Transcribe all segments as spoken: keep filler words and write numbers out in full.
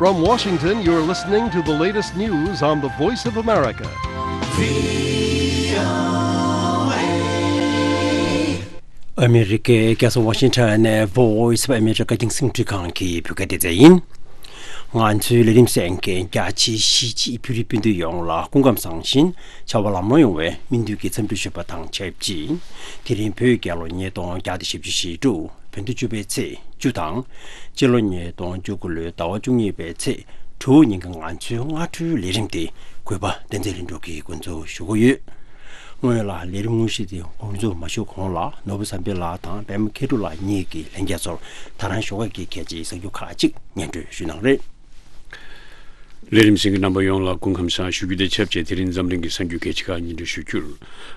From Washington, you're listening to the latest news on the Voice of America. ཨ་མི་རི་ཀའི་རྒྱལ་ས་ཝ་ཤིང་ཊོན་ནས་Voice of America རྒྱང་སྲིང་འཕྲིན་ཁང་གི་བོད་སྐད་སྡེ་ཚན་ཡིན། ང་ཚོའི་ལས་རིམ་གསན་མཁན་རྒྱ་ཆེའི་གཞིས་བྱེས་བོད་རིགས་སྤུན་ཟླ་ཡོངས་ལ་སྐུ་ཁམས་བཟང་ཞིང་བྱ་བ་ལམ་ལྷོང་ཡོང་བའི་སྨོན་འདུན་གྱི་འཚམས་འདྲི་ཞུ་བ་དང་ཆབས་ཅིག་དེ་རིང་བོད་རྒྱལ་ལོ་ཉིས་སྟོང་བརྒྱ་དང་བཞི་བཅུ་ཞེ་དྲུག་བོད་ཟླ་བཅུ་པའི་ཚེས་བཅུ་དང་། སྤྱི་ལོ་ཉིས་སྟོང་བཅུ་དགུ་ལོའི་ཟླ་བ་བཅུ་གཉིས་པའི་ཚེས་དྲུག་ཉིན་གྱི་ང་ཚོའི་སྔ་དྲོའི་ལས་རིམ་དེ་གུས་པ་བསྟན་འཛིན་ལྷུན་གྲུབ་ཀྱིས་འགོ་འཛུགས་ཞུ་གི་ཡོད། སྔོན་ལ་ལས་རིམ་དངོས་གཞི་དེ་འགོ་འཛུགས་མ་ཞུ་གོང་ལ་ནོར་བུ་བསམ་འཕེལ་ལགས་དང་པད་མ་མཁས་གྲུབ་ལགས་གཉིས་ཀྱིས་ལྷན་རྒྱས་ཚོར་ད་རང་ཞོགས་ཀས་ཀྱི་གལ་ཆེའི་གསར་འགྱུར་ཁག་ཅིག་སྙན་སྒྲོན་ཞུ་གནང་རེད། ལས་རིམ་གསན་མཁན་རྣམ་པ་ཡོངས་ལ་སྐུ་ཁམས་བཟང་ཞུ་རྒྱུ་དང་ཆབས་ཅིག་དེ་རིང་འཛམ་གླིང་གི་གསར་འགྱུར་གལ་ཆེ་ཁག་སྙན་སྒྲོན་ཞུ་རྒྱུར།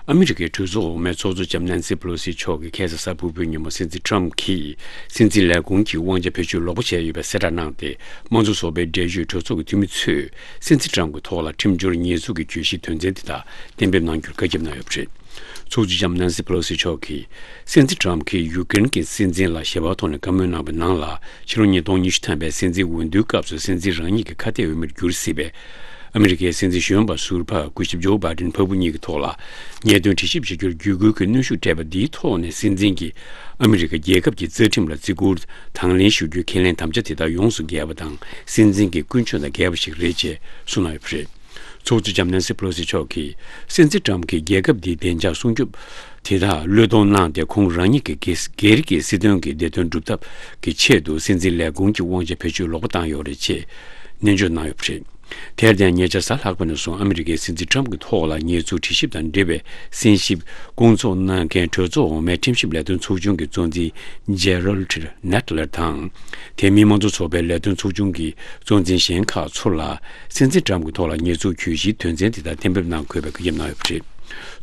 ཨ་མི་རི་ཀའི་གྲོས་ཚོགས་འོག་མའི་ཚོགས་གཙོ་ལྕམ་ནན་སི་ཕེ་ལོ་སི་མཆོག་གིས་ཁ་སང་གཟའ་ཕུར་བུའི་ཉིན་མོ་སྲིད་འཛིན་ཊམ་གྱིས་སྲིད་འཛིན་ལས་ཁུངས་ཀྱི་དབང་ཆ་བེད་སྤྱོད་ལོག་པ་བྱས་ཡོད་པའི་གསལ་བསྒྲགས་གནང་སྟེ། དམངས་གཙོ་ཚོགས་པའི་འབྲེལ་ཡོད་གྲོས་ཚོགས་ཀྱི་འཐུས་མི་ཚོས་སྲིད་འཛིན་ཊམ་གྱི་ཐོག་ལ་ཁྲིམས་སྦྱོར་ཉེས་འཛུགས་ཀྱི་གྱོད་གཞིའི་དོན་ཚན་དེ་དག་གཏན་འབེབས་གནང་རྒྱུར་བཀའ་ཁྱབ་གནང་ཡོད་པ་རེད། ཚོགས་གཙོ་ལྕམ་ནན་སི་ཕེ་ལོ་སི་མཆོག་གིས། སྲིད་འཛིན་ཊམ་གྱིས་ཡུཀ་རེན་གྱི་སྲིད་འཛིན་ལ་ཞི་བའི་ཐོག་ནས་བཀའ་མོལ་གནང་བའི་ནང་ལ། ཕྱི་ལོ་ཉིས་སྟོང་ཉི་ཤུ་ཐམ་པའི་སྲིད་འཛིན་འོས་བསྡུའི་སྐབས་སུ་སྲིད་འཛིན་རང་ཉིད་ཀྱི་ཁ་གཏད་འོས་མིར་གྱུར་སྲིད་པའི་ཨ་མི་རི་ཀའི་སྲིད་འཛིན་གཞོན་པ་ཟུར་པ་སྐུ་ཞབས་ཇོ་བྷའི་ཌེན་ཕ་བུ་གཉིས་ཀྱི་ཐོག་ལ་ཉེས་དོན་དྲི་ཞིབ་བྱ་རྒྱུར་བརྒྱུད་སྐུལ་གྱི་གནོན་ཤུགས་སྤྲད་པ་འདིའི་ཐོག་ནས་སྲིད་འཛིན་གྱིས་ཨ་མི་རི་ཀ་རྒྱལ་ཁབ་ཀྱི་རྩ་ཁྲིམས་ལ་བརྩི་བཀུར་དང་ལེན་ཞུ་རྒྱུའི་ཁས་ལེན་དམ་བཅའ་དེ་དག་ཡོངས་སུ་འགལ་བ་དང་སྲིད་འཛིན་གྱི་ཀུན་སྤྱོད་དང་འགལ་བ་ཞིག་རེད་ཅེས་གསུངས་གནང་ཡོད་པ་རེད། ཚོགས་གཙོ་ལྕམ་ནན་སི་ཕེ་ལོ་སི་མཆོག་གིས་སྲིད་འཛིན་ཊམ་གྱིས་རྒྱལ་ཁབ་འདིའི་བདེ་འཇགས་སྲུང་སྐྱོབ་དེ་དག་བློས་གཏོང་གནང་སྟེ། ཁོང་རང་ཉིད་ཀྱི་སྒེར་སྒེར་གྱི་སྲིད་དོན་གྱི་བདེ་དོན་སྒྲུབ་ཐབས་ཀྱི་ཆེད་དུ་སྲིད་འཛིན་ལས་ཁུངས་ཀྱི་དབང་ཆ་བེད་སྤྱོད་ལོག་པ་བཏང་ཡོད་རེད་ཅེས་ནན་བརྗོད་གནང་ཡོད་པ་རེད། དེར་བརྟེན་ཉེ་ཆར་གཟའ་ལྷག་པ་ནས་བཟུང་ཨ་མི་རི་ཀའི་སྲིད་འཛིན་ཊམ་གྱི་ཐོག་ལ་ཉེས་འཛུགས་དྲི་ཞིབ་དང་འབྲེལ་བའི་གསན་ཞིབ་སྐོང་ཚོགས་གནང་མཁན་གྲོས་ཚོགས་འོག་མའི་ཁྲིམས་ཞིབ་ལས་དོན་ཚོགས་ཆུང་གི་གཙོ་འཛིན་ཇེ་རལ་ཌི་ནེ་ཊི་ལར་དང་། དེ་མིན་དམངས་གཙོ་ཚོགས་པའི་ལས་དོན་ཚོགས་ཆུང་གི་གཙོ་འཛིན་གཞན་ཁག་ཚོ་ལ་སྲིད་འཛིན་ཊམ་གྱི་ཐོག་ལ་ཉེས་འཛུགས་གྱོད་གཞིའི་དོན་ཚན་དེ་དག་གཏན་འབེབས་གནང་དགོས་པའི་བཀའ་ཁྱབ་གནང་ཡོད་པ་རེད།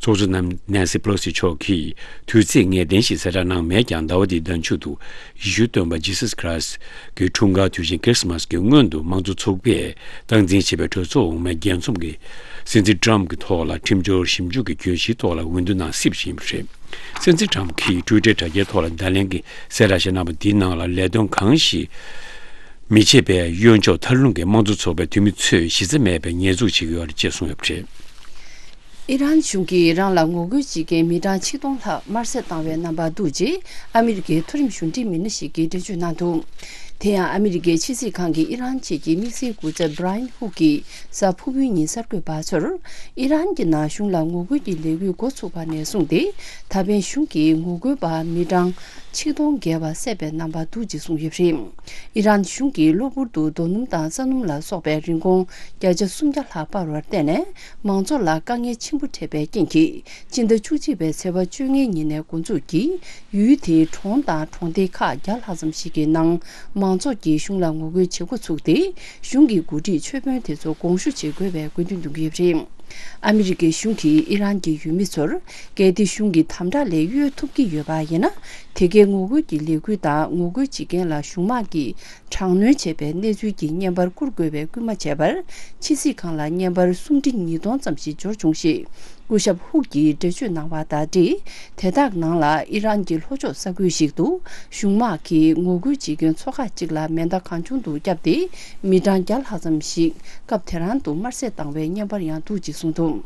ཚོགས་གཙོ་ནན་སི་པེ་ལོ་སི་མཆོག་གིས་དུས་ཚིགས་ངེས་གཏན་ཞིག་གསལ་བསྒྲགས་གནང་མེད་ཀྱང་། ཟླ་བ་འདིའི་ཟླ་མཇུག་ཏུ་ཡེ་ཤུའི་སྟོན་པ་ཇི་སཱས་ཁྲི་སི་ཊི་གི་འཁྲུངས་སྐར་དུས་ཆེན་ཁི་རི་སི་མཱས་ཀྱི་སྔོན་དུ་དམངས་གཙོ་ཚོགས་པས་སྟངས་འཛིན་བྱེད་པའི་གྲོས་ཚོགས་འོག་མའི་རྒྱལ་འཛོམས་ཀྱིས་སྲིད་འཛིན་ཊམ་གྱི་ཐོག་ལ་ཁྲིམས་སྦྱོར་ཞིབ་འཇུག་གི་གྱོད་གཞིའི་ཐོག་ལ་འོས་བསྡུ་གནང་སྲིད་པ་ཞིག་ཡིན་པ་རེད། སྲིད་འཛིན་ཊམ་གྱིས་ཊུའི་ཊར་དྲ་རྒྱའི་ཐོག་ལ་བརྡ་ལན་གྱི་གསལ་བསྒྲགས་ཤིག་གནང་བ་འདིའི་ནང་ལ། ལས་དོན་གང་ཞིག་མི་བྱེད་པའི་གཡོ་འཇོག་མཐའ་ལྷུང་གིས་དམངས་གཙོ་ཚོགས་པའི་འཐུས་མི་ཚོས་གཞི་རྩ་མེད་པའི་ཉེས་འཛུགས་བྱེད་ཀྱི་ཡོད་རེད་ཅེས་གསུངས་ཡོད་པ་རེད། ཨི་རན་གཞུང་གིས་ཨི་རན་ལ་ངོ་རྒོལ་བྱེད་མཁན་མི་གྲངས་ཆིག་སྟོང་ལྷག་དམར་གསོད་བཏང་བའི་རྣམ་པ་འདུག་ཅེས་ཨ་མི་རི་ཀའི་མཐོ་རིམ་གཞུང་འབྲེལ་མི་སྣ་ཞིག་གིས་འགྲེལ་བརྗོད་གནང་འདུག་དེ་ཡང་ཨ་མི་རི་ཀའི་ཕྱི་སྲིད་ཁང་གི་ཨི་རན་ཆེད་ཀྱི་དམིགས་བསལ་སྐུ་ཚབ་བྷི་ར་ཡན་ཧུག་གིས་གཟའ་ཕུར་བུའི་ཉིན་གསར་འགོད་པ་ཚོར། ཨི་རན་གྱི་ནང་གཞུང་ལ་ངོ་རྒོལ་གྱི་ལས་འགུལ་འགོ་ཚུགས་པ་ནས་བཟུང་སྟེ། ད་ཕན་གཞུང་གིས་ངོ་རྒོལ་པ་མི་གྲངས་ཆིག་སྟོང་བརྒལ་བ་བསད་པའི་རྣམ་པ་འདུག་ཅེས་གསུངས་ཡོད་པ་རེད། ཨི་རན་གཞུང་གིས་གློ་བུར་དུ་རྡོ་སྣུམ་དང་ས་སྣུམ་ལ་སོགས་པའི་རིན་གོང་བརྒྱ་ཆ་སུམ་བརྒྱ་ལྷག་སྤར་བར་བརྟེན་ནས། མང་ཚོགས་ལ་དཀའ་ངལ་ཆེན་པོ་འཕྲད་པའི་རྐྱེན་གྱིས། སྤྱི་ཟླ་བཅུ་གཅིག་པའི་ཚེས་པ་བཅོ་ལྔའི་ཉིན་ནས་འགོ་འཛུགས་ཀྱིས། ཡུལ་དེའི་གྲོང་དང་གྲོང་སྡེ་ཁག་བརྒྱ་ལྷག་ཙམ་ཞིག་གི་ནང་། མང་ཚོགས་ཀྱིས་གཞུང་ལ་ངོ་རྒོལ་བྱེད་འགོ་ཚུགས་ཏེ། གཞུང་གི་འགོ་ཁྲིད་ཆོས་དཔོན་དེ་ཚོ་དགོངས་ཞུ་བྱེད་དགོས་པའི་དགོས་འདུན་འདོན་གྱི་ཡོད་པ་རེད། ཨ་མི་རི་ཀའི་གཞུང་གིས་ཨི་རན་གྱི་ཡུལ་མི་ཚོར། གལ་ཏེ་གཞུང་གིས་དམ་དྲག་ལས་གཡོལ་ཐུབ་ཀྱི་ཡོད་པ་ཡིན་ན། དེ་གའི་ངོ་རྒོལ་གྱི་ལས་འགུལ་དང་ངོ་རྒོལ་བྱེད་མཁན་ལ་གཞུང་དམག་གིས་དྲག་གནོན་བྱས་པའི་གནས་ཚུལ་གྱི་བརྙན་པར་བསྐུར་དགོས་པའི་སྐུལ་མ་བྱས་པར། ཕྱི་སྲིད་ཁང་ལ་བརྙན་པར་སུམ་ཁྲི་ཉིས་སྟོང་ཙམ་ཞིག་འབྱོར་བྱུང་ཞེས། སྐུ་ཞབས་ཧུག་གིས་འགྲེལ་བརྗོད་གནང་བ་དང་འབྲེལ། དེ་དག་ནང་ལ་ཨི་རན་གྱི་ལྷོ་ཕྱོགས་ས་ཁུལ་ཞིག་ཏུ། གཞུང་དམག་གིས་ངོ་རྒོལ་བྱེད་མཁན་ཚོ་ཁག་ཅིག་ལ་མེ་མདའ་གང་བྱུང་དུ་བརྒྱབ་སྟེ། མི་གྲངས་བརྒྱ་ལྷག་ཙམ་ཞིག་སྐབས་དེ་རང་དུ་དམར་གསོད་བཏང་བའི་བརྙན་པར་ཡང་འདུག་ཅེས་གསུངས་འདུག་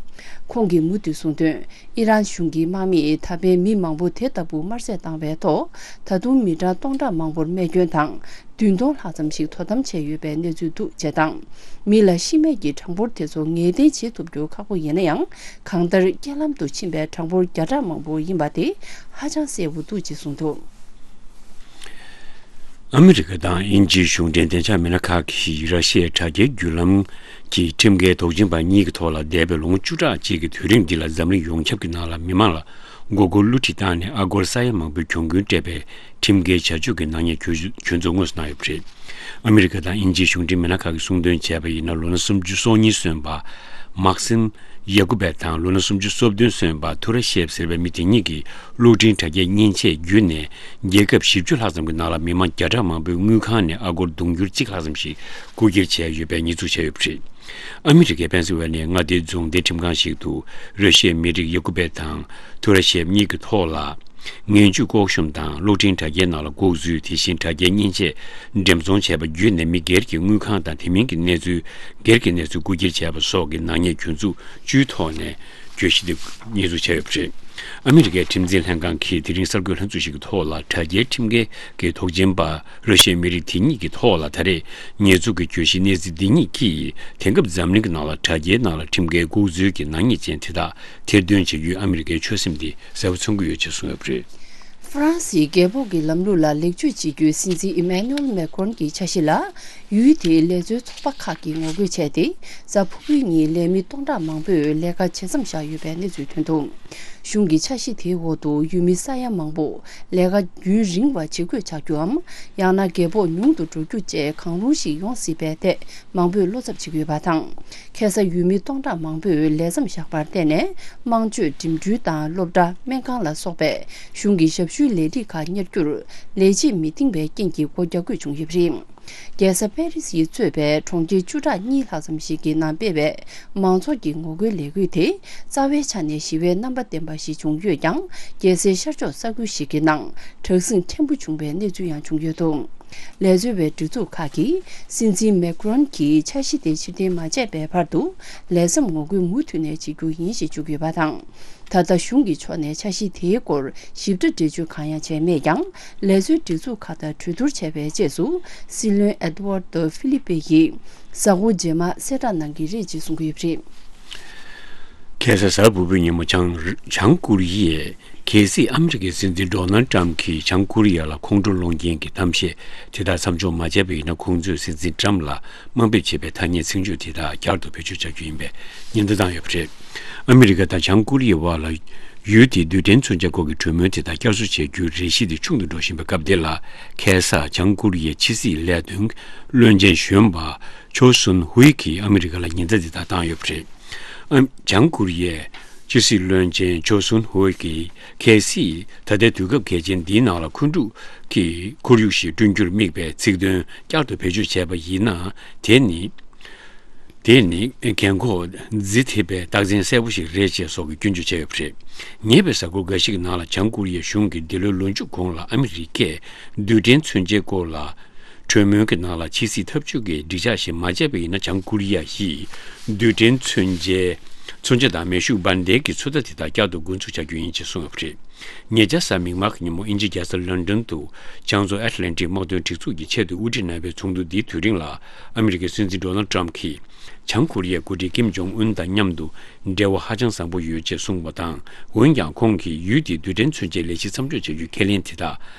ཁོང་གིས་མུ་མཐུད་གསུངས་དོན། ཨི་རན་གཞུང་གི་དམག་མིས་ད་ཕན་མི་མང་པོ་དེ་ལྟ་བུ་དམར་གསོད་བཏང་བའི་ཐོག་ད་དུང་མི་གྲངས་སྟོང་ཕྲག་མང་པོར་རྨས་སྐྱོན་དང་། བདུན་སྟོང་ལྷག་ཙམ་ཞིག་དོ་དམ་བྱས་ཡོད་པའི་གནས་ཚུལ་འདུག་ཅེས་དང་། མི་ལ་ཤི་རྨས་ཀྱི་གྲངས་འབོར་དེ་ཚོ་ངེས་གཏན་བྱེད་ཐུབ་རྒྱུ་ཁག་པོ་ཡིན་ན་ཡང་། གང་ལྟར་རྐྱེན་ལམ་དུ་ཕྱིན་པའི་གྲངས་འབོར་བརྒྱ་ཕྲག་མང་པོ་ཡིན་པ་དེ་ཧ་ཅང་གསལ་པོ་འདུག་ཅེས་གསུངས་འདུག་ཨ་མི་རི་ཀ་དང་དབྱིན་ཇིའི་གཞུང་འབྲེལ་བདེ་འཇགས་མི་སྣ་ཁག་གིས་ར་ཤི་ཡའི་དྲ་རྒྱའི་བརྒྱུད་ལམ་གྱི་ཁྲིམས་འགལ་དོགས་ཅན་པ་གཉིས་ཀྱི་ཐོག་ལ་འདས་པའི་ལོ་ངོ་བཅུ་ཕྲག་གཅིག་གི་དུས་རིང་འདི་ལ་འཛམ་གླིང་ཡོངས་ཁྱབ་ཀྱི་ནང་ལ་མི་མང་ལ་མགོ་སྐོར་བསླུ་བྲིད་བཏང་ནས་ཨ་སྒོར་ས་ཡ་མང་པོའི་གྱོང་གུན་སྤྲད་པའི་ཁྲིམས་འགལ་བྱ་སྤྱོད་ཀྱི་ནག་ཉེས་གྱོད་གྱོད་འཛུགས་དངོས་སུ་གནང་ཡོད་པ་རེད། ཨ་མི་རི་ཀ་དང་དབྱིན་ཇིའི་གཞུང་འབྲེལ་མི་སྣ་ཁག་གིས་གསུངས་དོན་བྱས་པ་ཡིན་ན། ལོ་ན་སུམ་ཅུ་སོ་གཉིས་སོན་པ་མག་སིམ་ཡ་ཀུ་བེ་དང་ལོ་ན་སུམ་ཅུ་སོ་བདུན་སོན་པ་ཐུ་ར་ཤེབ་ཟེར་བའི་མི་དེ་གཉིས་ཀྱིས་གློག་འཕྲིན་དྲ་རྒྱའི་མཉེན་ཆས་བརྒྱུད་ནས་རྒྱལ་ཁབ་བཞི་བཅུ་ལྷག་ཙམ་གྱི་ནང་ལ་མི་མང་བརྒྱ་ཕྲག་མང་པོའི་དངུལ་ཁང་ནས་ཨ་སྒོར་དུང་ཕྱུར་གཅིག་ལྷག་ཙམ་ཞིག་རྐུ་འཁྱེར་བྱས་ཡོད་པའི་ཉེས་འཛུགས་བྱས་ཡོད་པ་རེད། ཨ་མི་རི་ཀའི་པེན་སིལ་ཝེ་ནི་ཡའི་མངའ་སྡེའི་རྫོང་སྡེ་ཁྲིམས་ཁང་ཞིག་ཏུ་ར་ཤི་ཡའི་མི་རིགས་ཡ་ཀུ་བེ་དང་ཐུ་ར་ཤེབ་གཉིས་ཀྱི་ཐོག་ལ། ངན་ཇུས་ལྐོག་ཤུམ་དང་གློག་འཕྲིན་དྲ་རྒྱའི་ནང་ལ་འགོག་འཛུལ། དེ་བཞིན་དྲ་རྒྱའི་མཉེན་ཆས་འགྲེམས་ཚོང་བྱས་པ་བརྒྱུད་ནས་མི་སྒེར་གྱི་དངུལ་ཁང་དང་དེ་མིན་གྱི་གནས་ཚུལ་སྒེར་གྱི་གནས་ཚུལ་རྐུ་འཁྱེར་བྱས་པ་སོགས་ཀྱི་ནག་ཉེས་གྱོད་འཛུགས་བཅུའི་ཐོག་ནས་གྱོད་གཞི་དེ་ཉེས་འཛུགས་བྱས་ཡོད་པ་རེད། ཨ་མི་རི་ཀའི་ཁྲིམས་འཛིན་ལྷན་ཁང་གིས་དེ་རིང་གསར་འགོད་ལྷན་ཚོགས་ཤིག་གི་ཐོག་ལ་དྲ་རྒྱའི་ཁྲིམས་འགལ་གྱི་དོགས་ཅན་པ་ར་ཤི་ཡའི་མི་རིགས་དེ་ཉིད་ཀྱི་ཐོག་ལ་ད་རེས་ཉེས་འཛུགས་ཀྱི་གྱོད་གཞི་གནས་ཚུལ་འདི་ཉིད་ཀྱིས་དེང་སྐབས་འཛམ་གླིང་གི་ནང་ལ་དྲ་རྒྱའི་ནང་ལ་ཁྲིམས་འགལ་ལྐོག་འཛུལ་གྱི་ནག་ཉེས་ཅན་དེ་དག་ཐེར་འདོན་བྱ་རྒྱུའི་ཨ་མི་རི་ཀའི་ཆོད་སེམས་དེ་གསལ་པོ་མཚོན་གྱི་ཡོད་ཅེས་གསུངས་ཡོད་པ་རེད། ཧྥ་རན་སིའི་རྒྱལ་ཕོགས་ཀྱི་ལམ་ལུགས་ལ་ལེགས་བཅོས་བྱེད་རྒྱུའི་སྲིད་འཛིན་ཨི་མེ་ནུ་ཨེལ་མེ་ཀོན་གྱི་འཆར་གཞི་ལ། ཡུལ་དེའི་ལས་བཟོའི་ཚོགས་པ་ཁག་གིས་ངོ་རྒོལ་བྱས་ཏེ། གཟའ་ཕུར་བུའི་ཉིན་ལས་མི་སྟོང་ཕྲག་མང་པོས་ལས་ཀ་བྱེད་མཚམས་བཞག་ཡོད་པའི་གནས་ཚུལ་ཐོན་འདུག་གཞུང་གི་འཆར་གཞི་དེའི་འོག་ཏུ་ཡུལ་མི་ས་ཡ་མང་པོ་ལས་ཀ་རྒྱུན་རིང་བ་བྱེད་དགོས་ཆགས་རྒྱུའམ། ཡང་ན་རྒྱལ་ཕོགས་ཉུང་དུ་འགྲོ་རྒྱུ་བཅས་གང་རུང་ཞིག་ཡོང་སྲིད་པའི་ཐད་མང་པོས་བློ་འཚབ་བྱེད་ཀྱི་ཡོད་པ་དང་། ཁ་སང་ཡུལ་མི་སྟོང་ཕྲག་མང་པོས་ལས་མཚམས་བཞག་པར་བརྟེན་ནས། དམངས་སྤྱོད་འགྲིམ་འགྲུལ་དང་སློབ་གྲྭ། སྨན་ཁང་ལ་སོགས་པའི་གཞུང་གི་ཞབས་ཞུའི་ལས་རིགས་ཁག་གཉེར་རྒྱུར་ལས་བྱེད་མི་འདིང་བའི་རྐྱེན་གྱིས་སྒོ་རྒྱག་དགོས་བྱུང་ཡོད་པ་རེད། རྒྱལ་ས་པེ་རི་སིས་གཙོས་པའི་གྲོང་ཁྱེར་བཅུ་ཕྲག་གཉིས་ལྷག་ཙམ་ཞིག་གི་ནང་སྤེལ་བའི་མང་ཚོགས་ཀྱི་ངོ་རྒོལ་ལས་འགུལ་དེ་རྩ་བའི་ཆ་ནས་ཞི་བའི་རྣམ་པ་ལྡན་པ་ཞིག་བྱུང་ཡོད་ཀྱང་། རྒྱལ་སའི་ཤར་ཕྱོགས་ས་ཁུལ་ཞིག་གི་ནང་དྲག་ཟིང་ཕྲན་བུ་བྱུང་བའི་གནས་ཚུལ་ཡང་བྱུང་ཡོད་འདུག་ལས་བཟོ་བའི་སྒྲིག་འཛུགས་ཁག་གིས་སྲིད་འཛིན་མེ་ཀྲོན་གྱི་འཆར་གཞི་དེ་ཕྱིར་འཐེན་མ་བྱས་པའི་བར་དུ་ལས་མཚམས་ངོ་རྒོལ་མུ་མཐུད་ནས་བྱེད་རྒྱུ་ཡིན་ཞེས་བརྗོད་ཀྱི་ཡོད་པ་དང་། ད་ལྟ་གཞུང་གི་ཕྱོགས་ནས་འཆར་གཞི་དེའི་སྐོར་ཞིབ་ཕྲ་འགྲེལ་བརྗོད་གང་ཡང་བྱས་མེད་ཀྱང་། ལས་བཟོའི་སྒྲིག་འཛུགས་ཁག་དང་གྲོས་བསྡུར་བྱས་པའི་རྗེས་སུ་སྲིད་བློན་ཨེ་ཏུ་ཝར་ཏོ་ཧྥི་ལི་པེ་ཡིས་གཟའ་འཁོར་རྗེས་མ་གསལ་བསྒྲགས་གནང་གི་རེད་ཅེས་གསུང་གི་ཡོད་པ་རེད། ཁ་སང་གཟའ་ཕུར་བུའི་ཉིན་མོ་བྱང་བྱང་ཀོ་རི་ཡས། གལ་སྲིད་ཨ་མི་རི་ཀའི་སྲིད་འཛིན་ཌོ་ནལ་ཏྲམ་གྱིས་བྱང་ཀོ་རི་ཡ་ལ་ཁོང་ཁྲོ་སློང་མཁན་གྱི་གཏམ་བཤད་དེ་དག་མཚམས་འཇོག་མ་བྱས་པ་ཡིན་ན། ཁོང་ཚོས་སྲིད་འཛིན་ཏྲམ་ལ་དམའ་འབེབས་བྱེད་པའི་ཐ་སྙད་ཚིག་བརྗོད་དེ་དག་བསྐྱར་དུ་བེད་སྤྱོད་བྱ་རྒྱུ་ཡིན་པའི་ཉེན་བརྡ་བཏང་ཡོད་པ་རེད། ཨ་མི་རི་ཀ་དང་བྱང་ཀོ་རི་ཡའི་བར་ལ་ཡུལ་དེའི་རྡུལ་ཕྲན་མཚོན་ཆ་སྐོར་གྱི་གྲོས་མོལ་དེ་དག་བསྐྱར་གསོ་བྱེད་རྒྱུའི་རེ་ཞིག་དེ་ཆུང་དུ་འགྲོ་བཞིན་པའི་སྐབས་འདི་ལ། ཁ་སང་བྱང་ཀོ་རི་ཡའི་ཕྱི་སྲིད་ལས་དོན་བློན་ཆེན་གཞོན་པ་ཆོ་སུན་ཧུའེ་གིས་ཨ་མི་རི་ཀ་ལ་ཉེན་བརྡ་དེ་དག་བཏང་ཡོད་པ་རེད། ཨ། བྱང་ཀོ་རི་ཡའི་ཕྱི་སྲིད་བློན་ཆེན་ཆོ་སུན་ཧུའེ་གིས། གལ་སྲིད་ད་ལྟའི་དུས་སྐབས་གལ་ཆེན་འདིའི་ནང་ལ་འཁོན་འཁྲུག་གི་ཁོར་ཡུག་ཞིག་བསྐྲུན་རྒྱུར་དམིགས་པའི་ཚིག་དོན་བསྐྱར་དུ་བེད་སྤྱོད་བྱས་པ་ཡིན་ན། དེ་ནི། དེ་ནི་རྒན་འཁོགས་རྫི་ཐེབས་པའི་རྟགས་མཚན་གསལ་པོ་ཞིག་རེད་ཅེས་སོགས་ཀྱི་སྐྱོན་བརྗོད་བྱས་ཡོད་པ་རེད། ཉེ་བའི་གཟའ་འཁོར་འགའ་ཞིག་གི་ནང་ལ་བྱང་ཀོ་རི་ཡའི་གཞུང་གིས་འདི་ལོའི་ལོ་མཇུག་གོང་ལ་ཨ་མི་རི་ཀས་རྡུལ་ཕྲན་མཚོན་ཆའི་སྐོར་ལ། གྲོས་མོལ་གྱི་ནང་ལ་ཕྱི་སྲིད་འཐབ་ཇུས་ཀྱི་སྒྲིག་འཇགས་ཤིག་མ་བྱས་པ་ཡིན་ན། བྱང་ཀོ་རི་ཡ་ཡིས་རྡུལ་ཕྲན་མཚོན་ཆའི་མཚོན་ཆ་དང་མེ་ཤུགས་འབར་མདེལ་གྱི་ཚོད་ལྟ་དེ་དག་བསྐྱར་དུ་འགོ་འཛུགས་བྱ་རྒྱུ་ཡིན་ཅེས་གསུངས་ཡོད་པ་རེད། ཉེ་ཆར་གཟའ་མིག་དམར་གྱི་ཉིན་མོ་དབྱིན་ཇིའི་རྒྱལ་ས་ལོན་ཌོན་དུ་བྱང་མཚོ་ཨེཊ་ལན་ཊིག་དམག་དོན་སྒྲིག་འཛུགས་ཀྱི་ཆེད་དུ་དབུ་ཁྲིད་རྣམ་པའི་ཚོགས་འདུ་འདིའི་དུས་རིང་ལ། ཨ་མི་རི་ཀའི་སྲིད་འཛིན་ཌོ་ནལ་ཏྲམ་གྱིས་བྱང་ཀོ་རི་ཡའི་འགོ་ཁྲིད་ཀིམ་ཇོང་ཨུན་དང་མཉམ་དུ་འབྲེལ་བ་ཧ་ཅང་བཟང་པོ་ཡོད་ཅེས་གསུངས་པ་དང་། འོན་ཀྱང་ཁོང་གིས་ཡུལ་དེའི་རྡུལ་ཕྲན་མཚོན་ཆའི་ལས་གཞི་མཚམས་འཇོག་བྱ་རྒྱུའི་ཁས་ལེན་དེ་དག་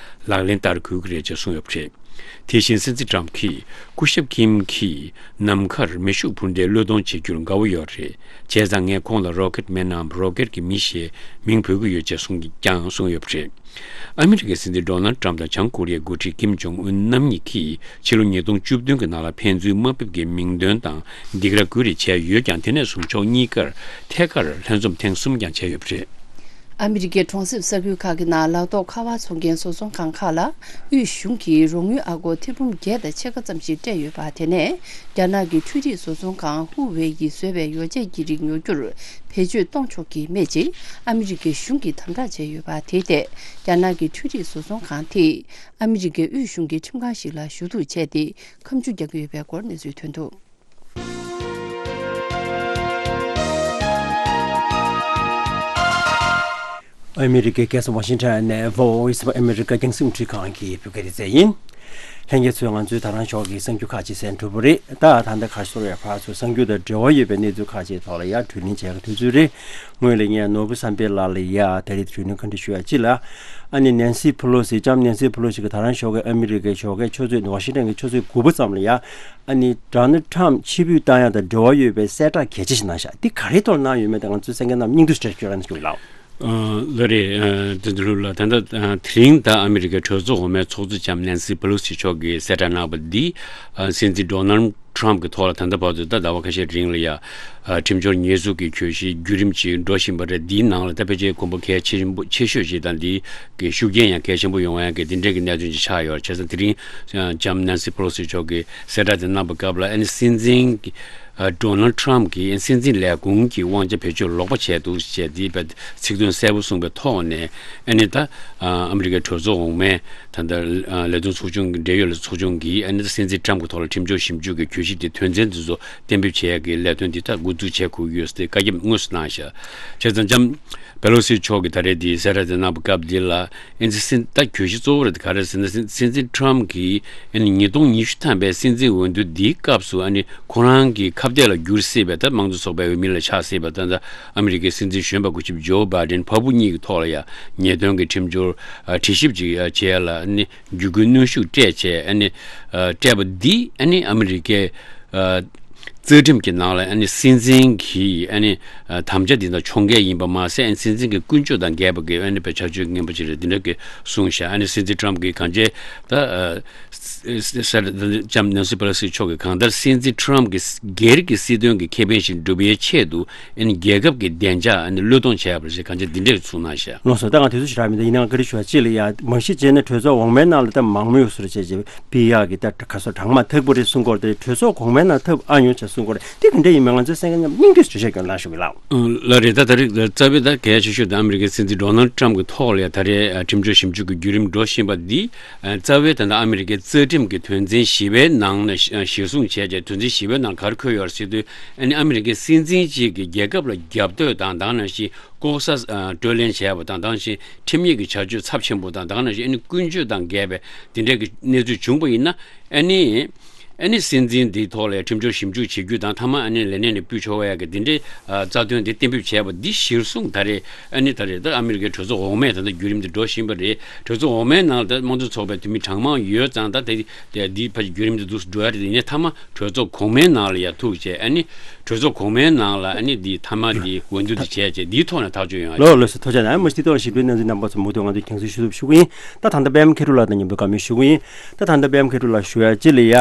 ལག་ལེན་བསྟར་དགོས་ཀྱི་རེད་ཅེས་གསུངས་ཡོད་པ་རེད། དེ་བཞིན་སྲིད་འཛིན་ཏྲམ་གྱིས་སྐུ་ཞབས་ཀིམ་གྱིས་ནམ་མཁར་མེ་ཤུགས་འཕུར་མདེལ་གློད་གཏོང་བྱེད་རྒྱུར་དགའ་བོ་ཡོད་རེད། བྱས་ཙང་ངས་ཁོང་ལ་རོ་ཀེད་མེན་ནམ་རོ་ཀེད་ཀྱི་མི་ཞེས་མིང་འབོད་ཀྱི་ཡོད་ཅེས་གསུངས་ཀྱང་གསུངས་ཡོད་པ་རེད། ཨ་མི་རི་ཀའི་སྲིད་འཛིན་ཌོ་ནལ་ཏྲམ་དང་བྱང་ཀོ་རི་ཡའི་འགོ་ཁྲིད་ཀིམ་ཇོང་ཨུན་རྣམ་གཉིས་ཀྱིས་ཕྱི་ལོ་ཉིས་སྟོང་བཅུ་བདུན་གྱི་ནང་ལ་ཕན་ཚུན་དམའ་འབེབས་ཀྱི་མིང་འདོན་དང་སྡིགས་ར་བསྐུལ་རེས་བྱས་ཡོད་ཀྱང་། དེ་ནས་བཟུང་ཕྱོགས་གཉིས་ཀར་ཐད་ཀར་ལྷན་འཛོམས་ཐེངས་གསུམ་ཀྱང་བྱས་ཡོད་པ་རེད། ཨ་མི་རི་ཀའི་གྲོང་གསེབ་ས་ཁུལ་ཁག་གི་ནང་ལག་ཐོགས་ཁ་པར་བཙོང་མཁན་བཟོ་ཚོང་ཁང་ཁག་ལ་དབུས་གཞུང་གིས་རོགས་དངུལ་ཨ་སྒོར་ཐེར་འབུམ་བརྒྱད་དང་ཕྱེད་ཀ་ཙམ་ཞིག་སྤྲད་ཡོད་པ། དེ་ནས་རྒྱ་ནག་གི་འཕྲུལ་རིག་བཟོ་ཚོང་ཁང་ཧུ་ཝེ་ཡིས་བཟོས་པའི་ཡོ་བྱད་ཀྱི་རིགས་ཉོ་རྒྱུར་བེད་སྤྱོད་གཏོང་ཆོག་གི་མེད་ཅེས་ཨ་མི་རི་ཀའི་གཞུང་གིས་དམ་དྲག་བྱས་ཡོད་པ། དེའི་ཐད་རྒྱ་ནག་གི་འཕྲུལ་རིག་བཟོ་ཚོང་ཁང་དེས་ཨ་མི་རི་ཀའི་དབུས་གཞུང་གི་ཁྲིམས་ཁང་ཞིག་ལ་ཞུ་གཏུག་བྱས་ཏེ་ཁ་མཆུ་རྒྱག་གི་ཡོད་པའི་སྐོར་གནས་ཚུལ་ཐོན་འདུག་ཨ་མི་རི་ཀའི་རྒྱལ་ས་ཝ་ཤིང་ཊོན་ནས་Voice of America རྒྱང་སྲིང་འཕྲིན་ཁང་གི་བོད་སྐད་སྡེ་ཚན་ཡིན། ལྷན་རྒྱས་ཚོས་ང་ཚོའི་ད་རང་ཞོགས་ཀྱི་གསར་འགྱུར་ཁག་ཅིག་གསན་གྲུབ་པ་རེད། ད་ད་ལྟ་ཁ་ཤོར་བའི་ཕར་ཚུར་གསར་འགྱུར་དང་འབྲེལ་བ་ཡོད་པའི་གནས་ཚུལ་ཁག་ཅིག་ཐོག་ལ་ཡ་དྲི་ལན་བྱས་ཀྱི་དུས་ཚོད་རེད། ངོས་ལ་ངས་ནོར་བུ་བསམ་འཕེལ་ལགས་ལ་ཡ་ད་རེས་དྲི་ལན་ག་འདྲ་ཞུ་ཡ་ཅི་ལ། ཨ་ནི་ནན་སི་ཕུ་ལོ་སི་ལྕམ་ནན་སི་ཕུ་ལོ་སི་གི་ད་རང་ཞོགས་ཀའི་ཨ་མི་རི་ཀའི་ཞོགས་ཀའི་ཆུ་ཚོད་ཝ་ཤིང་ཊོན་གྱི་ཆུ་ཚོད་དགུ་པ་ཙམ་ལ་ཡ། ཨ་ནི་ཌོ་ནལ་ཊམ་ཕྱིར་འབུད་བཏང་ཡ་དང་འབྲེལ་བ་ཡོད་པའི་གསལ་བསྒྲགས་གལ་ཆེ་ཞིག་གནང་ཤག་འདི་ག་རེའི་ཐོག་ལ་གནང་ཡོད་མེད་དེ་ང་ཚོའི་གསན་མཁན་རྣམས་སྙིང་བསྡུས་ཞིག་སྤྲད་ཞུ་རོགས་གནང་ཞུ་གི་ལགས། ཨ་ལགས་རེད། ཨ་དེ་ཚོ་ལ་ད་ལྟ་ཨ་དེ་རིང་ད་ཨ་མི་རི་ཀའི་གྲོས་ཚོགས་འོག་མའི་ཚོགས་གཙོ་ལྕམ་ནན་སི་པེ་ལོ་སི་མཆོག་གིས་གསལ་བསྒྲགས་གནང་བ་འདི། ཨ་སྲིད་འཛིན་ཌོ་ནལ་ཊམ་གྱི་ཐོག་ལ་ད་ལྟ་བར་དུ་ད་ཟླ་བ་ཁ་ཤས་རིང་ལ་ཡ། ཨ་ཁྲིམས་སྦྱོར་ཉེས་འཛུགས་ཀྱི་གྱོད་གཞི་བརྒྱུད་རིམ་ཅིག་འགྲོ་བཞིན་པ་རེད། འདིའི་ནང་ལ་ད་ཕལ་ཆེར་གོམ་པ་གལ་ཆེན་པོ་ཆེ་ཤོས་ཅིག་དང་། འདི་གི་ཤུགས་རྐྱེན་ཡང་གལ་ཆེན་པོ་ཡོང་ཡ་གི་འདི་འདྲའི་གི་གནད་དོན་ཅིག་ཆགས་ཡོད། བྱས་ཙང་དེ་རིང་ལྕམ་ནན་སི་པེ་ལོ་སི་མཆོག་གིས་གསལ་བསྒྲགས་དེ་གནང་པའི་སྐབས་ལ། ཨ་ནི་སྲིད་འཛིན་གྱི་ ཨ་ཌོ་ནལ་ཌི་ཊརམ་ཕི་གྱིས་སྲིད་འཛིན་ལས་ཁུངས་ཀྱི་དབང་ཆ་བེད་སྤྱོད་ལོག་པ་བྱས་འདུག་ཅེས་འདི་བས་ཚིག་དོན་གསལ་པོ་གསུངས་པའི་ཐོག་ནས། ཨ་ནི་ད་ཨ་ཨ་མི་རི་ཀའི་གྲོས་ཚོགས་འོག་མའི་ད་ལྟ་ཨ་ལས་དོན་ཚོགས་ཆུང་གི་འབྲེལ་ཡོད་ལས་ཚོགས་ཆུང་གིས་ཨ་ནི་ད་སྲིད་འཛིན་ཊརམ་ཕི་གི་ཐོག་ལ་ཁྲིམས་སྦྱོར་ཞིབ་འཇུག་གི་གྱོད་གཞི་དེ་དོན་ཚན་དེ་ཚོ་གཏན་འབེབས་བྱེད་ཡག་གི་ལས་དོན་འདི་ད་འགོ་འཛུགས་བྱེད་དགོས་ཀྱི་ཡོད་ཟེར་ཏེ་བཀའ་ཁྱབ་དངོས་སུ་གནང་ཤག་བྱས་ཙང་ལྕམ་པེ་ལོ་སི་མཆོག་གིས་ད་རེས་འདི་གསལ་བསྒྲགས་དེ་གནང་བའི་སྐབས་འདི་ལ། ཨ་ནི་སྲིད་ད་གྱོད་གཞི་གཙོ་བོ་རེད། ག་རེ་ཟེར་ན་སྲིད་སྲིད་འཛིན་ཊརམ་ཕི་གིས་ཨ་ནི་ཉིས་སྟོང་ཉི་ཤུ་ཐམ་པའི་སྲིད་འཛིན་འོས་བསྡུ་འདིའི་སྐབས་སུ་ཨ་ནི་ཁོ་རང་གི་ཁ་གཏད་ལ་འགྱུར་སྲིད་པའི་ད་དམངས་གཙོ་ཚོགས་པའི་འོས་མི་ལ་ཆགས་སྲིད་པ་ད་ད་ཨ་མི་རི་ཀའི་སྲིད་འཛིན་གཞོན་པ་སྐུ་ཞབས་ཇོ་བྷའི་ཌེན་ཕ་བུ་གཉིས་ཀྱི་ཐོག་ལ་ཡང་ཉེས་དོན་གྱི་ཁྲིམས་སྦྱོར་ཨ་དྲི་ཞིབ་ཅིག་ཨ་བྱེད་ཡ་ལ་ཨ་ནི་བརྒྱུད་སྐུལ་གནོན་ཤུགས་སྤྲད་བྱས་ཨ་ནི་ཨ་སྤྲད་པ་འདི་ཨ་ནི་ཨ་མི་རི་ཀའི་ཨ་རྩ་ཁྲིམས་ཀྱི་ནང་ལ་ཨ་ནི་སྲིད་འཛིན་གྱི་ཨ་ནི་ཨ་དམ་བཅའ་འདི་དང་ཕྱོགས་འགལ་ཡིན་པ་མ་ཟད། ཨ་ནི་སྲིད་འཛིན་གྱི་ཀུན་སྤྱོད་དང་འགལ་བ་གི་ཨ་ནི་བྱ་སྤྱོད་ངན་པ་ཅིག་རེད། འདི་འདྲ་གི་གསུངས་ཤག་ཨ་ནི་སྲིད་འཛིན་ཊརམ་ཕི་གིས་གང་བྱས་ད་ཨ་ས་ས་ལྕམ་ནན་སི་པེ་ལོ་སི་མཆོག་གིས་གང་ལྟར་སྲིད་འཛིན་ཊརམ་ཕི་གི་སྒེར་གྱི་སྲིད་དོན་གྱི་ཁེ་ཕན་ཞིག་སྒྲུབ་པའི་ཆེད་དུ་ཨ་ནི་རྒྱལ་ཁབ་ཀྱི་བདེ་འཇགས་ཨ་ནི་བློས་གཏོང་བྱས་པ་རེད་ཅེས་གང་བྱས་འདི་འདྲས་གསུངས་གནང་ཤག་ལགས་སོ། ད་ང་དུས་ཚོད་ཞེ་དྲག་མི་འདུག་ཡིན་ནའང་བཀའ་འདྲི་ཞུ་བ་གཅིག་ལ་ཡ། མ་གཞི་བྱས་ན་གྲོས་ཚོགས་འོག་མའི་ནང་ལ་ད་མང་མོས་སུ་རེ་བྱས་རྗེས་པི་ཡག་གི་ད་ག་སོ་གྲངས་མ་ཐག་པོ་རེད་གསུང་གི་ཡོད་རེད། གྲོས་ཚོགས་གོང་མའི་ནང་ཐབས་ཨ་ཉོ་བྱས་གསུང་གི་ཡོད་རེད། དེ་ག་འདྲ་ཡིན་མིན་ང་ཚོའི་གསན་མཁན་རྣམས་སྙིང་བསྡུས་སུ་འགྲེལ་བཤད་སྐྱོན་གནང་ཞུ་གི་ལགས། ལགས་རེད། ད་ད་རེས་རྩ་བའི་ད་གལ་ཆེ་ཤོས་ད་ཨ་མི་རི་ཀའི་སྲིད་འཛིན་ཌོ་ནལ་ཌི་ཊརམ་ཕི་གི་ཐོག་ལ་ཡ་ད་རེས་ཨ་ཁྲིམས་སྦྱོར་ཞིབ་འཇུག་གི་བརྒྱུད་རིམ་འགྲོ་བཞིན་པ་འདི་ཨ་རྩ་བའི་ད་ལྟ་ཨ་མི་རི་ཀའི་རྩ་ཁྲིམས་ཀྱི་དོན་ཚན་བཞི་པའི་ནང་ན་གཞི་གཞིར་བཟུང་བྱས་རྗེས་དོན་ཚན་བཞི་པའི་ནང་ག་རེ་འཁོད་ཡོད་རེད་ཟེར་དུས་ཨ་ནི་ཨ་མི་རི་ཀའི་སྲིད་འཛིན་གཅིག་གིས་རྒྱལ་ཁབ་ལ་རྒྱབ་གཏོད་དང་ད་ག་ནང་བཞིན་ལྐོག་ཟ་ཨ་སྤྲོད་ལེན་བྱས་པ་དང་ད་ག་ནང་བཞིན་ཁྲིམས་ཡིག་གི་བྱ་སྤྱོད་ཚབས་ཆེན་པོ་དང་ད་ག་ནང་བཞིན་ཨ་ནི་ཀུན་སྤྱོད་དང་འགལ་བའི་དེ་འདྲའི་གི་གནས་ཚུལ་བྱུང་པ་ཡིན་ན། ཨ་ནི་ཨ་ནི་སྲིད་འཛིན་འདིའི་ཐོག་ལ་ཁྲིམས་སྦྱོར་ཞིབ་འཇུག་བྱེད་རྒྱུ་དང་མཐའ་མ་ཨ་ནི་ལས་གནས་ནས་ཕུད་ཆོག་ཡ་གི་དེ་འདྲའི་ཨ་རྩ་དོན་དེ་གཏན་འབེབས་བྱས་པ་འདི་གཞིར་བཟུང་ད་རེས་ཨ་ནི་ད་རེས་ད་ཨ་མི་རི་ཀའི་གྲོས་ཚོགས་འོག་མས་ད་ལྟ་བརྒྱུད་རིམ་དེ་འགྲོ་བཞིན་པ་རེད། གྲོས་ཚོགས་འོག་མའི་ནང་ལ་ད་དམངས་གཙོ་ཚོགས་པའི་འཐུས་མི་གྲངས་མང་ཡོད་ཙང་ད་དེ་དེ་འདི་ཕ་གི་བརྒྱུད་རིམ་དེ་འདུག་སེ་འགྲོ་ཡ་རེད། ཡིན་ནའི་མཐའ་མ་གྲོས་ཚོགས་གོང་མའི་ནང་ལ་ཡ་ཐུག་བྱས་ཨ་ནི་གྲོས་ཚོགས་གོང་མའི་ནང་ལ་ཨ་ནི་འདི་མཐའ་མ་འདི་འོས་བསྡུ་འདི་བྱས་བྱས་འདིའི་ཐོག་ནས་ཐག་གཅོད་ཡོང་ཡ་ལགས། ལགས་སོ། ཐུགས་རྗེ་གནང་། མ་གཞི་འདི་ཐོག་ལ་ཞིབ་ཕྲའི་གནས་ཚུལ་རྣམ་པ་ཚོ་མུ་མཐུད་ང་ཚོས་རྒྱང་སྲིང་ཞུ་ཐུབ་ཞུ་གི་ཡིན། ད་ད་ལྟ་པད་མ་མཁས་གྲུབ་ལགས་དང་མཉམ་དུ་བཀའ་མོལ་ཞུ་གི་ཡིན། ད་ད་ལྟ་པད་མ་མཁས་གྲུབ་ལགས་ཞུ་ཡ་གཅིག་ལ་ཡ།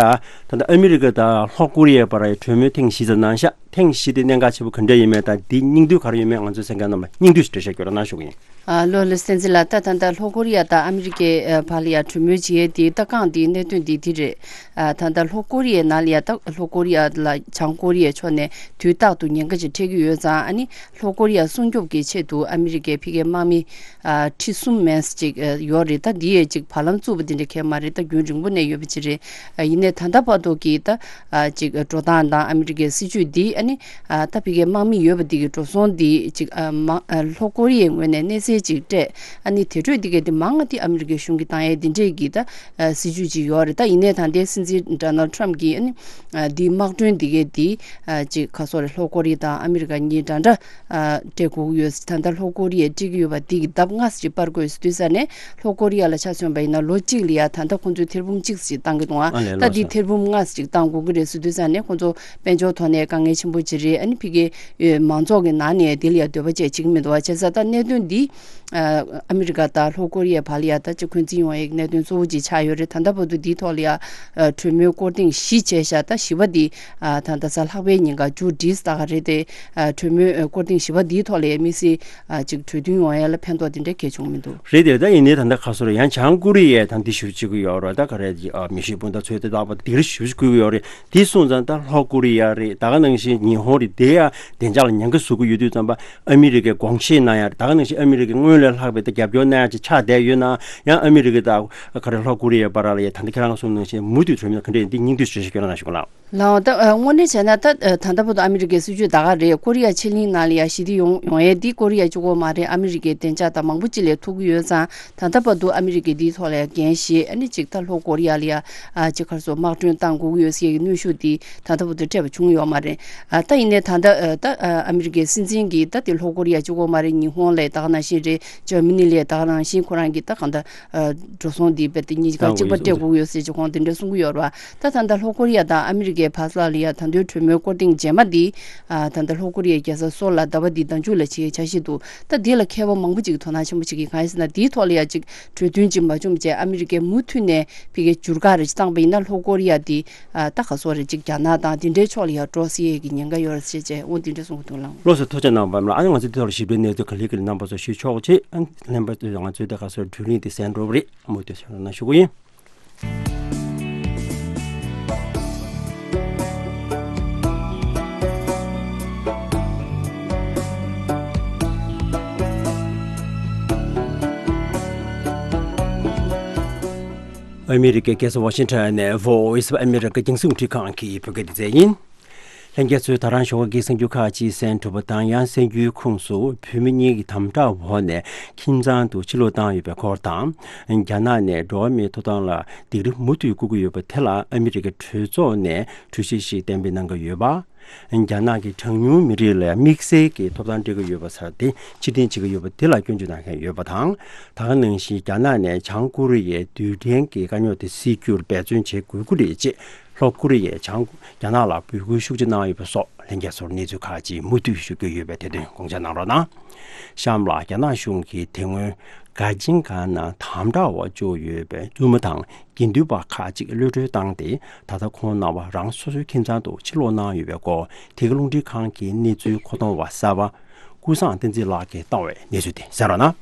ད་ལྟ་ཨ་མི་རི་ཀ་དང་ལྷོ་ཀོ་རི་ཡའི་བར་གྲོས་མོལ་ཐེངས་བཞི་ཙམ་གནང་ཤག་ཐེངས་བཞི་དེ་གནད་འགག་ཆེན་པོ་ག་འདྲ་ཡིན་མིན་དང་དེའི་སྙིང་བསྡུས་ག་རེ་ཡོད་མེད་ང་ཚོའི་གསན་མཁན་རྣམས་ལ་སྙིང་བསྡུས་ཤིག་འགྲེལ་བཤད་སྐྱོན་རོགས་གནང་ཞུ་གི་ཡིན། ཨ་ལགས་ལགས་བསྟན་འཛིན་ལགས། ད་ད་ལྟ་ལྷོ་ཀོ་རི་ཡ་དང་ཨ་མི་རི་ཀའི་ཨ་བར་ལ་ཡ་གྲོས་མོལ་བྱེད་ཡས་དེ་ད་རྐང་དེའི་གནད་དོན་དེ་དེ་རེད། ཨ་ད་ལྟ་ལྷོ་ཀོ་རི་ཡའི་ནང་ལ་ཡ་ད་ལྷོ་ཀོ་རི་ཡ་ལ་བྱང་ཀོ་རི་ཡའི་ཕྱོགས་ནས་དུས་རྟག་ཏུ་ཉེན་ཁ་ཅིག་འཕྲད་ཀྱི་ཡོད་ཙང་ཨ་ནི་ལྷོ་ཀོ་རི་ཡ་སྲུང་སྐྱོབ་ཀྱི་ཆེད་དུ་ཨ་མི་རི་ཀའི་ཕ་གིའི་དམག་མི་ཨ་ཁྲི་གསུམ་མན་ཙམ་ཅིག་ཨ་ཡོད་རེད། ད་འདི་ཡས་ཅིག་བར་ལམ་བཙུགས་པ་འདི་འདྲ་གས་མ་རེད། ད་རྒྱུན་རིང་པོ་ནས་ཡོད་པ་ཅིག་རེད། ཨ་ཡིན་ནའི་ད་ལྟ་བར་དུ་གི་ད་ཨ་ཅིག་འགྲོ་སྟངས་དང་ཨ་མི་རི་ཀའི་སྲིད་ཇུས་འདི་ཨ་ནི་ཨ་ད་ཕ་གིའི་དམག་མི་ཡོད་པ་འདི་གི་འགྲོ་སོང་འདི་ཅིག་ཨ་མ་ཨ་ལྷོ་ཀོ་རི་ཡའི་ངོས་ནས་གནས་ཚུལ་ཅིག་སྤྲད་ཨ་ནི་དེ་འཕྲོས་འདི་གས་འདི་མང་ང་འདི་ཨ་མི་རི་ཀའི་གཞུང་གིས་བཏང་ཡས་འདི་འདྲས་ཀྱི་ད་ཨ་སྲིད་ཇུས་ཅིག་ཡོད་རེད། ད་ཡིན་ནའི་ད་ལྟའི་སྲིད་འཛིན་ཌོ་ནལ་ཊམ་གྱིས་ཨ་ནི་ཨ་འདི་དམག་གྲོན་འདི་གས་འདི་ཨ་ཅིག་ག་སོ་རེད། ལྷོ་ཀོ་རི་ཡ་དང་ཨ་མི་རི་ཀ་གཉིས་འདྲ་འདྲ་ཨ་སྤྲད་དགོས་ཀྱི་ཡོད། ད་ལྟ་ལྷོ་ཀོ་རི་ཡས་སྤྲད་ཀྱི་ཡོད་པ་འདི་གི་ལྡབ་ལྔ་ཙམ་ཅིག་སྤར་དགོས་ཟེར་དུས་ཙ་ནས་ལྷོ་ཀོ་རི་ཡ་ལ་ཆ་མཚོན་པ་ཡིན་ན་ལོ་གཅིག་ལ་ཡ་ད་ལྟ་ཁོང་ཚོས་ཐེར་འབུམ་གཅིག་ཙམ་ཅིག་བཏང་གི་འདུག་ཨ། ཨ་ལས་ད་ལོ་འདི་ས་ཐེར་འབུམ་ལྔ་ཙམ་ཅིག་བཏང་དགོས་ཀྱི་རེད་ཟེར་དུས་ཙ་ནས་ཁོང་ཚོ་དཔལ་འབྱོར་ཐོག་ནས་དཀའ་ངལ་ཆེན་པོ་ཅིག་རེད། ཨ་ནི་ཕ་གིའི་ཨེ་མང་ཚོགས་ཀྱི་ནང་ནས་དེ་ལ་ཡ་འདོད་པ་བཅས་བྱེད་ཀྱི་མི་འདུག་བ། བྱས་ཙང་ད་གནད་དོན་འདི་ཨ་ཨ་མི་རི་ཀ་དང་ལྷོ་ཀོ་རི་ཡའི་བར་ལ་ཡ་ད་ཅིག་འཁོན་འཛིན་ཡོང་ཡའི་གནད་དོན་གཙོ་བོ་ཅིག་ཆགས་ཡོད་རེད། ད་ལྟ་བར་དུ་འདིའི་ཐོག་ལ་ཡ་ཨ་གྲོས་མོལ་སྐོར་ཐེངས་བཞི་བྱས་ཤག་ད་བཞི་པ་འདི་ཨ་ད་ལྟ་གཟའ་ལྷག་པའི་ཉིན་ཀ་མཇུག་སྒྲིལ་ད་ག་རེད་དེ། ཨ་གྲོས་མོལ་ཨ་སྐོར་ཐེངས་བཞི་པ་འདིའི་ཐོག་ལ་ཡ་དམིགས་བསལ་ཨ་ཅིག་གྲོས་མཐུན་ཡོང་ཡ་ལ་ཕན་ཐོགས་དེ་འདྲ་གལ་བྱུང་མི་འདུག་རེད་དེ། ད་ཡིན་ནའི་ད་ལྟ་ག་སོ་རེད། ཡང་བྱང་ཀོ་རི་ཡས་ད་འདི་ཞུ་བྱེད་ཀྱི་ཡོད་རེད། ད་ག་རེད་ཨ་མི་ཤི་སྤུན་ཟླ་ཚོས་དེ་ལྟ་བུ་དེ་རིགས་ཞུ་བྱེད་ཀྱི་ཡོད་རེད། དེ་སོང་ཙང་ད་ལྷོ་ཀོ་རི་ཡ་རེད། ད་ག་ནང་བཞིན་ཉི་ཧོང་རེད། དེ་ཡ་བདེ་འཇགས་ལ་ཉེན་ཁ་བཟོ་གི་ཡོད་དུས་ཙམ་པ་ཨ་མི་རི་ཀའི་དགོངས་བཞེས་གནང་ཡ་རེད། ད་ག་ནང་བཞིན་ཨ་མི་རི་ཀའི་སྔོན་ལས་ལྷག་པའི་ད་རྒྱབ་སྐྱོར་གནང་ཡ་ཅིག་ཆགས་བསྡད་ཡོད་ན་ཡང་ཨ་མི་རི་ཀ་དང་ག་རེ་ལྷོ་ཀོ་རི་ཡའི་བར་ལ་ཡ་ད་ལྟ་ཁྱེད་རང་གསུངས་ནང་བཞིན་མུ་མཐུད་གྲོས་མོལ་ག་འདྲ་ཡིན་འདི་སྙིང་བསྡུས་ཞུ་ཞུ་སྐྱོན་གནང་ཞུ་གི་ལགས། ལགས་འོང་། ད་ཨ་དངོས་གནས་བྱས་ན་ད་ཨ་ད་ལྟ་བར་དུ་ཨ་མི་རི་ཀའི་སྲིད་ཇུས་ད་ག་རེད། ཀོ་རི་ཡ་ཕྱེད་གླིང་ནང་ལ་ཡ་ཞི་བདེ་ཡོང་ཡོང་ཡས་འདི་ཀོ་རི་ཡ་གཅིག་པོ་མ་རེད། ཨ་མི་རི་ཀའི་བདེ་འཇགས་དང་མང་པོ་ཅིག་ལ་ཐུག་གི་ཡོད་ཙང་ད་ལྟ་བར་དུ་ཨ་མི་རི་ཀས་འདིའི་ཐོག་ལ་ཡ་འགན་བཞེས། ཨ་ནི་གཅིག་ད་ལྷོ་ཀོ་རི་ཡ་ལ་ཡ་ཨ་གཅིག་ག་རེ་ཟེར་དམག་གྲོན་བཏང་དགོས་ཀྱི་ཡོད་ཟེར་ཡས་ཀྱི་གནོན་ཤུགས་འདི་ད་ལྟ་བར་དུ་སྤྲད་པ་བྱུང་ཡོད་མ་རེད། ཨ་ད་ཡིན་ནའི་ད་ལྟ་ཨ་ད་ཨ་ཨ་མི་རི་ཀའི་སྲིད་འཛིན་གྱིས་ད་དེ་ལྷོ་ཀོ་རི་ཡ་གཅིག་པོ་མ་རེད། ཉི་ཧོང་ལ་ད་ག་ནང་བཞིན་རེད། འཇར་མ་ནི་ལ་ད་ག་ནང་བཞིན་ཁོ་རང་གིས་ད་གང་ལྟར་ཨ་འགྲོ་སོང་འདི་རྦད་དེ་གཉིས་ཀ་གཅིག་པ་སྤྲད་དགོས་ཀྱི་ཡོད་ཟེར་གྱི་ཁོང་དེ་འདྲ་གསུང་གི་ཡོད་རེད་བ། ད་ད་ལྟ་ལྷོ་ཀོ་རི་ཡ་དང་ཨ་མི་རི་ཀའི་བར་ལ་ཡ་ད་དུང་གྲོས་མོལ་སྐོར་ཐེངས་རྗེས་མ་འདི་ཨ་ད་ལྟ་ལྷོ་ཀོ་རི་ཡའི་རྒྱལ་ས་སོལ་ལ་ཟླ་བ་འདིའི་ཟླ་མཇུག་ལ་བྱེད་ཡའི་འཆར་གཞི་འདུག་ད་འདི་ལ་མཁས་པ་མང་པོ་ཅིག་གིས་དོ་སྣང་ཆེན་པོ་བྱེད་ཀྱི། གང་ཡིན་ཟེར་ན་འདིའི་ཐོག་ལ་ཡ་ཅིག་གྲོས་མཐུན་ཅིག་མ་བྱུང་བྱས་ཨ་མི་རི་ཀས་མུ་མཐུད་ནས་ཕ་གིའི་འགྱུར་ཁ་རེ་ཅིག་བཏང་པ་ཡིན་ན་ལྷོ་ཀོ་རི་ཡ་འདི་ཨ་ད་ག་སོ་རེ་ཅིག་རྒྱ་ནག་དང་འདི་འདྲའི་ཕྱོགས་ལ་ཡ་འགྲོ་སྲིད་ཡས་ཀྱི་ཉེན་ཁ་ཡོད་རེད་ཟེར་བྱས་འོ་འདི་འདྲ་གསུང་གི་འདུག་ལགས། ལགས་སོ། ཐུགས་རྗེ་གནང་བ་ལ། ཨ་ནི་ང་ཚོ་འདི་ཐོག་ལ་ཞིབ་ཕྲའི་གནས་ཚུལ་ག་ལེ་ག་ལེ་རྣམ་པ་ཚོ་ཞུ་ཆོག་ཅེས། ཨ་ནི་ལྷན་པ་ཚོས་ང་ཚོའི་ད་ག་སོ་བགྲོ་གླེང་འདི་གསན་འགྲོ་བ་རེད། མུ་མཐུད་ཚོད་རོགས་གནང་ཞུ་གི་ཡིན། ཨ་མི་རི་ཀའི་རྒྱལ་ས་ཝ་ཤིང་ཊོན་ནས་Voice of America རྒྱང་སྲིང་རླུང་འཕྲིན་ཁང་གི་བོད་སྐད་སྡེ་ཚན་ཡིན། ལྷན་རྒྱས་ཚོས་ད་རང་ཞོགས་ཀྱི་གསར་འགྱུར་ཁག་ཅིག་གསན་གྲུབ་པ་དང་། ཡང་གསར་འགྱུར་ཁོངས་སུ་བོད་མི་གཉིས་ཀྱི་དམ་དྲག་འོག་ནས་ཁྱིམ་ཚང་དུ་ཕྱིར་ལོག་བཏང་ཡོད་པའི་སྐོར་དང་། རྒྱ་ནག་ནས་འགྲོ་བ་མིའི་ཐོབ་ཐང་ལ་སྡིགས་ར་མུ་མཐུད་བསྐུལ་གྱི་ཡོད་པ་དེ་ལ་ཨ་མི་རི་ཀའི་གྲོས་ཚོགས་ནས་གྲོས་གཞི་ཞིག་གཏན་འབེབས་གནང་གི་ཡོད་པ། རྒྱ་ནག་གི་གྲངས་ཉུང་མི་རིགས་ལ་དམིགས་བསལ་གྱི་ཐོབ་ཐང་སྤྲད་ཀྱི་ཡོད་པ་ཟེར་དེ་ཕྱིར་འཐེན་བྱེད་ཀྱི་ཡོད་པ་དེ་ལ་སྐྱོན་བརྗོད་གནང་མཁན་ཡོད་པ་དང་། ད་ག་ནང་བཞིན་རྒྱ་ནག་ནས་བྱང་ཀོ་རི་ཡའི་རྡུལ་ཕྲན་གྱི་དཀའ་རྙོག་དེ་སེལ་རྒྱུར་འབད་བརྩོན་བྱེད་དགོས་ཀྱི་རེད་ཅེས་ལྷོ་ཀོ་རི་ཡས་བྱང་རྒྱ་ནག་ལ་འབོད་སྐུལ་ཤུགས་ཆེ་གནང་ཡོད་པ་སོགས་ལྷན་རྒྱས་ཚོར་གནས་ཚུལ་ཁག་ཅིག་མུ་མཐུད་ཞུ་རྒྱུ་ཡོད་པས་དེ་དོན་དགོངས་འཇགས་གནང་རོགས་གནང་། གཤམ་ལ་རྒྱ་ནག་གཞུང་གིས་དེ་སྔོན་ག་ཅིང་ག་ན་དམ་དྲག་འོག་བཅུག་ཡོད་པའི་བཙུན་མ་དང་དགེ་འདུན་པ་ཁག་ཅིག་གློད་གྲོལ་བཏང་སྟེ། ད་ལྟ་ཁོང་རྣམ་པ་རང་སོ་སོའི་ཁྱིམ་ཚང་དུ་ཕྱིར་ལོག་གནང་ཡོད་པའི་སྐོར། དེ་གའི་རླུང་འཕྲིན་ཁང་གི་གནས་ཚུལ་མཁོ་གཏོང་བ་གསར་པ་ཀུན་བཟང་བསྟན་འཛིན་ལགས་ཀྱིས་བཏང་བའི་གནས་ཚུལ་དེ་གསན་རོགས་གནང་།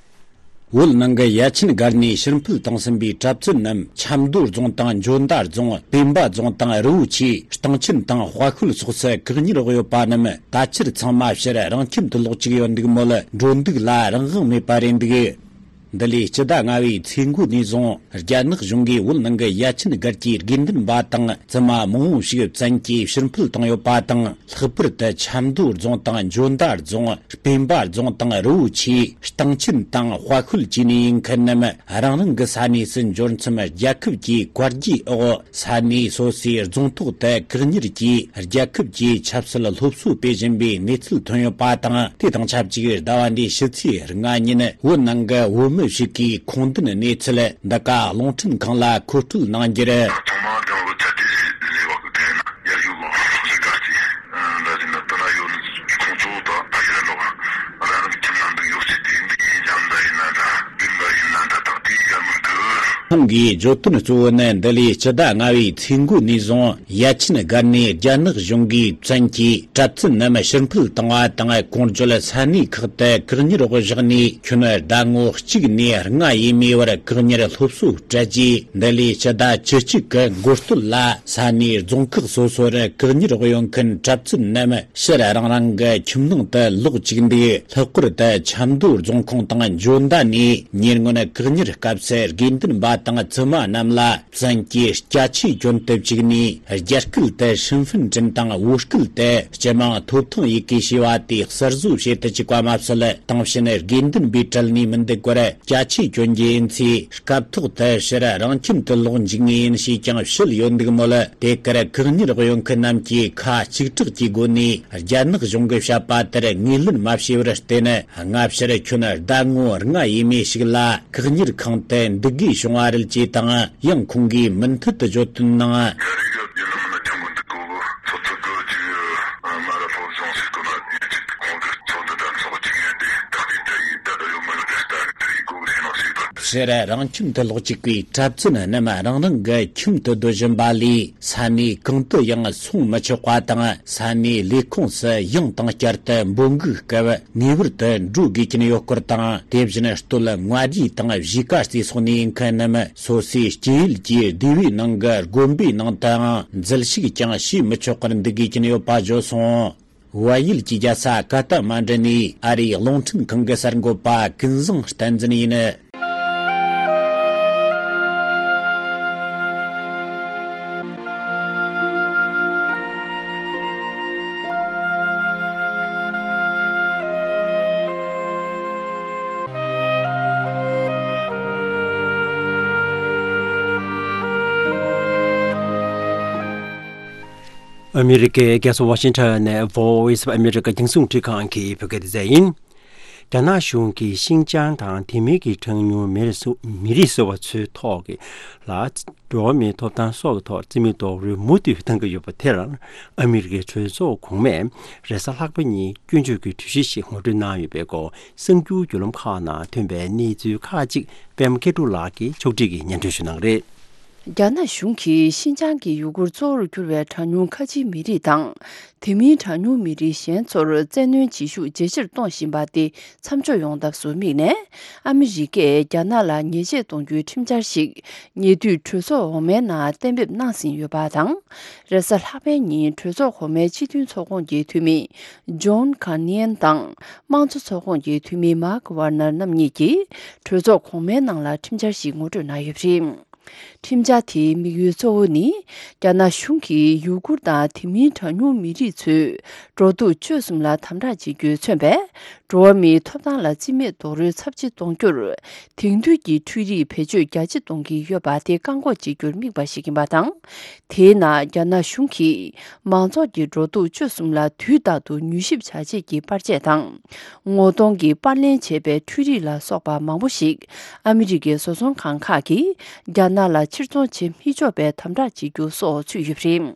བོད་ནང་གི་ཡ་ཆེན་སྒར་ནས་ཕྱིར་འཕུད་བཏང་ཟིན་པའི་གྲྭ་བཙུན་རྣམས་ཆབ་མདོ་རྫོང་དང་འཇོ་མདའ་རྫོང་། སྤེན་པ་རྫོང་དང་རི་བོ་ཆེ། སྟེང་ཆེན་དང་དཔའ་ཤོད་སོགས་སུ་བཀག་ཉར་འོག་ཡོད་པ་རྣམས་ད་ཆར་ཚང་མ་ཕྱིར་རང་ཁྱིམ་དུ་ལོག་བཅུག་ཡོད་འདུག་མོད། འགྲོ་འདུག་ལ་རང་དབང་མེད་པ་རེད་འདུག། འདི་ལོའི་སྤྱི་ཟླ་ལྔ་བའི་ཚེས་འགོ་ནས་བཟུང་རྒྱ་ནག་གཞུང་གིས་བོད་ནང་གི་ཡ་ཆེན་སྒར་གྱི་དགེ་འདུན་པ་དང་བཙུན་མ་མང་བོ་ཞིག་བཙན་གྱིས་ཕྱིར་འཕུད་བཏང་ཡོད་པ་དང་། ལྷག་པར་དུ་ཆབ་མདོ་རྫོང་དང་འཇོ་མདའ་རྫོང་། སྤེན་པ་རྫོང་དང་རི་བོ་ཆེ། སྟེང་ཆེན་དང་དཔའ་ཤོད་བཅས་ནས་ཡིན་མཁན་རྣམས་རང་རང་གི་ས་གནས་སུ་འབྱོར་མཚམས། རྒྱལ་ཁབ་ཀྱི་བཀའ་བརྒྱུད་འོག་ས་གནས་སོ་སོའི་རྫོང་ཐོག་ཏུ་བཀག་ཉར་གྱིས་རྒྱལ་ཁབ་ཀྱི་ཆབ་སྲིད་སློབ་གསོ་སྤེལ་བཞིན་པའི་གནས་ཚུལ་ཐོན་ཡོད་པ་དང་། དེ་དང་ཆབས་ཅིག་ཟླ་བ་འདིའི་ཕྱི་ཚེས་ལྔ་ཉིན་བོད་ནང་གི་བོད་མི་ཞིག་གིས་ཁུངས་ལྡན་གནས་ཚུལ་འདི་ག་རླུང་འཕྲིན་ཁང་ལ་མཁོ་སྤྲོད་གནང་རྒྱུར། ཚང་མ་རྒྱང་རིང་ཚད་དེ་ལས་བག་དེ་ན་ཡར་ཡོད་ལོ་ཟེར་ག་ཅི་འདྲ་ཟིན་ན་དུ་ན་ཡོད་ནི་ཁོང་ཚོ་དང་ཕ་ཡུལ་ལོ་རང་རང་ཁྱིམ་ན་འདུག་ཡོད་ཚེ་དེ་འདི་ཡིན་ཀྱང་འདྲ་ཡིན་ན་འདྲ་བདེན་པ་ཡིན་ན་འདྲ་དག་དེ་ཡར་མི་འདུག། ཁོང་གིས་བརྗོད་དོན་གཙོ་བོ་ནི་འདི་ལོའི་སྤྱི་ཟླ་ལྔ་བའི་ཚེས་འགོ་ནས་བཟུང་ཡ་ཆེན་སྒར་ནས་རྒྱ་ནག་གཞུང་གིས་བཙན་གྱིས་གྲྭ་བཙུན་རྣམས་ཕྱིར་འཕུད་བཏང་བ་དང་། གོང་བརྗོད་ས་གནས་ཁག་ཏུ་བཀག་ཉར་འོག་བཞག་ནས་ཁྱོན་ཟླ་ངོ་གཅིག་ནས་ལྔ་ཡས་མས་བར་བཀག་ཉར་སློབ་གསོ་སྤྲད་རྗེས། འདི་ལོའི་ཕྱི་ཟླ་བཅུ་གཅིག་གི་འགོ་སྟོད་ལ་ས་གནས་རྫོང་ཁག་སོ་སོར་བཀག་ཉར་འོག་ཡོད་མཁན་གྲྭ་བཙུན་རྣམས་ཕྱིར་རང་རང་གི་ཁྱིམ་ནང་དུ་ལོག་བཅུག་འདུག། ལྷག་པར་དུ་ཆབ་མདོ་རྫོང་ཁོངས་དང་འཇོ་མདའ་ནས་ཉེ་སྔོན་བཀག་ཉར་སྐབས་སུ་དགེ་འདུན་པ་དང་བཙུན་མ་རྣམས་ལ་བཙན་གྱིས་སྐྱ་ཆས་གྱོན་དུ་བཅུག་ནས། རྒྱ་སྐད་དུ་ཧྲིན་ཧྥིན་ཀྲིན་དང་བོད་སྐད་དུ་སྤྱི་དམངས་ཐོབ་ཐང་ཡི་གེ་ཞེས་པ་དེ་གསར་བཟོ་བྱེད་དུ་བཅུག་པ་མ་ཟད། དེང་ཕྱིན་དགེ་འདུན་པའི་གྲལ་ནས་མི་འདུག་པར་སྐྱ་ཆས་གྱོན་རྒྱུ་ཡིན་ཚེ། སྐབས་ཐོག་ཏུ་ཕྱིར་རང་ཁྱིམ་དུ་ལོག་འཇུག་ངེས་ཡིན་ཞེས་ཀྱང་བཤད་ཡོད་འདུག་མོད། དེ་གར་བཀག་ཉར་འོག་ཡོད་མཁན་རྣམས་ཀྱིས་ཁ་གཅིག་གྲགས་ཀྱི་སྒོ་ནས་རྒྱ་ནག་གཞུང་གིས་བཤད་པ་ལྟར་ངོས་ལེན་མ་བྱས་པར་བརྟེན། སྔ་ཕྱིར་ཁྱོན་ཟླ་ངོ་ལྔ་ཡས་མས་ཤིག་ལ་བཀག་ཉར་ཁང་དུ་འདུག་དགོས་བྱུང་བ་རེད་ཅེས་དང་། ཡང་ཁོང་གིས་མུ་མཐུད་དུ་བརྗོད་དོན་ནང་། ཕྱིར་རང་ཁྱིམ་དུ་ལོག་བཅུག་པའི་གྲྭ་བཙུན་རྣམས་རང་རང་གི་ཁྱིམ་དུ་སྡོད་བཞིན་པ་ལས། ས་གནས་གང་དུ་ཡང་སོང་མི་ཆོག་པ་དང་། ས་གནས་ལས་ཁུངས་སུ་ཡང་དང་བསྐྱར་དུ་འབོད་འགུག་སྐབས་ངེས་པར་དུ་འགྲོ་དགོས་ཀྱིན་ཡོད་སྐོར་དང་། དེ་བཞིན་སྟོད་མངའ་རིས་དང་གཞིས་ཀ་རྩེ་སོགས་ནས་ཡིན་མཁན་རྣམས་སོ་སོའི་སྐྱེས་ཡུལ་གྱི་སྡེ་བའི་ནང་གི་དགོན་པའི་ནང་དུའང་འཛུལ་ཞུགས་ཀྱང་བྱེད་མི་ཆོག་པར་འདུག་དགོས་ཀྱིན་ཡོད་པ་བརྗོད་སོང་། བལ་ཡུལ་གྱི་རྒྱལ་ས་ཀ་ཐ་མན་ཌུ་ནས་ཨ་རིའི་རླུང་འཕྲིན་ཁང་གི་གསར་འགོད་པ་ཀུན་བཟང་བསྟན་འཛིན་ཡིན། ཨ་མི་རི་ཀའི་རྒྱལ་ས་ཝ་ཤིང་ཊོན་ནས་Voice of America རྒྱང་སྲིང་རླུང་འཕྲིན་ཁང་གི་བོད་སྐད་སྡེ་ཚན་ཡིན། རྒྱ་ནག་གཞུང་གིས་ཤིན་ཅང་དང་དེ་མིན་གྱི་གྲངས་ཉུང་མི་རིགས་སུ་མི་རིགས་ཟེར་བ་ཚོའི་ཐོག་གི་ལ་འགྲོ་བ་མིའི་ཐོབ་ཐང་སོགས་ཀྱི་ཐོག་རྩིས་མེད་རྡོག་རོལ་མུ་མཐུད་བཏང་གི་ཡོད་པ་དེར། ཨ་མི་རི་ཀའི་གྲོས་ཚོགས་གོང་མས་རེས་གཟའ་ལྷག་པ་ཉིན་སྐྱོན་བརྗོད་ཀྱི་གྲོས་གཞི་ཞིག་ངོ་སྤྲོད་གནང་ཡོད་པའི་སྐོར། གསར་འགྱུར་བརྒྱུད་ལམ་ཁག་ནང་ཐོན་པའི་གནས་ཚུལ་ཁག་ཅིག་པད་མ་མཁས་གྲུབ་ལགས་ཀྱིས་ཕྱོགས་སྒྲིག་གིས་སྙན་སྒྲོན་ཞུ་གནང་གི་རེད། རྒྱ་ནག་གཞུང་གིས་ཤིན་ཅང་གི་ཡུ་གུར་གཙོ་བོར་གྱུར་བའི་གྲངས་ཉུང་ཁ་ཆེའི་མི་རིགས་དང་། དེ་མིན་གྲངས་ཉུང་མི་རིགས་གཞན་ཚོར་བཙན་གནོན་བྱེད་ཤུགས་ཇེ་ཆེར་གཏོང་བཞིན་པ་དེ་མཚམས་འཇོག་ཡོང་ཐབས་སུ་དམིགས་ནས། ཨ་མི་རི་ཀས་རྒྱ་ནག་ལ་ཉེས་ཆད་གཏོང་རྒྱུའི་ཁྲིམས་འཆར་ཞིག་ཉེ་དུས་གྲོས་ཚོགས་འོག་མའི་ནང་གཏན་འབེབས་གནང་ཟིན་ཡོད་པ་དང་། རེས་གཟའ་ལྷག་པའི་ཉིན་གྲོས་ཚོགས་གོང་མའི་སྤྱི་མཐུན་ཚོགས་ཁོངས་ཀྱི་འཐུས་མི་ཇོན་ཁཱ་ནི་ཡན་དང་། དམངས་གཙོ་ཚོགས་ཁོངས་ཀྱི་འཐུས་མི་མཱག་ཝར་ནར་རྣམ་གཉིས་ཀྱིས་གྲོས་ཚོགས་གོང་མའི་ནང་ལ་ཁྲིམས་འཆར་ཞིག་ངོ་སྤྲོད་གནང་ཡོད་པ་རེད། ཁྲིམས་འཆར་དེའི་དམིགས་ཡུལ་གཙོ་བོ་ནི། རྒྱ་ནག་གཞུང་གིས་ཡུ་གུར་དང་དེ་མིན་གྲངས་ཉུང་མི་རིགས་ཚོའི་འགྲོ་འདུག་སྤྱོད་གསུམ་ལ་དམ་དྲག་བྱེད་རྒྱུས་མཚོན་པའི། འགྲོ་བ་མིའི་ཐོབ་ཐང་ལ་རྩིས་མེད་རྡོག་རོལ་ཚབས་ཆེ་གཏོང་རྒྱུར། དེང་དུས་ཀྱི་འཕྲུལ་རིག་བེད་སྤྱོད་རྒྱ་ཆེ་གཏོང་གི་ཡོད་པ་དེ་བཀག་འགོག་བྱེད་རྒྱུར་དམིགས་པ་ཞིག་ཡིན་པ་དང་། དེའི་ནང་རྒྱ་ནག་གཞུང་གིས་མང་ཚོགས་ཀྱི་འགྲོ་འདུག་སྤྱོད་གསུམ་ལ་དུས་རྟག་ཏུ་མྱུལ་ཞིབ་བྱ་ཆེད་ཀྱི་པར་ཆས་དང་། ངོ་གདོང་གི་པར་ལེན་བྱེད་པའི་འཕྲུལ་རིག་ལ་སོགས་པ་མང་པོ་ཞིག་ཨ་མི་རི་ཀའི་བཟོ་ཚོང་ཁང་ཁག་གིས་རྒྱ་ནག་ལ་ཕྱིར་ཚོང་བྱེད་མི་ཆོག་པའི་དམ་དྲག་བྱེད་རྒྱུ་སོགས་ཚུད་ཡོད་པ་རེད།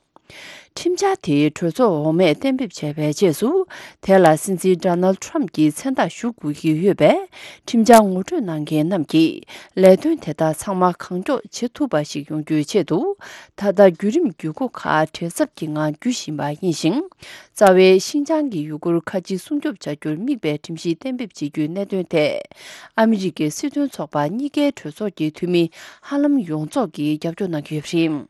ཁྲིམས་འཆར་དེ་གྲོས་ཚོགས་འོག་མས་གཏན་འབེབས་བྱས་པའི་རྗེས་སུ། དེ་ལ་སྲིད་འཛིན་ཌོ་ནལ་ཁྲམ་གྱིས་མཚན་རྟགས་ཞུ་དགོས་ཀྱི་ཡོད་པས། ཁྲིམས་འཆར་ངོ་སྤྲོད་གནང་མཁན་རྣམས་ཀྱིས་ལས་དོན་དེ་དག་ཚང་མ་གང་མགྱོགས་བྱེད་ཐུབ་པ་ཞིག་ཡོང་རྒྱུའི་ཆེད་དུ། ད་ལྟ་བརྒྱུད་རིམ་བརྒྱུད་སྒོ་ཁག་བྲེལ་འཚུབ་ཀྱི་ངང་བརྒྱུད་བཞིན་པ་ཡིན་ཞིང་། རྩ་བའི་ཤིན་ཅང་གི་ཡུ་གུར་ཁ་ཆེ་སྲུང་སྐྱོབ་བྱ་རྒྱུར་དམིགས་པའི་ཁྲིམས་གཞི་གཏན་འབེབས་བྱེད་རྒྱུའི་གནད་དོན་ཐད། ཨ་མི་རི་ཀའི་སྲིད་དོན་ཚོགས་པ་གཉིས་ཀའི་གྲོས་ཚོགས་ཀྱི་འཐུས་མི་ཧ་ལམ་ཡོངས་རྫོགས་ཀྱིས་རྒྱབ་སྐྱོར་གནང་གི་ཡོད་པ་རེད།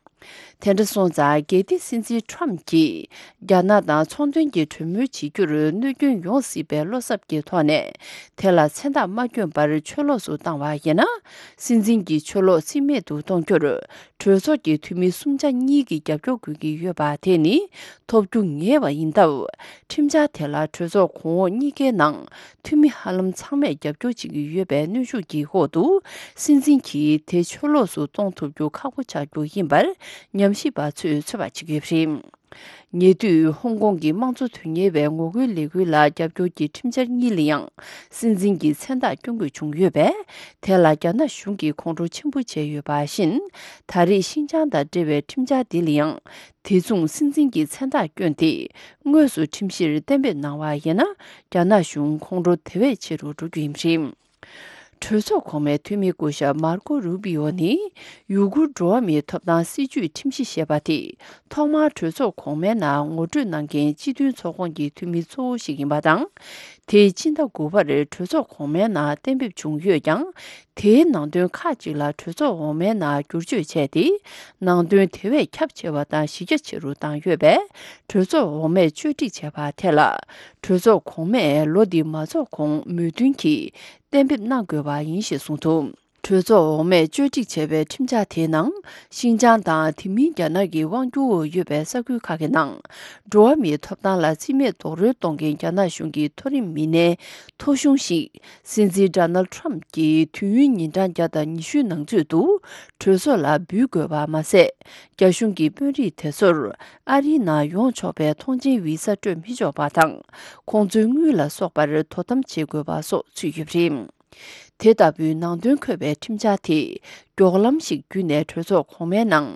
དེ་འདྲ་སོང་ཙང་། གལ་ཏེ་སྲིད་འཛིན་ཁྲམ་གྱིས་རྒྱ་ནག་དང་ཚོང་དོན་གྱི་གྲོས་མོལ་བྱེད་རྒྱུར་གནོད་སྐྱོན་ཡོང་སྲིད་པའི་བློ་འཚབ་ཀྱི་ཐོག་ནས། དེ་ལ་མཚན་རྟགས་མ་བསྐྱོན་པར་ཕྱིར་ལོགས་སུ་བཏང་བ་ཡིན་ན། སྲིད་འཛིན་གྱི་ཕྱིར་ལོགས་རྩིས་མེད་དུ་གཏོང་རྒྱུར། གྲོས་ཚོགས་ཀྱི་འཐུས་མི་གསུམ་ཆ་གཉིས་ཀྱི་རྒྱབ་སྐྱོར་དགོས་ཀྱི་ཡོད་པ་དེ་ནི། ཐོབ་རྒྱུ་ངེས་པ་ཡིན་སྟབས། ཁྲིམས་འཆར་དེ་ལ་གྲོས་ཚོགས་གོང་འོག་གཉིས་ཀའི་ནང་། འཐུས་མི་ཧ་ལམ་ཚང་མས་རྒྱབ་སྐྱོར་བྱེད་ཀྱི་ཡོད་པའི་གནོན་ཤུགས་ཀྱི་འོག་ཏུ། སྲིད་འཛིན་གྱིས་དེ་ཕྱིར་ལོགས་སུ་གཏོང་ཐུབ་རྒྱུ་ཁག་པོ་ཆགས་རྒྱུ་ཡིན་པར། ཉམས་ཞིབ་པ་ཚོས་ཚོད་དཔག་བྱེད་ཀྱི་ཡོད་པ་རེད། ཉེ་དུས་ཧོང་ཀོང་གི་དམངས་གཙོ་དོན་གཉེར་བའི་ངོ་རྒོལ་ལས་འགུལ་ལ་རྒྱབ་སྐྱོར་གྱི་ཁྲིམས་འཆར་གཉིས་ལ་ཡང་། སྲིད་འཛིན་གྱི་མཚན་རྟགས་བསྐྱོན་དགོས་བྱུང་ཡོད་པས། དེ་ལ་རྒྱ་ནག་གཞུང་གིས་ཁོང་ཁྲོ་ཆེན་པོ་བྱས་ཡོད་པ་བཞིན། ད་རེས་ཤིན་ཅང་དང་འབྲེལ་བའི་ཁྲིམས་འཆར་འདི་ལ་ཡང་། དེ་མཚུངས་སྲིད་འཛིན་གྱི་མཚན་རྟགས་བསྐྱོན་ཏེ། དངོས་སུ་ཁྲིམས་གཞིར་གཏན་འབེབས་གནང་བ་ཡིན་ན། རྒྱ་ནག་གཞུང་ཁོང་ཁྲོ་དེ་བས་ཆེ་རུ་འགྲོ་རྒྱུ་ཡིན་པ་རེད། གྲོས་ཚོགས་གོང་མའི་འཐུས་མི་སྐུ་ཞབས་མར་ཀོ་རུ་པི་ཨོ་ནི། ཡུ་གུར་འགྲོ་བ་མིའི་ཐོབ་ཐང་སྲིད་བྱུས་ཁྲིམས་གཞི་ཞེས་པ་དེ། ཐོག་མར་གྲོས་ཚོགས་གོང་མའི་ནང་ངོ་སྤྲོད་གནང་མཁན་སྤྱི་མཐུན་ཚོགས་ཁོངས་ཀྱི་འཐུས་མི་གཙོ་བོ་ཞིག་ཡིན་པ་དང་། དེས་སྤྱི་ཟླ་དགུ་པར་གྲོས་ཚོགས་གོང་མའི་ནང་གཏན་འབེབས་བྱུང་ཡོད་ཀྱང་། དེའི་ནང་དོན་ཁག་ཅིག་ལ་གྲོས་ཚོགས་འོག་མའི་ནང་བསྒྱུར་བཅོས་བྱས་ཏེ། ནང་དོན་དེ་བས་ཁྱབ་ཆེ་བ་དང་གཞི་རྒྱ་ཆེ་རུ་བཏང་ཡོད་པས། གྲོས་ཚོགས་འོག་མས་བཅོས་སྒྲིག་བྱས་པ་དེ་ལ། གྲོས་ཚོགས་གོང་མས་ལོ་འདི་མ་རྫོགས་གོང་མོས་མཐུན་གྱིས་གཏན་འབེབས་གནང་དགོས་པ་ཡིན་ཞེས་གསུངས་འདུག་གྲོས་ཚོགས་འོག་མས་བཅོས་སྒྲིག་བྱས་པའི་ཁྲིམས་འཆར་དེའི་ནང་། ཤིན་ཅང་དང་དེ་མིན་རྒྱ་ནག་གི་དབང་སྒྱུར་འོག་ཡོད་པའི་ས་ཁུལ་ཁག་གི་ནང་། འགྲོ་བ་མིའི་ཐོབ་ཐང་ལ་རྩིས་མེད་རྡོག་རོལ་གཏོང་མཁན་རྒྱ་ནག་གཞུང་གི་མཐོ་རིམ་མི་སྣའི་ཐོ་གཞུང་ཞིག་སྲིད་འཛིན་ཌོ་ནལ་ཁྲམ་གྱིས་དུས་ཡུན་ཉིན་གྲངས་བརྒྱ་དང་ཉི་ཤུའི་ནང་ཚུད་དུ་གྲོས་ཚོགས་ལ་འབུལ་དགོས་པ་མ་ཟད། རྒྱ་གཞུང་གི་དཔོན་རིགས་དེ་ཚོར་ཨ་རིའི་ནང་ཡོང་ཆོག་པའི་ཐོངས་མཆན་བི་ས་སྤྲོད་མི་ཆོག་པ་དང་། ཁོང་ཚོའི་དངུལ་ལ་སོགས་པར་དོ་དམ་བྱེད་དགོས་པ་སོགས་ཚུད་ཡོད་པ་རེད། དེ་ལྟ་བུའི་ནང་དོན་འཁོད་པའི་ཁྲིམས་འཆར་དེས་མགྱོགས་ལམ་ཞིག་བརྒྱུད་ནས་གྲོས་ཚོགས་གོང་མའི་ནང་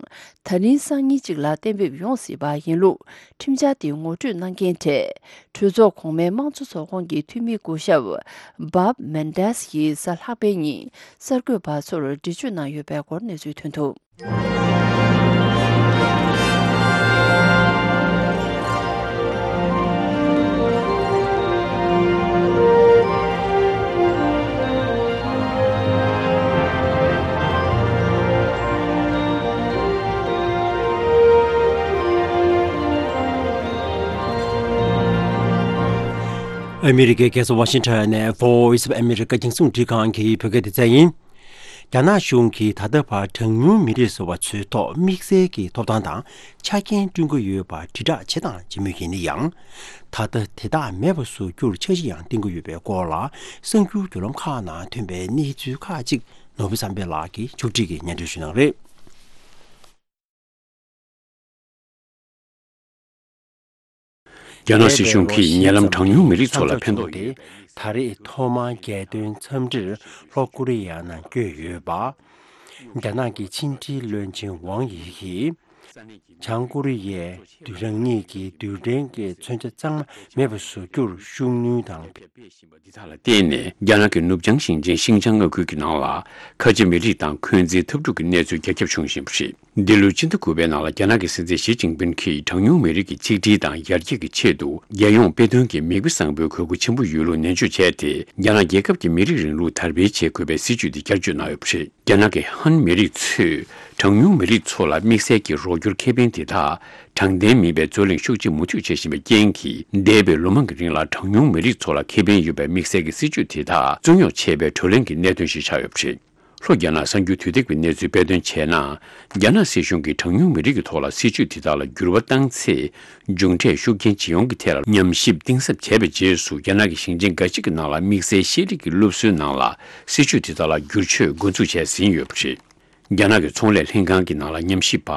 ད་རིང་སང་ཉིན་གཅིག་ལ་གཏན་འབེབས་ཡོང་སྲིད་པ་ཡིན་ལུགས། ཁྲིམས་འཆར་དེ་ངོ་སྤྲོད་གནང་མཁན་གྲས་གྲོས་ཚོགས་གོང་མའི་དམངས་གཙོ་ཚོགས་ཁོངས་ཀྱི་འཐུས་མི་སྐུ་ཞབས་བྷབ་མན་ཌེས་ཡིས་གཟའ་ལྷག་པའི་ཉིན་གསར་འགོད་པ་ཚོར་འགྲེལ་བརྗོད་གནང་ཡོད་པའི་སྐོར་གནས་ཚུལ་ཐོན་འདུག་ཨ་མི་རི་ཀའི་རྒྱལ་ས་ཝ་ཤིང་ཊོན་ནས་Voice of America རྒྱང་སྲིང་འཕྲིན་ཁང་གི་བོད་སྐད་སྡེ་ཚན་ཡིན། རྒྱ་ནག་གཞུང་གིས་ད་ལྟ་བར་གྲངས་ཉུང་མི་རིགས་ཟེར་བ་ཚོའི་ཐོག་དམིགས་བསལ་གྱི་ཐོབ་ཐང་དང་ཆ་རྐྱེན་བསྐྲུན་གྱི་ཡོད་པར་དྲིལ་བསྒྲགས་བྱས་དང་བྱེད་མུས་ཡིན་ན་ཡང་། ད་ལྟ་དེ་དག་མེད་པ་བཟོ་རྒྱུར་འཆར་གཞི་ཡང་བཏིང་གི་ཡོད་པའི་སྐོར་ལ། གསར་འགྱུར་བརྒྱུད་ལམ་ཁག་ནང་ཐོན་པའི་གནས་ཚུལ་ཁག་ཅིག་ནོར་བུ་བསམ་འཕེལ་ལགས་ཀྱིས་ཕྱོགས་སྒྲིག་གིས་སྙན་སྒྲོན་ཞུ་གནང་རེད། རྒྱ་ནག་སྲིད་གཞུང་གིས་ཉེ་ལམ་གྲངས་ཉུང་མི་རིགས་ཚོ་ལ་ཕན་ཐོགས་ཡོད། ད་རེས་ཐོག་མར་རྒྱལ་དོན་འཚམས་འདྲིར་ལྷོ་ཀོ་རི་ཡ་ནང་བསྐྱོད་ཡོད་པ། རྒྱ་ནག་གི་ཕྱི་འབྲེལ་བློན་ཆེན་ཝང་ཡི་གིས་བྱང་ཀོ་རི་ཡའི་རང་ཉིད་ཀྱི་རྡུལ་ཕྲན་གྱི་མཚོན་ཆ་གཙང་མ་མེད་པ་བཟོ་རྒྱུར་ཤུགས་སྣོན་དང་། འདི་དག་ལ་བརྟེན་ནས་རྒྱ་ནག་གི་ནུབ་བྱང་ཞིང་ཆེན་ཤིང་ཅང་མངའ་ཁུལ་གྱི་ནང་ལ་ཁ་ཆེ་མི་རིགས་དང་འཁོན་འཛིན་འཐབ་འཁྲུག་གི་གནས་ཚུལ་རྒྱ་ཁྱབ་བྱུང་བཞིན་པ་རེད། འདི་ལོའི་སྤྱི་ཟླ་དགུ་པའི་ནང་ལ་རྒྱ་ནག་གི་སྲིད་འཛིན་ཞི་ཅིན་ཕིན་གྱིས་གྲངས་ཉུང་མི་རིགས་ཀྱི་ཆིག་སྒྲིལ་དང་ཡར་རྒྱས་ཀྱི་ཆེད་དུ་རྒྱལ་ཡོངས་དཔེ་སྟོན་གྱི་མིག་དཔེ་བཟང་པོའི་དགོས་མཁོ་ཆེན་པོ་ཡོད་ལུགས་ནན་བརྗོད་བྱས་ཏེ། རྒྱ་ནག་རྒྱལ་ཁབ་ཀྱི་མི་རིགས་རིང་ལུགས་དར་སྤེལ་བྱེད་དགོས་པའི་སྲིད་ཇུས་དེ་བསྐྱར་བརྗོད་གནང་ཡོད་པ་རེད། རྒྱ་ནག་གི་ཧན་མི་རིགས་ཚོས་གྲངས་ཉུང་མི་རིགས་ཚོ་ལ་དམིགས་བསལ་གྱི་རོགས་སྐྱོར་ཁེ་ཕན་དེ་དག་དྲང་བདེན་མིན་པའི་རྩོད་གླེང་ཤུགས་ཆེ་མུ་མཐུད་བྱེད་བཞིན་པའི་རྐྱེན་གྱིས། འདས་པའི་ལོ་མང་གི་རིང་ལ་གྲངས་ཉུང་མི་རིགས་ཚོ་ལ་ཁེ་ཕན་ཡོད་པའི་དམིགས་བསལ་གྱི་སྲིད་ཇུས་དེ་དག་རྩོད་རྙོག་ཆེ་བའི་བགྲོ་གླེང་གི་གནད་དོན་ཞིག་ཆགས་ཡོད་པ་རེད། ལྷོ་རྒྱ་ནག་གསར་འགྱུར་དུས་དེབ་ཀྱི་གནས་ཚུལ་དཔེ་སྟོན་བྱས་ན། རྒྱ་ནག་སྲིད་གཞུང་གིས་གྲངས་ཉུང་མི་རིགས་ཀྱི་ཐོག་ལ་སྲིད་ཇུས་དེ་དག་ལ་འགྱུར་བ་བཏང་ཚེ། མཇུག་འབྲས་ཤུགས་རྐྱེན་ཇི་ཡོང་གི་ཐད་ལ་ཉམས་ཞིབ་གཏིང་ཟབ་བྱས་པའི་རྗེས་སུ། རྒྱ་ནག་གི་ཞིང་ཆེན་འགའ་ཞིག་གི་ནང་ལ་དམིགས་བསལ་ཤེས་རིག་གི་སློབ་གསོའི་ནང་ལ་སྲིད་ཇུས་དེ་དག་ལ་བསྒྱུར་བཅོས་འགོ་འཛུགས་བྱས་ཟིན་ཡོད་པ་རེད། རྒྱ་ནག་གི་ཚོང་ལས་ལྷན་ཁང་གི་ནང་ལ་ཉམས་ཞིབ་པ་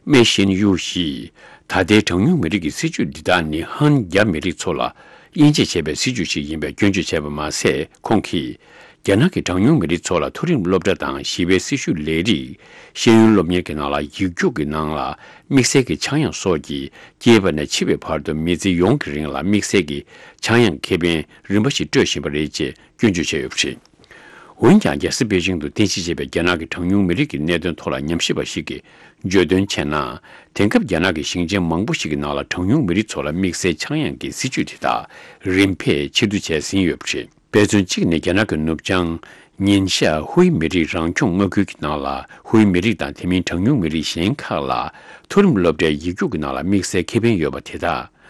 མེ་ཤིན་ཡུ་ཞིས། ད་ལྟའི་གྲངས་ཉུང་མི་རིགས་ཀྱི་སྲིད་ཇུས་འདི་དག་ནི་ཧན་རྒྱ་མི་རིགས་ཚོ་ལ་དབྱེ་འབྱེད་བྱས་པའི་སྲིད་ཇུས་ཤིག་ཡིན་པའི་སྐྱོན་བརྗོད་བྱས་པ་མ་ཟད། ཁོང་གིས། རྒྱ་ནག་གི་གྲངས་ཉུང་མི་རིགས་ཚོ་ལ་མཐོ་རིམ་སློབ་གྲྭ་དང་ཞི་བའི་སྲི་ཞུ་ལས་རིགས། ཤེས་ཡོན་སློབ་གཉེར་གྱི་ནང་ལ་ཡིག་རྒྱུགས་ཀྱི་ནང་ལ་དམིགས་བསལ་གྱི་ཆག་ཡང་སོགས་ཀྱིས། སྐྱེས་པ་ནས་འཆི་བའི་བར་དུ་མི་ཚེ་ཡོངས་ཀྱི་རིང་ལ་དམིགས་བསལ་གྱི་ཆག་ཡང་ཁེ་ཕན་རིམ་པ་ཞིག་སྤྲོད་བཞིན་པ་རེད་ཅེས་སྐྱོན་བརྗོད་བྱས་ཡོད་པ་རེད། འོན་ཀྱང་། རྒྱལ་ས་པེ་ཅིང་དུ་རྟེན་གཞི་བྱས་པའི་རྒྱ་ནག་གི་གྲངས་ཉུང་མི་རིགས་ཀྱི་གནད་དོན་ཐོག་ལ་ཉམས་ཞིབ་པ་ཞིག་གིས་བརྗོད་དོན་བྱས་ན། དེང་སྐབས་རྒྱ་ནག་གི་ཞིང་ཆེན་མང་པོ་ཞིག་གི་ནང་ལ་གྲངས་ཉུང་མི་རིགས་ཚོ་ལ་དམིགས་བསལ་ཆག་ཡང་གི་སྲིད་ཇུས་དེ་དག་རིམ་འཕེལ་ཕྱིར་བསྡུ་བྱས་ཟིན་ཡོད་པ་རེད། དཔེ་མཚོན་གཅིག་ནི། རྒྱ་ནག་གི་ནུབ་བྱང་ཉིན་ཤར་ཧུའེ་མི་རིགས་རང་སྐྱོང་མངའ་ཁུལ་གྱི་ནང་ལ། ཧུའེ་མི་རིགས་དང་དེ་མིན་གྲངས་ཉུང་མི་རིགས་གཞན་ཁག་ལ། མཐོ་རིམ་སློབ་གྲྭའི་ཡིག་རྒྱུགས་ཀྱི་ནང་ལ་དམིགས་བསལ་ཁེ་ཕན་ཡོད་པ་དེ་དག་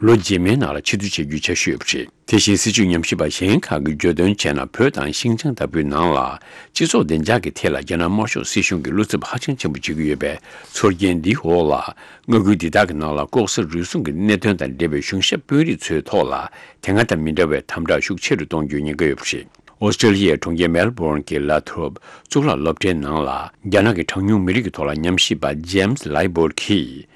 ལོ་རྗེས་མའི་ནང་ལ་ཕྱིར་བསྡུ་བྱེད་རྒྱུའི་འཆར་གཞི་ཡོད་པ་རེད། དེ་བཞིན། སྲིད་བྱུས་ཉམས་ཞིབ་པ་གཞན་ཁག་གིས་བརྗོད་དོན་བྱས་ན། བོད་དང་ཤིན་ཅང་ལྟ་བུའི་ནང་ལ། སྤྱི་ཚོགས་བདེ་འཇགས་ཀྱི་ཐད་ལ་རྒྱ་ནག་དམར་ཤོག་སྲིད་གཞུང་གིས་བློ་འཚབ་ཧ་ཅང་ཆེན་པོ་བྱེད་ཀྱི་ཡོད་པའི་ཚོར་སྐྱེན་འདིའི་འོག་ལ། མངའ་ཁུལ་འདི་དག་གི་ནང་ལ་ལྐོག་ཟ་རུལ་སུངས་ཀྱི་གནད་དོན་དང་འབྲེལ་བའི་གཞུང་ཞབས་དཔོན་རིགས་ཚོའི་ཐོག་ལ། དེ་སྔ་དང་མི་འདྲ་བའི་དམ་དྲག་ཤུགས་ཆེ་རུ་གཏོང་རྒྱུའི་ཉེན་ཁ་ཡོད་པ་རེད། ཨོ་སི་ཀྲེ་ལི་ཡའི་གྲོང་ཁྱེར་མེལ་བོརན་གྱི་ལ་ཐོབ་གཙུག་ལག་སློབ་གྲྭའི་ནང་ལ། རྒྱ་ནག་གི་གྲངས་ཉུང་མི་རིགས་ཀྱི་ཐོག་ལ་ཉམས་ཞིབ་པ་ཇེམ་སི་ལའི་བོར་གྱིས།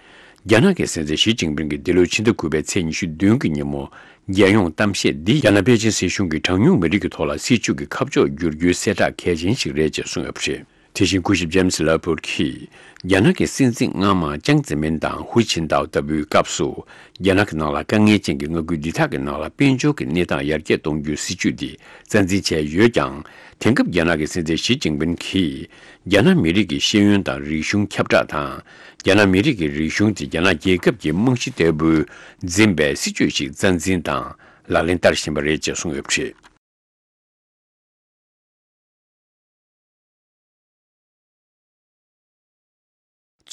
རྒྱ་ནག་གི་སྲིད་འཛིན་ཞི་ཅིན་ཕིང་གིས་འདི་ལོའི་ཕྱི་ཟླ་དགུ་པའི་ཚེས་ཉི་ཤུ་བདུན་གྱི་ཉིན་མོ། རྒྱལ་ཡོངས་གཏམ་བཤད་འདི། རྒྱ་ནག་པེ་ཅིན་སྲིད་གཞུང་གིས་གྲངས་ཉུང་མི་རིགས་ཀྱི་ཐོག་ལ་སྲིད་བྱུས་ཀྱི་ཁ་ཕྱོགས་བསྒྱུར་རྒྱུའི་གསལ་བསྒྲགས་གལ་ཆེན་ཞིག་རེད་ཅེས་གསུངས་ཡོད་པ་རེད། དེ་བཞིན། སྐུ་ཞབས་ཇེམ་སི་ལ་ཕོར་གྱིས། རྒྱ་ནག་གི་སྲིད་འཛིན་སྔ་མ་ཅང་ཙེ་མིན་དང་ཧུའུ་ཆིན་ཏའོ་ལྟ་བུའི་སྐབས་སུ། རྒྱ་ནག་གི་ནང་ལ་དཀའ་ངལ་ཅན་གྱི་མངའ་ཁུལ་འདི་དག་གི་ནང་ལ་དཔལ་འབྱོར་གྱི་གནས་སྟངས་ཡར་རྒྱས་གཏོང་རྒྱུའི་སྲིད་བྱུས་འདི་རྩ་འཛིན་བྱས་ཡོད་ཀྱང་། དེང་སྐབས་རྒྱ་ནག་གི་སྲིད་འཛིན་ཞི་ཅིན་ཕིང་གིས། རྒྱ་ནག་མི་རིགས་ཀྱི་ཤེས་ཡོན་དང་རིག་གཞུང་ཁྱབ་བསྒྲགས་དང་། རྒྱ་ནག་མི་རིགས་ཀྱི་རིག་གཞུང་དེ་རྒྱ་ནག་རྒྱལ་ཁབ་ཀྱི་རྨང་གཞི་ལྟ་བུ་འཛིན་པའི་སྲིད་བྱུས་ཤིག་རྩ་འཛིན་དང་ལག་ལེན་བསྟར་བཞིན་པ་རེད་ཅེས་གསུངས་ཡོད་པ་རེད།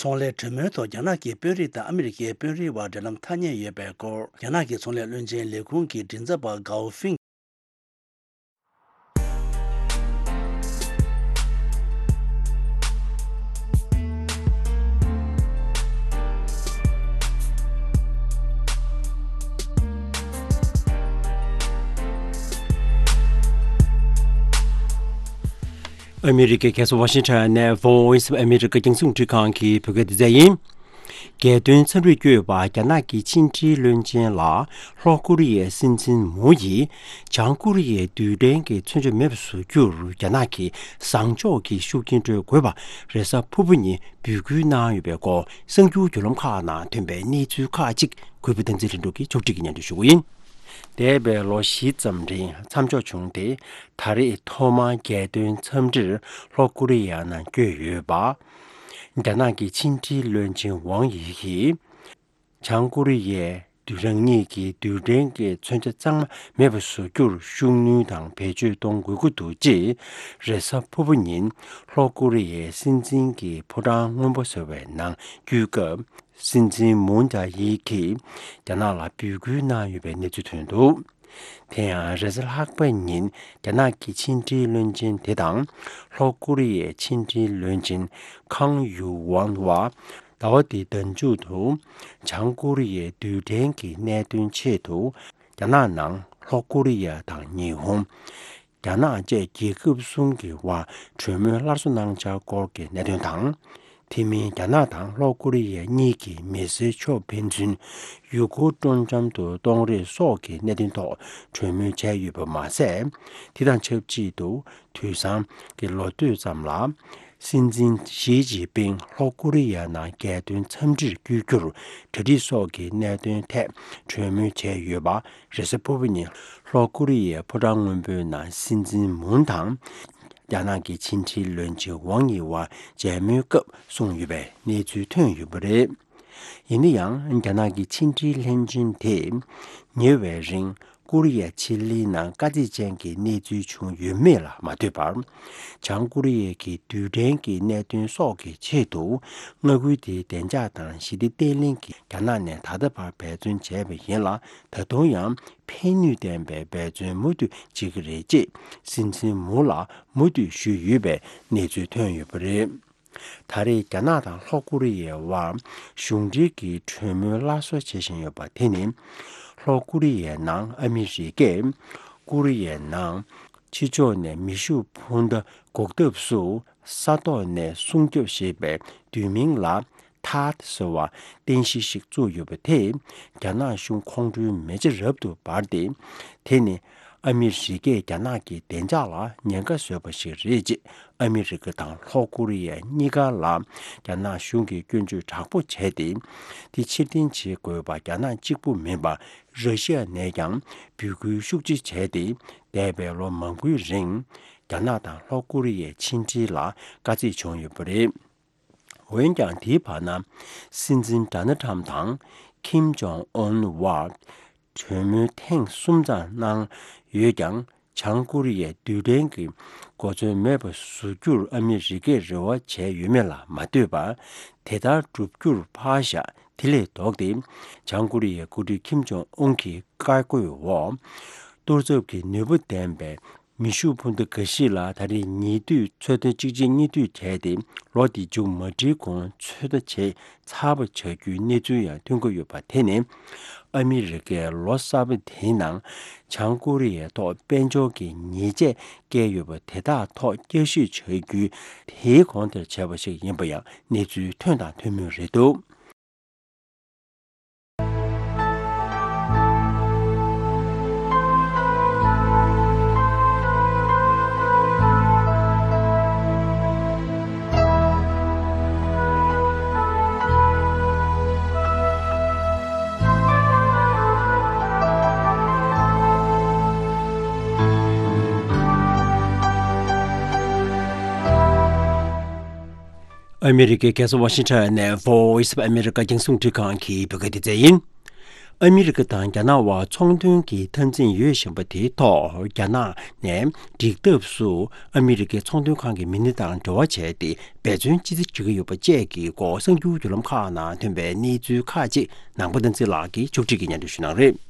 ཚོང་ལས་གྲོས་མོལ་ཐོག་རྒྱ་ནག་གི་དཔོན་རིགས་དང་ཨ་མི་རི་ཀའི་དཔོན་རིགས་དབར་འབྲེལ་ལམ་ཐ་སྙད་ཡོད་པའི་སྐོར། རྒྱ་ནག་གི་ཚོང་ལས་བློན་ཆེན་ལས་ཁུངས་ཀྱི་མགྲིན་ཚབ་པ་གའོ་ཧྥིང་། ཨ་མི་རི་ཀའི་རྒྱལ་ས་ཝ་ཤིང་ཊོན་ནས་Voice of America རྒྱང་སྲིང་རླུང་འཕྲིན་ཁང་གི་བོད་སྐད་སྡེ་ཚན་ཡིན། རྒྱལ་དོན་འཚམས་འདྲིར་བསྐྱོད་པ་རྒྱ་ནག་གི་ཕྱི་འབྲེལ་བློན་ཆེན་ལ་ལྷོ་ཀོ་རི་ཡའི་སྲིད་འཛིན་མུའུ་ཡིས་བྱང་ཀོ་རི་ཡའི་རྡུལ་ཕྲན་གྱི་མཚོན་ཆ་མེད་པ་བཟོ་རྒྱུར་རྒྱ་ནག་གི་བཟང་ཕྱོགས་ཀྱི་ཤུགས་རྐྱེན་སྤྲོད་དགོས་པ་རེས་གཟའ་ཕུར་བུ་ཉིན་འབོད་སྐུལ་གནང་ཡོད་པའི་སྐོར་གསར་འགྱུར་བརྒྱུད་ལམ་ཁག་ནང་ཐོན་པའི་གནས་ཚུལ་ཁག་ཅིག་གུས་པ་བསྟན་འཛིན་ལྷུན་གྲུབ་ཀྱིས་ཕྱོགས་སྒྲིག་གིས་སྙན་སྒྲོན་ཞུ་གི་ཡིན། འདས་པའི་ལོ་བཞི་ཙམ་རིང་མཚམས་འཇོག་བྱུང་སྟེ། ད་རེས་ཐོག་མར་རྒྱལ་དོན་འཚམས་འདྲིར་ལྷོ་ཀོ་རི་ཡ་ནང་བསྐྱོད་ཡོད་པ། རྒྱ་ནག་གི་ཕྱི་འབྲེལ་བློན་ཆེན་ཝང་ཡི་གིས། བྱང་ཀོ་རི་ཡས་རང་ཉིད་ཀྱི་རྡུལ་ཕྲན་གྱི་མཚོན་ཆ་གཙང་མ་མེད་པ་བཟོ་རྒྱུར་ཤུགས་སྣོན་དང་བེད་སྤྱོད་གཏོང་དགོས་ཀྱི་འདུག་ཅེས་རེས་གཟའ་ཕུར་བུ་ཉིན་ལྷོ་ཀོ་རི་ཡའི་སྲིད་འཛིན་གྱི་ཕོ་བྲང་སྔོན་པོ་ཟེར་བའི་ནང་བསྐྱོད་སྐབས། སྲིད་འཛིན་མུན་ཇཱ་ཡི་གིས་རྒྱ་ནག་ལ་འབོད་སྐུལ་གནང་ཡོད་པའི་གནས་ཚུལ་ཐོན་འདུག་དེ་ཡང་རེས་གཟའ་ལྷག་པ་ཉིན་རྒྱ་ནག་གི་ཕྱི་འབྲེལ་བློན་ཆེན་དེ་དང་ལྷོ་ཀོ་རི་ཡའི་ཕྱི་འབྲེལ་བློན་ཆེན་ཁང་ཡུ་ཝང་བ་ཟླ་བ་འདིའི་ཟླ་མཇུག་ཏུ་བྱང་ཀོ་རི་ཡའི་རྡུལ་ཕྲན་གྱི་གནད་དོན་ཆེད་དུ་རྒྱ་ནག་ནང་ལྷོ་ཀོ་རི་ཡ་དང་ཉི་ཧོང་། རྒྱ་ནག་བཅས་རྒྱལ་ཁབ་གསུམ་གྱི་དབར་གྲོས་མོལ་སླར་གསོ་གནང་འཆར་སྐོར་གྱི་གནད་དོན་དང་། དེ་མིན་རྒྱ་ནག་དང་ལྷོ་ཀོ་རི་ཡ་གཉིས་ཀྱི་མི་སེར་ཕྱོགས་ཕན་ཚུན་ཡུལ་སྐོར་སྤྲོ་འཆམ་དུ་གཏོང་རེས་སོགས་ཀྱི་གནད་དོན་ཐོག་གྲོས་མོལ་བྱས་ཡོད་པ་མ་ཟད། དེ་དང་ཆབས་ཅིག་ཏུ་དུས་སང་གི་ལོ་སྟོད་ཙམ་ལ། སྲིད་འཛིན་ཞི་ཅིན་ཕིང་ལྷོ་ཀོ་རི་ཡ་ནང་རྒྱལ་དོན་འཚམས་འདྲིར་བསྐྱོད་རྒྱུར་གྲ་སྒྲིག་སོགས་ཀྱི་གནད་དོན་ཐད་གྲོས་མོལ་བྱས་ཡོད་པ། རེས་གཟའ་ཕུར་བུ་ཉིན་ལྷོ་ཀོ་རི་ཡའི་ཕོ་བྲང་སྔོན་པོའི་ནང་སྲིད་འཛིན་མུན་དང་རྒྱ་ནག་གི་ཕྱི་འབྲེལ་བློན་ཆེན་ཝང་ཡི་བར་མཇལ་མོལ་སྐབས་གསུངས་ཡོད་པའི་གནས་ཚུལ་ཐོན་ཡོད་པ་རེད། ཡིན་ན་ཡང་རྒྱ་ནག་གི་ཕྱི་འབྲེལ་ལྷན་ཆེན་དེས་ཉེ་བའི་རིང་། ཀོ་རི་ཡ་ཕྱེད་གླིང་ནང་དཀའ་ཚེགས་ཅན་གྱི་གནས་ཚུལ་བྱུང་ཡོད་མེད་ལ་མ་ལྟོས་པར། བྱང་ཀོ་རི་ཡའི་གི་རྡུལ་ཕྲན་གྱི་གནད་དོན་སོགས་ཀྱི་ཆེད་དུ་མངའ་ཁུལ་དེའི་བདེ་འཇགས་དང་ཞི་བདེ་བརྟན་ལྷིང་གི་རྒྱ་ནག་ནས་ད་ལྟ་བར་འབད་བརྩོན་བྱས་པ་ཡིན་ལ། ད་དུང་ཡང་ཕན་ནུས་ལྡན་པའི་འབད་བརྩོན་མུ་མཐུད་བྱེད་ཀྱི་རེད་ཅེས་སྲིད་འཛིན་མུ་ལ་མུ་མཐུད་ཞུས་ཡོད་པའི་གནས་ཚུལ་ཐོན་ཡོད་པ་རེད། ད་རེས་རྒྱ་ནག་དང་ལྷོ་ཀོ་རི་ཡའི་དབར་གཞུང་འབྲེལ་གྱི་གྲོས་མོལ་སླར་གསོ་བྱེད་བཞིན་ཡོད་པ་དེ་ནི། ལྷོ་ཀོ་རི་ཡའི་ནང་ཨ་མི་རི་ཀས་ཀོ་རི་ཡའི་ནང་ཕྱི་ཕྱོགས་ནས་མེ་ཤུགས་འཕུར་མདའ་འགོག་ཐབས་སུ་ས་ཐོག་ནས་སྲུང་སྐྱོབ་ཞེས་པའི་བསྡུས་མིང་ལ། ཐཱད་ཟེར་བ་རྟེན་གཞི་ཞིག་བཙུགས་ཡོད་པ་དེས་རྒྱ་ནག་གཞུང་ཁོང་ཁྲོའི་མེ་ལྕེ་རབ་ཏུ་འབར་ཏེ། དེ་ནི་ཨ་མི་རི་ཀས་རྒྱ་ནག་གི་བདེ་འཇགས་ལ་ཉེན་ཁ་བཟོས་པ་ཞིག་རེད་ཅེས་ཨ་མི་རི་ཀ་དང་ལྷོ་ཀོ་རི་ཡ་གཉིས་ཀ་ལ་རྒྱ་ནག་གཞུང་གིས་སྐྱོན་བརྗོད་དྲག་པོ་བྱས་ཏེ། དེ་ཕྱིར་འཐེན་བྱེད་དགོས་པ་རྒྱ་ནག་གཅིག་པུ་མིན་པར་ར་ཤི་ཡ་ནས་ཀྱང་འབོད་སྐུལ་ཤུགས་ཆེ་བྱས་ཏེ། འདས་པའི་ལོ་མང་པོའི་རིང་རྒྱ་ནག་དང་ལྷོ་ཀོ་རི་ཡའི་ཕྱི་འབྲེལ་ལ་དཀའ་ཚེགས་བྱུང་ཡོད་པ་རེད། འོན་ཀྱང་དེའི་བར་ན། སྲིད་འཛིན་ཌོ་ནལ་ཊམ་དང་ཁིམ་ཇོང་ཨུན་དབར་གྲོས་མོལ་ཐེངས་གསུམ་ཙམ་གནང་ཡོད་ཀྱང་། བྱང་ཀོ་རི་ཡས་རྡུལ་ཕྲན་གྱི་གོ་མཚོན་མེད་པ་བཟོ་རྒྱུར་ཨ་མི་རི་ཀས་རེ་བ་བྱས་ཡོད་མེད་ལ་མ་ལྟོས་པར། དེ་ལྟར་བསྒྲུབ་རྒྱུར་ཕར་བཞག་དེ་ལས་ལྡོག་སྟེ། བྱང་ཀོ་རི་ཡའི་འགོ་ཁྲིད་ཁིམ་ཇོང་ཨུན་གྱི་བཀའ་བཀོད་འོག་གཏོར་ཚབ་ཀྱི་ནུས་པ་ལྡན་པའི་མེ་ཤུགས་འཕུར་མདའ་འགའ་ཞིག་ལ་ད་རེས་ཉེ་དུས་ཚོད་ལྟ་གཅིག་རྗེས་གཉིས་མཐུད་བྱས་ཏེ། ལོ་འདི་མཇུག་མ་སྒྲིལ་གོང་ཚོད་ལྟ་བྱས་ཚར་བ་བྱ་རྒྱུའི་གནས་ཚུལ་ཡང་ཐོན་གྱི་ཡོད་པ་དེ་ནི། ཨ་མི་རི་ཀས་ལོ་གསར་པ་དེའི་ནང་བྱང་ཀོ་རི་ཡའི་ཐོག་དཔལ་འབྱོར་གྱི་ཉེས་ཆད་བཀལ་ཡོད་པ་དེ་དག་ཐོག་བསྐྱར་ཞིབ་བྱ་རྒྱུའི་དེའི་གོང་དེར་བྱས་པ་ཞིག་ཡིན་པ་ཡང་གནས་ཚུལ་ཐོན་དང་ཐོན་མུས་རེད་འདུག། ཨ་མི་རི་ཀའི་རྒྱལ་ས་ཝ་ཤིང་ཊོན་ནས་Voice of America རྒྱང་སྲིང་རླུང་འཕྲིན་ཁང་གི་བོད་སྐད་སྡེ་ཚན་ཡིན། ཨ་མི་རི་ཀ་དང་རྒྱ་ནག་དབར་ཚོང་དོན་གྱི་འཐབ་འཛིང་ཡོད་བཞིན་པ་དེའི་ཐོག་རྒྱ་ནག་ནས་འགྲིག་ཐབས་སུ་ཨ་མི་རི་ཀའི་ཚོང་དོན་ཁང་གི་མི་སྣ་དང་འབྲེལ་བ་བྱས་ཏེ་འབད་བརྩོན་ཅི་ཙམ་བྱེད་ཀྱི་ཡོད་པ་བཅས་ཀྱི་སྐོར་གསར་འགྱུར་བརྒྱུད་ལམ་ཁག་ནང་ཐོན་པའི་གནས་ཚུལ་ཁག་ཅིག་ནང་པ་བསྟན་འཛིན་ལགས་ཀྱིས་མཇུག་སྒྲིལ་གྱིས་སྙན་སྒྲོན་ཞུ་གནང་རེད།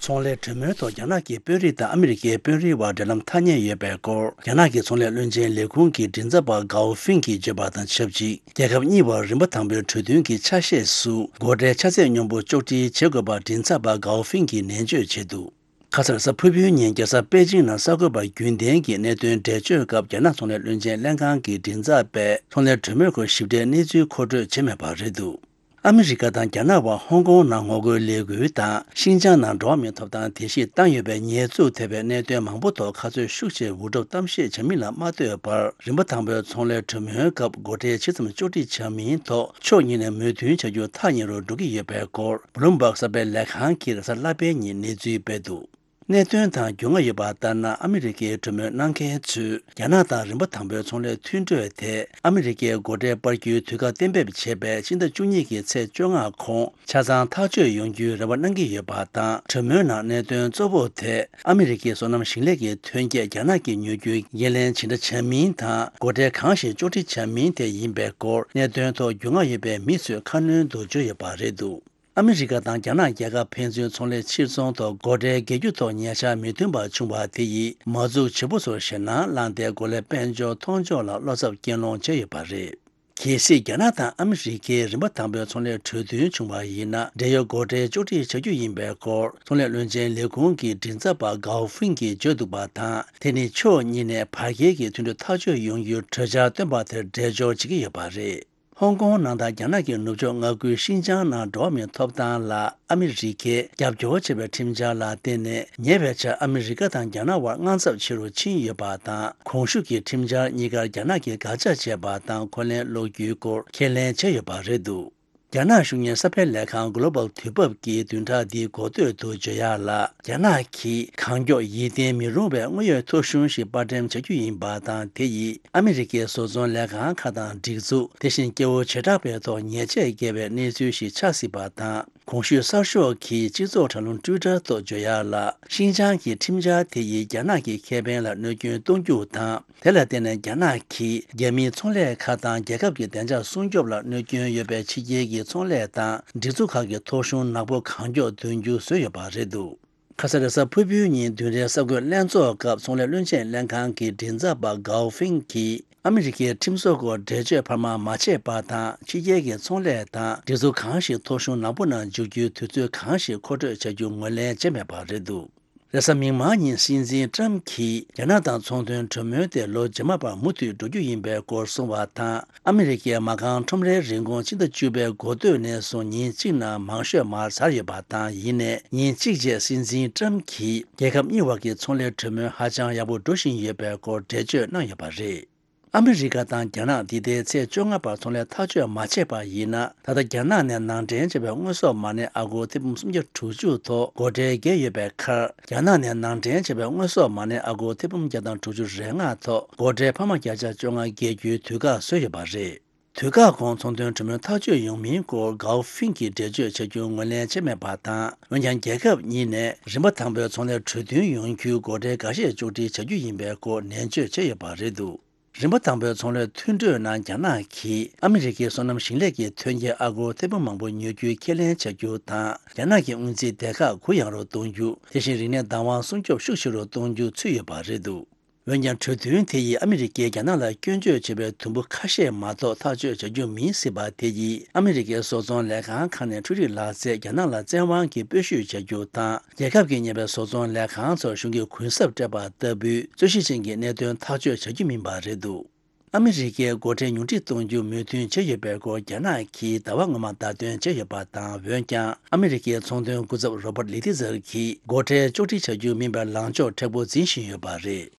ཚོང་ལས་གྲོས་མོལ་ཐོག་རྒྱ་ནག་གི་དཔོན་རིགས་དང་ཨ་མི་རི་ཀའི་དཔོན་རིགས་དབར་འབྲེལ་ལམ་ཐག་ཉེ་ཡོད་པའི་སྐོར། རྒྱ་ནག་གི་ཚོང་ལས་བློན་ཆེན་ལས་ཁུངས་ཀྱི་མགྲིན་ཚབ་པ་གའོ་ཧྥིང་གིས་བརྗོད་པ་དང་ཆབས་ཅིག་རྒྱལ་ཁབ་གཉིས་བར་རིམ་པ་དང་པོའི་གྲོས་མཐུན་གྱི་ཆ་ཤས་སུ་སྒོ་ཁྲལ་ཆ་ཚད་སྙོམས་པོ་གཅོག་སྒྲིལ་བྱེད་དགོས་པར་མགྲིན་ཚབ་པ་གའོ་ཧྥིང་གིས་ནན་བརྗོད་བྱས་འདུག། ཁ་སང་རེས་གཟའ་ཕུར་བུའི་ཉིན་རྒྱལ་ས་པེ་ཅིང་ནང་གསར་འགོད་པ་རྒྱུན་ལྡན་གྱིས་གནད་དོན་འགྲེལ་བརྗོད་སྐབས། རྒྱ་ནག་ཚོང་ལས་བློན་ཆེན་ལྷན་ཁང་གི་མགྲིན་ཚབ་པས་ཚོང་ལས་གྲོས་མོལ་སྐོར་ཞིབ་ཕྲའི་གནས་ཚུལ་མཁོ་སྤྲོད་བྱས་མེད་པ་རེད་འདུག། ཨ་མི་རི་ཀ་དང་རྒྱ་ནག་དབར་ཧོང་ཀོང་ནང་ངོ་རྒོལ་ལས་འགུལ་དང་། ཤིན་ཅང་ནང་འགྲོ་བ་མིའི་ཐོབ་ཐང་དེ་བཞིན་བཏང་ཡོད་པའི་ཉེས་འཛུགས་ཐེབས་པའི་གནད་དོན་མང་པོ་ཐོག་ཁ་རྩོད་ཤུགས་ཆེ་འུར་སྒྲོག་གཏམ་བཤད་བྱ་མིན་ལ་མ་ལྟོས་པར། རིམ་པ་དང་པོའི་ཚོང་ལས་གྲོས་མོལ་སྐབས་སྒོ་ཁྲལ་ཇི་ཙམ་གཅོག་སྒྲིག་བྱ་མིན་ཐོག་ཕྱོགས་གཉིས་ནས་མོས་མཐུན་བྱ་རྒྱུ་ཐག་ཉེ་རུ་འགྲོ་གི་ཡོད་པའི་སྐོར། བྷུ་ལུམ་བྷག་གསར་སྤེལ་ལས་ཁང་གིས་རེས་གཟའ་ལྷག་པའི་ཉིན་གནས་ཚུལ་སྤེལ་འདུག། གནད་དོན་དང་རྒྱུས་མངའ་ཡོད་པ་ལྟར་ན། ཨ་མི་རི་ཀའི་གྲོས་མོལ་གནང་མཁན་ཚོས་རྒྱ་ནག་དང་རིམ་པ་དང་པོའི་ཚོང་ལས་མཐུན་གྲོས་དེ་ཨ་མི་རི་ཀའི་སྒོ་ཁྲལ་སྤར་རྒྱུའི་དུས་བཀག་གཏན་འབེབས་བྱས་པའི་ཕྱི་ཟླ་བཅུ་གཉིས་ཀྱི་ཚེས་བཅོ་ལྔ་གོང་ཆ་ཚང་ཐག་གཅོད་ཡོང་རྒྱུའི་རེ་བ་གནང་གི་ཡོད་པ་དང་། གྲོས་མོལ་ནང་གནད་དོན་གཙོ་བོ་དེ་ཨ་མི་རི་ཀའི་སོ་ནམ་ཞིང་ལས་ཀྱི་ཐོན་སྐྱེད་རྒྱ་ནག་གིས་ཉོ་རྒྱུའི་འགན་ལེན་ཇི་འདྲ་བྱ་མིན་དང་། སྒོ་ཁྲལ་གང་ཞིག་གཅོག་སྒྲིག་བྱ་མིན་དེ་ཡིན་པའི་སྐོར། གནད་དོན་ཐོག་རྒྱུས་མངའ་ཡོད་པའི་མི་ཚོས་ཁ་སྣོན་དུ་བརྗོད་ཡོད་པ་རེད་འདུག། ཨ་མི་རི་ཀ་དང་རྒྱ་ནག་རྒྱལ་ཁབ་ཕན་ཚུན་ཚོང་ལས་ཕྱིར་ཚོང་ཐོག་སྒོ་ཁྲལ་འགེལ་རྒྱུ་ཐོག་ཉེ་ཆར་མི་མཐུན་པ་བྱུང་བ་དེ་ཡིས་མ་འཛུགས་བྱེད་པོ་ཚོར་ཞེད་སྣང་བསླངས་ཏེ། སྒོ་ལས་དཔལ་འབྱོར་མཐོང་ཕྱོགས་ལ་བློ་འཚབ་རྐྱེན་སློང་བྱས་ཡོད་པ་རེད། གལ་སྲིད་རྒྱ་ནག་དང་ཨ་མི་རི་ཀས་རིམ་པ་དང་པོའི་ཚོང་ལས་གྲོས་མཐུན་བྱུང་བ་ཡིན་ན། འབྲེལ་ཡོད་སྒོ་ཁྲལ་གཅོག་སྒྲིག་བྱ་རྒྱུ་ཡིན་པའི་སྐོར། ཚོང་ལས་བློན་ཆེན་ལས་ཁུངས་ཀྱི་མགྲིན་ཚབ་པ་གའོ་ཧྥིང་གིས་བརྗོད་འདུག་པ་དང་། དེ་ནི་ཕྱོགས་གཉིས་ནས་བར་བརྒལ་གྱི་མཐུན་གྲོས་ཐག་གཅོད་ཡོང་རྒྱུའི་གྲོས་འཆར་བཏོན་པ་དེར་འགྲེལ་སྦྱོར་བྱེད་ཀྱི་ཡོད་པ་རེད། ཧོང་ཀོང་ནང་དང་རྒྱ་ནག་གི་ནུབ་ཕྱོགས་མངའ་ཁུལ་ཤིན་ཅང་ནང་འགྲོ་བ་མིའི་ཐོབ་ཐང་ལ་ཨ་མི་རི་ཀས་རྒྱབ་སྐྱོར་བྱས་པའི་ཁྲིམས་འཆར་ལ་བརྟེན་ནས། ཉེ་བའི་ཆར་ཨ་མི་རི་ཀ་དང་རྒྱ་ནག་དབར་དངངས་འཚབ་ཆེ་རུ་ཕྱིན་ཡོད་པ་དང་། གོང་ཞུས་ཀྱི་ཁྲིམས་འཆར་གཉིས་ཀར་རྒྱ་ནག་གིས་དགག་བྱ་བྱས་པ་དང་། འཁོན་ལན་སློག་རྒྱུའི་སྐོར་ཁས་ལེན་བྱས་ཡོད་པ་རེད་འདུག། རྒྱ་ནག་གཞུང་གཉེར་གསར་སྤེལ་ལས་ཁང་Global དུས་བབ་ཀྱིས་བདུན་ཕྲག་འདིའི་འགོ་སྟོད་དུ་བརྗོད་ཡག་ལ། རྒྱ་ནག་གིས་གང་མགྱོགས་ཡིད་བརྟན་མི་རུང་བའི་དངོས་ཡོད་ཐོ་གཞུང་ཞིག་དཔར་འགྲེམས་བྱ་རྒྱུ་ཡིན་པ་དང་། དེ་ཡིས་ཨ་མི་རི་ཀའི་བཟོ་ཚོང་ལས་ཁང་ཁག་དང་སྒྲིག་འཛུགས། དེ་བཞིན་སྐྱེ་བོ་བྱེ་བྲག་པའི་ཐོག་ཉེས་ཆད་འགེལ་བའི་གནས་ཚུལ་ཞིག་ཆགས་སྲིད་པ་དང་། གོང་ཞུས་གསར་ཤོག་གིས་སྤྱི་ཚོགས་དྲ་ལམ་ཊུའི་ཊར་ཐོག་བརྗོད་ཡག་ལ། ཤིན་ཅང་གི་ཁྲིམས་འཆར་དེ་ཡིས་རྒྱ་ནག་གི་ཁེ་ཕན་ལ་གནོད་སྐྱོན་གཏོང་རྒྱུ་དང་། དེ་ལ་བརྟེན་ནས་རྒྱ་ནག་གིས་རྒྱ་མིའི་ཚོང་ལས་ཁག་དང་རྒྱལ་ཁབ་ཀྱི་བདེ་འཇགས་སྲུང་སྐྱོབ་ལ་གནོད་སྐྱོན་ཡོད་པའི་ཕྱི་རྒྱལ་གྱི་ཚོང་ལས་དང་སྒྲིག་འཛུགས་ཁག་གི་ཐོ་གཞུང་ནག་པོ་གང་མགྱོགས་འདོན་རྒྱུ་བཟོས་ཡོད་པ་རེད་འདུག་ཁ་ས་རེས་གཟའ་ཕུར་བུའི་ཉིན་བདུན་རའི་གསར་འགོད་ལྷན་ཚོགས་སྐབས་ཚོང་ལས་བློན་ཆེན་ལྷན་ཁང་གི་མགྲིན་ཚབ་པ་གའོ་ཧྥིང་གིས། ཨ་མི་རི་ཀའི་ཁྲིམས་བཟོ་སྐོར་འགྲེལ་བརྗོད་འཕར་མ་མ་བྱས་པ་དང་། ཕྱི་རྒྱལ་གྱི་ཚོང་ལས་དང་སྒྲིག་འཛུགས་གང་ཞིག་ཐོ་གཞུང་ནག་པོ་ནང་འཇུག་རྒྱུའི་དུས་ཚོད་གང་ཞིག་མཁོ་སྤྲོད་བྱ་རྒྱུ་ངོས་ལེན་བྱས་མེད་པ་རེད་འདུག་རེས་གཟའ་མིག་དམར་ཉིན་སྲིད་འཛིན་ཀྲམ་གྱིས་རྒྱ་ནག་དང་ཚོང་དོན་གྲོས་མོལ་དེ་ལོ་རྗེས་མ་བར་མུ་མཐུད་འགྲོ་རྒྱུ་ཡིན་པའི་སྐོར་གསུངས་པ་དང་། ཨ་མི་རི་ཀས་མ་རྐང་ཁྲོམ་རའི་རིན་གོང་ཕྱི་ཟླ་བཅུ་པའི་འགོ་སྟོད་ནས་བཟུང་ཉིན་གཅིག་ནང་མང་ཤོས་མར་ཟག་ཡོད་པ་དང་། ཡིན་ནའི་ཉིན་གཅིག་རྗེས་སྲིད་འཛིན་ཀྲམ་གྱིས་རྒྱལ་ཁབ་གཉིས་བར་གྱི་ཚོང་ལས་གྲོས་མོལ་ཧ་ཅང་ཡག་པོ་འགྲོ་བཞིན་ཡོད་པའི་སྐོར་འགྲེལ་བརྗོད་གནང་ཡོད་པ་རེད། ཨ་མི་རི་ཀ་དང་རྒྱ་ནག་འདི་ཟླའི་ཚེས་བཅོ་ལྔ་བར་ཚོང་ལས་ཐག་གཅོད་མ་བྱས་པ་ཡིན་ན། ད་ལྟ་རྒྱ་ནག་ནས་ནང་འདྲེན་བྱས་པའི་དངོས་ཟོག་མ་གནས་ཨ་སྒོར་ཐེར་འབུམ་སུམ་བརྒྱ་དྲུག་ཅུ་ཐོག་སྒོ་ཁྲལ་བརྒྱབ་ཡོད་པའི་ཁར། རྒྱ་ནག་ནས་ནང་འདྲེན་བྱས་པའི་དངོས་ཟོག་མ་གནས་ཨ་སྒོར་ཐེར་འབུམ་བརྒྱ་དང་དྲུག་ཅུ་རེ་ལྔ་ཐོག་སྒོ་ཁྲལ་འཕར་མ་བརྒྱ་ཆ་བཅོ་ལྔ་བརྒལ་རྒྱུའི་དུས་བཀག་བཟོས་ཡོད་པ་རེད། དུས་བཀག་གོང་ཚོང་དོན་གྲོས་མོལ་ཐག་གཅོད་ཡོང་མིན་སྐོར་གའོ་ཧྥིང་གིས་འགྲེལ་བརྗོད་བྱ་རྒྱུ་ངོས་ལེན་བྱས་མེད་པ་དང་། འོན་ཀྱང་རྒྱལ་ཁབ་གཉིས་ནས་རིམ་པ་དང་པོའི་ཚོང་ལས་གྲོས་མཐུན་ཡོང་རྒྱུའི་སྒོ་ཁྲལ་འགའ་ཤས་གཅོག་སྒྲིལ་བྱ་རྒྱུ་ཡིན་པའི་སྐོར་ནན་བརྗོད་བྱས་ཡོད་པ་རེད་འདུག་རིམ་པ་དང་པོའི་ཚོང་ལས་མཐུན་གྲོས་ནང་རྒྱ་ནག་གིས་ཨ་མི་རི་ཀའི་སོ་ནམ་ཞིང་ལས་ཀྱི་ཐོན་སྐྱེད་ཨ་སྒོར་ཐེར་འབུམ་མང་པོ་ཉོ་རྒྱུའི་ཁས་ལེན་བྱ་རྒྱུ་དང་། རྒྱ་ནག་གི་དངུལ་རྩིས་སྡེ་ཁག་གུ་ཡངས་རུ་གཏོང་རྒྱུ། དེ་བཞིན་རིག་གནས་བདག་དབང་སྲུང་སྐྱོབ་ཤུགས་ཆེ་རུ་གཏོང་རྒྱུ་ཚུད་ཡོད་པ་རེད་འདུག་འོན་ཀྱང་། གྲོས་མཐུན་དེ་ཡིས་ཨ་མི་རི་ཀས་རྒྱ་ནག་ལ་སྐྱོན་བརྗོད་བྱེད་པའི་དུམ་བུ་ཁ་ཤས་མ་གཏོགས་ཐག་གཅོད་བྱ་རྒྱུ་མིན་སྲིད་པ་དེ་ཡིས། ཨ་མི་རི་ཀའི་བཟོ་ཚོང་ལས་ཁང་ཁག་ནས་འཕྲུལ་རིག་ལག་རྩལ་རྒྱ་ནག་ལ་བཙན་དབང་གིས་སྤོ་བཤུད་བྱ་རྒྱུ་དང་། རྒྱལ་ཁབ་ཀྱིས་གཉེར་བའི་བཟོ་ཚོང་ལས་ཁང་ཚོར་གཞུང་གིས་གུན་གསབ་སྤྲད་པ་ལྟ་བུའི་རྩོད་གཞི་ཅན་གྱི་གནད་དོན་ཐག་གཅོད་བྱ་རྒྱུ་མིན་པ་རེད་འདུག་ཨ་མི་རི་ཀས་སྒོ་ཁྲལ་ཉུང་འཕྲི་གཏོང་རྒྱུ་མོས་མཐུན་བྱས་ཡོད་པའི་སྐོར་རྒྱ་ནག་གིས་ཟླ་བ་སྔོན་མ་བརྡ་སྟོན་བྱས་ཡོད་པ་དང་། འོན་ཀྱང་། ཨ་མི་རི་ཀའི་ཚོང་དོན་སྐུ་ཚབ་རོ་པར་ལི་ཏི་ཛར་གྱིས་སྒོ་ཁྲལ་གཅོག་སྒྲིལ་བྱ་རྒྱུ་མིན་པའི་ལངས་ཕྱོགས་མཁྲེགས་པོ་འཛིན་བཞིན་ཡོད་པ་རེད།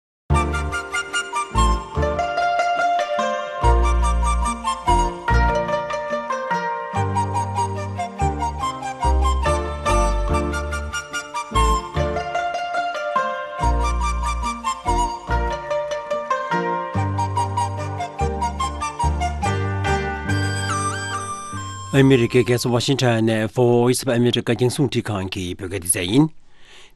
ཨ་མི་རི་ཀའི་རྒྱལ་ས་ཝ་ཤིང་ཊོན་ནས་Voice of America རྒྱང་སྲིང་འཕྲིན་ཁང་གི་བོད་སྐད་སྡེ་ཚན་ཡིན།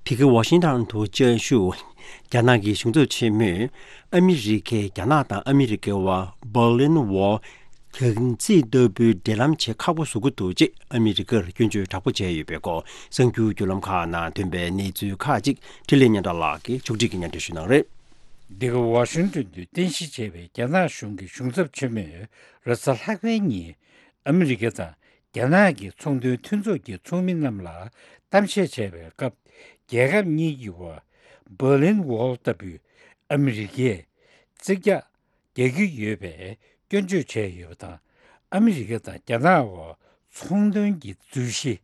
དེ་གའི་ཝ་ཤིང་ཊོན་དུ་བཅའ་བཞུགས། རྒྱ་ནག་གི་གཞུང་ཚབ་ཆེན་མོས། ཨ་མི་རི་ཀས་རྒྱ་ནག་དང་ཨ་མི་རི་ཀའི་དབར་Berlin Wall གྱང་རྩིག་ལྟ་བུའི་འབྲེལ་ལམ་བྱེད་ཁག་པོ་བཟོ་གི་འདུག་ཅེས་ཨ་མི་རི་ཀར་སྐྱོན་བརྗོད་དྲག་པོ་བྱས་ཡོད་པའི་སྐོར། གསར་འགྱུར་བརྒྱུད་ལམ་ཁག་ནང་ཐོན་པའི་གནས་ཚུལ་ཁག་ཅིག་འཕྲིན་ལས་སྙན་གྲགས་ལགས་ཀྱིས་ཕྱོགས་སྒྲིག་གིས་སྙན་སྒྲོན་ཞུ་གནང་རེད། འདི་ག་ཝ་ཤིང་ཊོན་དུ་རྟེན་གཞི་བྱས་པའི་རྒྱ་ནག་གཞུང་གི་གཞུང་ཚབ་ཆེན་མོས་རེས་གཟའ་ལྷག་པའི་ཉིན། ཨ་མི་རི་ཀ་དང་རྒྱ་ནག་གི་ཚོང་དོན་མཐུན་ཚོགས་ཀྱི་ཚོགས་མི་རྣམས་ལ་གཏམ་བཤད་བྱས་པའི་སྐབས། རྒྱལ་ཁབ་གཉིས་ཀྱི་བར་Berlin Wall ལྟ་བུའི་ཨ་མི་རི་ཀས་རྩིག་གྱང་རྒྱག་གི་ཡོད་པའི་སྐྱོན་བརྗོད་བྱས་ཡོད་པ་དང་། ཨ་མི་རི་ཀ་དང་རྒྱ་ནག་བར་ཚོང་དོན་གྱི་རྫུན་བཤད་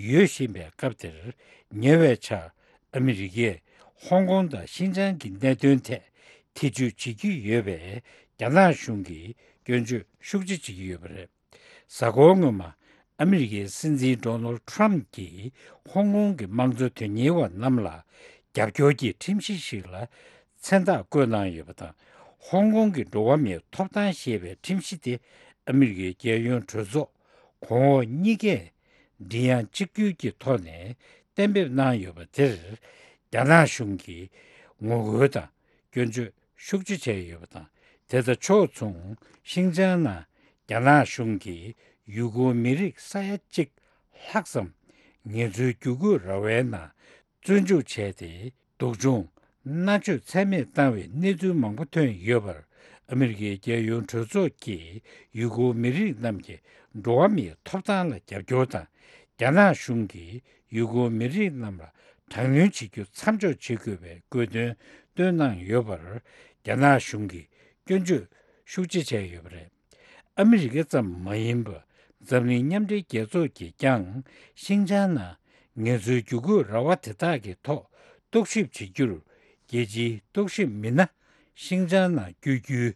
ཡོད་བཞིན་པའི་སྐབས་དེར། ཉེ་བའི་ཆར་ཨ་མི་རི་ཀས་ཧོང་ཀོང་དང་ཤིན་ཅང་གི་གནད་དོན་ཐད་ཐེ་བྱུས་བྱེད་ཀྱི་ཡོད་པའི་རྒྱ་ནག་གཞུང་གིས་སྐྱོན་བརྗོད་ཤུགས་ཆེ་བྱེད་ཀྱི་ཡོད་པ་རེད། གཟའ་འཁོར་སྔོན་མ། ཨ་མི་རི་ཀའི་སྲིད་འཛིན་Donald Trump གྱིས་ཧོང་ཀོང་གི་དམངས་གཙོ་དོན་གཉེར་བ་རྣམས་ལ་རྒྱབ་སྐྱོར་གྱི་ཁྲིམས་གཞི་ཞིག་ལ་མཚན་རྟགས་བཀོད་གནང་ཡོད་པ་དང་། ཧོང་ཀོང་གི་འགྲོ་བ་མིའི་ཐོབ་ཐང་ཞེས་པའི་ཁྲིམས་གཞི་དེ་ཨ་མི་རི་ཀའི་རྒྱལ་ཡོངས་གྲོས་ཚོགས་གོང་འོག་གཉིས་ཀས་མགྲིན་དབྱངས་གཅིག་གྱུར་གྱི་ཐོག་ནས་གཏན་འབེབས་གནང་ཡོད་པ་དེར། རྒྱ་ནག་གཞུང་གིས་ངོ་རྒོལ་དང་། སྐྱོན་བརྗོད་ཤུགས་ཆེ་བྱས་ཡོད་པ་དང་། དེ་དང་ཕྱོགས་མཚུངས་ཤིན་ཅང་ནང་རྒྱ་ནག་གཞུང་གིས་ཡུ་གུར་མི་རིགས་ས་ཡ་གཅིག་ལྷག་ཙམ་ངལ་རྩོལ་བསྒྱུར་བཀོད་ར་བའི་ནང་བཙོན་འཇུག་བྱས་ཏེ། སྡུག་སྦྱོང་མནར་གཅོད་ཚད་མེད་བཏང་བའི་གནས་ཚུལ་མང་པོ་ཐོན་ཡོད་པར། ཨ་མི་རི་ཀའི་རྒྱལ་ཡོངས་གྲོས་ཚོགས་ཀྱིས་ཡུ་གུར་མི་རིགས་རྣམས་ཀྱི་འགྲོ་བ་མིའི་ཐོབ་ཐང་ལ་རྒྱབ་སྐྱོར་དང་། རྒྱ་ནག་གཞུང་གིས་ཡུ་གུར་མི་རིགས་རྣམས་ལ་དྲག་གནོན་བྱེད་རྒྱུ་མཚམས་འཇོག་བྱེད་དགོས་པའི་དགོས་འདུན་བཏོན་གནང་ཡོད་པར། རྒྱ་ནག་གཞུང་གིས་སྐྱོན་བརྗོད་ཤུགས་ཆེ་བྱས་ཡོད་པ་རེད། ཨ་མི་རི་ཀ་ཙམ་མ་ཡིན་པར་འཛམ་གླིང་མཉམ་འབྲེལ་རྒྱལ་ཚོགས་ཀྱིས་ཀྱང་ཤིན་ཅང་ནང་ངལ་རྩོལ་བསྒྱུར་བཀོད་ར་བ་དེ་དག་གི་ཐོག་རྟོག་ཞིབ་བྱེད་རྒྱུར། རྒྱལ་སྤྱིའི་རྟོག་ཞིབ་མི་སྣ་ཤིན་ཅང་ནང་བསྐྱོད་རྒྱུའི་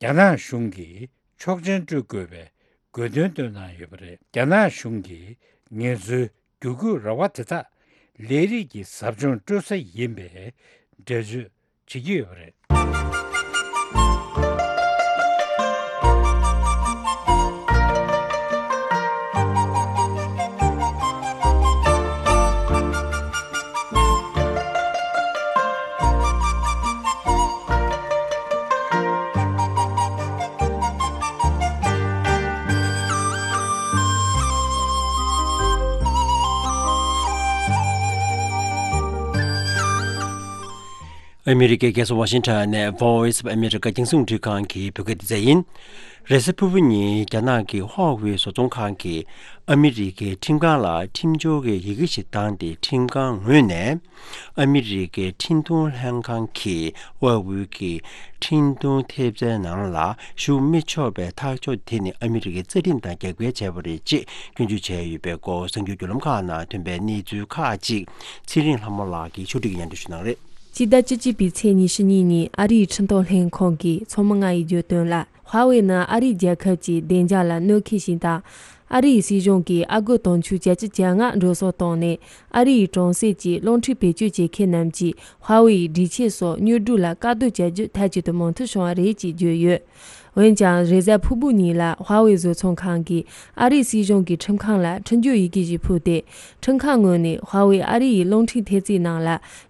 རྒྱ་ནག་གཞུང་གིས་ཆོག་མཆན་སྤྲོད་དགོས་པའི་དགོས་འདུན་བཏོན་གནང་ཡོད་པ་རེད། རྒྱ་ནག་གཞུང་གིས་ངལ་རྩོལ་བསྒྱུར་བཀོད་ར་བ་དེ་དག་ལས་རིགས་ཀྱི་ཟབ་སྦྱོང་སྤྲོད་ས་ཡིན་པའི་འགྲེལ་བརྗོད་བྱེད་ཀྱི་ཡོད་པ་རེད། ཨ་མི་རི་ཀའི་རྒྱལ་ས་ཝ་ཤིང་ཊོན་ནས་Voice of America རྒྱང་སྲིང་རླུང་འཕྲིན་ཁང་གི་བོད་སྐད་སྡེ་ཚན་ཡིན། རེས་གཟའ་ཕུར་བུ་ཉིན་རྒྱ་ནག་གི་ཧྭ་ཝེ་བཟོ་ཚོང་ཁང་གིས་ཨ་མི་རི་ཀའི་ཁྲིམས་ཁང་ལ་ཁྲིམས་སྦྱོར་གྱི་ཡི་གེ་ཞིག་བཏང་སྟེ། ཁྲིམས་ཁང་ངོས་ནས་ཨ་མི་རི་ཀའི་འཕྲིན་གཏོང་ལྷན་ཁང་གིས་ཧྭ་ཝེ་གི་འཕྲིན་གཏོང་ཐེབས་རྩའི་ནང་ལ་ཞུགས་མི་ཆོག་པའི་ཐག་གཅོད་དེ་ནི་ཨ་མི་རི་ཀའི་རྩ་ཁྲིམས་དང་རྒྱབ་འགལ་བྱས་པ་རེད་ཅེས་སྐྱོན་བརྗོད་བྱས་ཡོད་པའི་སྐོར། གསར་འགྱུར་བརྒྱུད་ལམ་ཁག་ནང་ཐོན་པའི་གནས་ཚུལ་ཁག་ཅིག་ཚེ་རིང་ལྷ་མོ་ལགས་ཀྱིས་ཕྱོགས་སྒྲིག་གིས་སྙན་སྒྲོན་ཞུ་གནང་རེད། སྤྱི་ཟླ་བཅུ་གཅིག་པའི་ཚེས་ཉི་ཤུ་གཉིས་ཉིན་ཨ་རིའི་འཕྲིན་གཏོང་ལྷན་ཁང་གི་ཚོགས་མི་ལྔ་ཡིས་བརྗོད་དོན་ལ། ཧྭ་ཝེ་ནི་ཨ་རིའི་རྒྱལ་ཁབ་ཀྱི་བདེ་འཇགས་ལ་གནོད་འཁེལ་ཞིག་དང་། ཨ་རིའི་སྲིད་གཞུང་གིས་ཨ་སྒོར་དུང་ཕྱུར་བརྒྱད་ཅུ་གྱ་ལྔ་འགྲོ་སོང་བཏང་ནས། ཨ་རིའི་གྲོང་གསེབ་ཀྱི་རླུང་འཕྲིན་བེད་སྤྱོད་བྱེད་མཁན་རྣམས་ཀྱིས་ཧྭ་ཝེ་ཡི་སྒྲིག་ཆས་སོགས་དངོས་སྒྲུབ་ལ་བཀག་སྡོམ་བྱ་རྒྱུ་མཐའ་གཅིག་ཏུ་མིང་མཐོང་བྱུང་བ་རེད་ཅེས་བརྗོད་ཡོད། འོན་ཀྱང་། རེས་གཟའ་ཕུར་བུ་ཉིན་ལ་ཧྭ་ཝེ་བཟོ་ཚོང་ཁང་གིས་ཨ་རིའི་སྲིད་གཞུང་གི་ཁྲིམས་ཁང་ལ་ཁྲིམས་སྦྱོར་ཡི་གེ་ཞིག་ཕུལ་ཏེ། ཁྲིམས་ཁང་ངོས་ནས་ཧྭ་ཝེ་ཨ་རི་ཡི་རླུང་འཕྲིན་ཐེབས་རྩའི་ནང་ལ་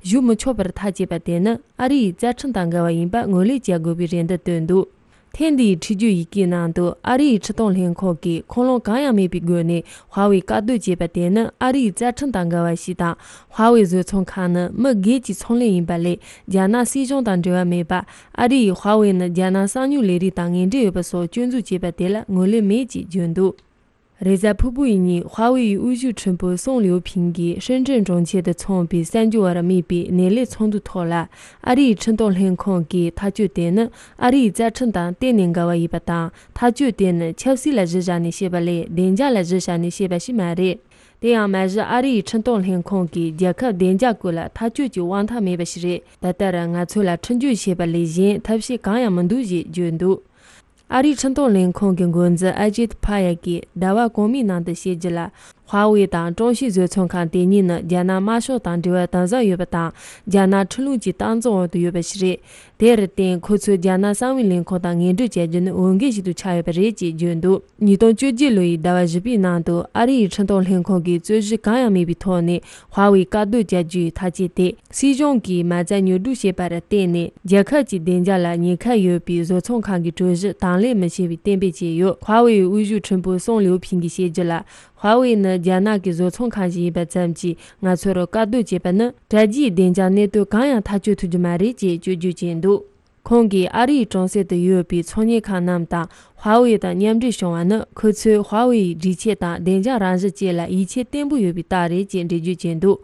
ཞུགས་མི་ཆོག་པར་ཐག་བཅད་པ་དེ་ནི་ཨ་རི་ཡི་རྩ་ཁྲིམས་དང་འགལ་བ་ཡིན་པ་ངོས་ལེན་བྱ་དགོས་པའི་རེ་འདུན་བཏོན་འདུག་ཐེངས་འདིའི་ཁྲིམས་སྦྱོར་ཡི་གེའི་ནང་དུ། ཨ་རིའི་འཕྲིན་གཏོང་ལྷན་ཁང་གིས་ཁུངས་ལུང་གང་ཡང་མེད་པའི་སྒོ་ནས་ཧྭ་ཝེ་བཀག་སྡོམ་བྱས་པ་དེ་ནི་ཨ་རིའི་རྩ་ཁྲིམས་དང་འགལ་བ་ཞིག་དང་། ཧྭ་ཝེ་བཟོ་ཚོང་ཁང་ནི་མི་སྒེར་གྱི་ཚོང་ལས་ཡིན་པ་ལས། རྒྱ་ནག་སྲིད་གཞུང་དང་འབྲེལ་བ་མེད་པ། ཨ་རི་ཡིས་ཧྭ་ཝེ་ནི་རྒྱ་ནག་གསང་མྱུལ་ལས་རིགས་དང་ངན་འབྲེལ་ཡོད་པ་སོགས་སྐྱོན་འཛུགས་བྱས་པ་དེ་ལ་ངོས་ལེན་མེད་ཅེས་བརྗོད་འདུག་རེས་གཟའ་ཕུར་བུ་ཡི་ཉིན་ཧྭ་ཝེ་ཡི་དབུ་བཞུགས་ཁྲིམས་དཔོན་སུང་ལིའུ་ཕིང་གིས་ཧྲེན་ཀྲེན་གྲོང་ཁྱེར་དུ་འཚོགས་པའི་གསར་འགྱུར་བར་དམིགས་པའི་སྣེ་ལེན་ཚོགས་འདུའི་ཐོག་ལ། ཨ་རིའི་འཕྲིན་གཏོང་ལྷན་ཁང་གིས་ཐག་གཅོད་དེ་ནི་ཨ་རིའི་རྩ་ཁྲིམས་དང་གཏན་ནས་འགལ་བ་ཡིན་པ་དང་། ཐག་གཅོད་དེ་ནི་ཆབ་སྲིད་ལ་གཞི་བཞག་ནས་བྱས་པ་ལས། བདེ་འཇགས་ལ་གཞི་བཞག་ནས་བྱས་པ་ཞིག་མ་རེད། དེ་ཡང་མ་གཞི་ཨ་རིའི་འཕྲིན་གཏོང་ལྷན་ཁང་གིས་རྒྱལ་ཁབ་བདེ་འཇགས་སྐོར་ལ་ཐག་གཅོད་ཀྱི་དབང་ཐང་མེད་པ་ཞིག་རེད། ད་ལྟར་ང་ཚོ་ལ་ཁྲིམས་སྦྱོར་བྱེད་པ་ལས་གཞན་ཐབས་ཤེས་གང་ཡང་མི་འདུག་ཅེས་བརྗོད་འདུག་ཨ་རིའི་འཕྲིན་གཏོང་ལྷན་ཁང་གི་འགོ་འཛིན་ཨ་ཇིད་ཕ་ཡ་གིས་ཟླ་བ་གོང་མའི་ནང་དུ་བཤད་རྒྱུ་ལ། ཧྭ་ཝེ་དང་ཀྲུང་ཤིས་བཟོ་ཚོང་ཁང་དེ་གཉིས་ནི་རྒྱ་ནག་དམར་ཤོག་དང་འབྲེལ་བ་དམ་ཟབ་ཡོད་པ་དང་། རྒྱ་ནག་ཁྲིམས་ལུགས་ཀྱི་སྟངས་འཛིན་འོག་ཏུ་ཡོད་པ་ཞིག་རེད། དེར་བརྟེན། ཁོ་ཚོས་རྒྱ་ནག་གསང་བའི་ལས་ཁུངས་དང་ངན་འབྲེལ་བྱ་རྒྱུ་ནི་འོས་འགན་ཞིག་ཏུ་ཆགས་ཡོད་པ་རེད་ཅེས་བརྗོད་འདུག་ཉིས་སྟོང་བཅོ་བརྒྱད་ལོ་ཡི་ཟླ་བ་བཞི་པའི་ནང་དུ་ཨ་རི་ཡི་འཕྲིན་གཏོང་ལྷན་ཁང་གིས་རྩོད་གཞི་གང་ཡང་མེད་པའི་ཐོག་ནས་ཧྭ་ཝེ་བཀག་སྡོམ་བྱ་རྒྱུའི་ཐག་བཅད་དེ། སྲིད་གཞུང་གིས་མ་རྩ་ཉོ་སྒྲུབ་བྱས་པར་བརྟེན་ནས། རྒྱལ་ཁབ་ཀྱི་བདེ་འཇགས་ལ་ཉེན་ཁ་ཡོད་པའི་བཟོ་ཚོང་ཁང་གི་གྲུ་གཞི་དང་ལེན་མི་བྱེད་པའི་གཏན་འབེབས་བྱས་ཡོད། ཧྭ་ཝེའི་དབུ་བཞུགས་ཁྲིམས་དཔོན་སུང་ལིའུ་ཕིང་གིས་བཤད་རྒྱུ་ལ། ཧྭ་ཝེ་ནི་རྒྱ་ནག་གི་བཟོ་ཚོང་ཁང་ཞིག་ཡིན་པ་ཙམ་གྱིས། ང་ཚོར་བཀག་སྡོམ་བྱས་པ་ནི། དྲ་རྒྱའི་བདེ་འཇགས་གནད་དོན་གང་ཡང་ཐག་གཅོད་ཐུབ་རྒྱུ་མ་རེད་ཅེས་སྐྱོན་བརྗོད་བྱས་འདུག་ཁོང་གིས་ཨ་རིའི་གྲོང་གསེབ་ཏུ་ཡོད་པའི་ཚོང་གཉེར་ཁང་རྣམས་དང་ཧྭ་ཝེ་དང་མཉམ་འབྲེལ་བྱུང་བ་ནི། ཁོ་ཚོས་ཧྭ་ཝེ་ཡི་སྒྲིག་ཆས་དང་བདེ་འཇགས་རང་བཞིན་བཅས་ལ་ཡིད་ཆེས་བརྟན་པོ་ཡོད་པའི་རྟགས་རེད་ཅེས་འགྲེལ་བརྗོད་བྱས་འདུག་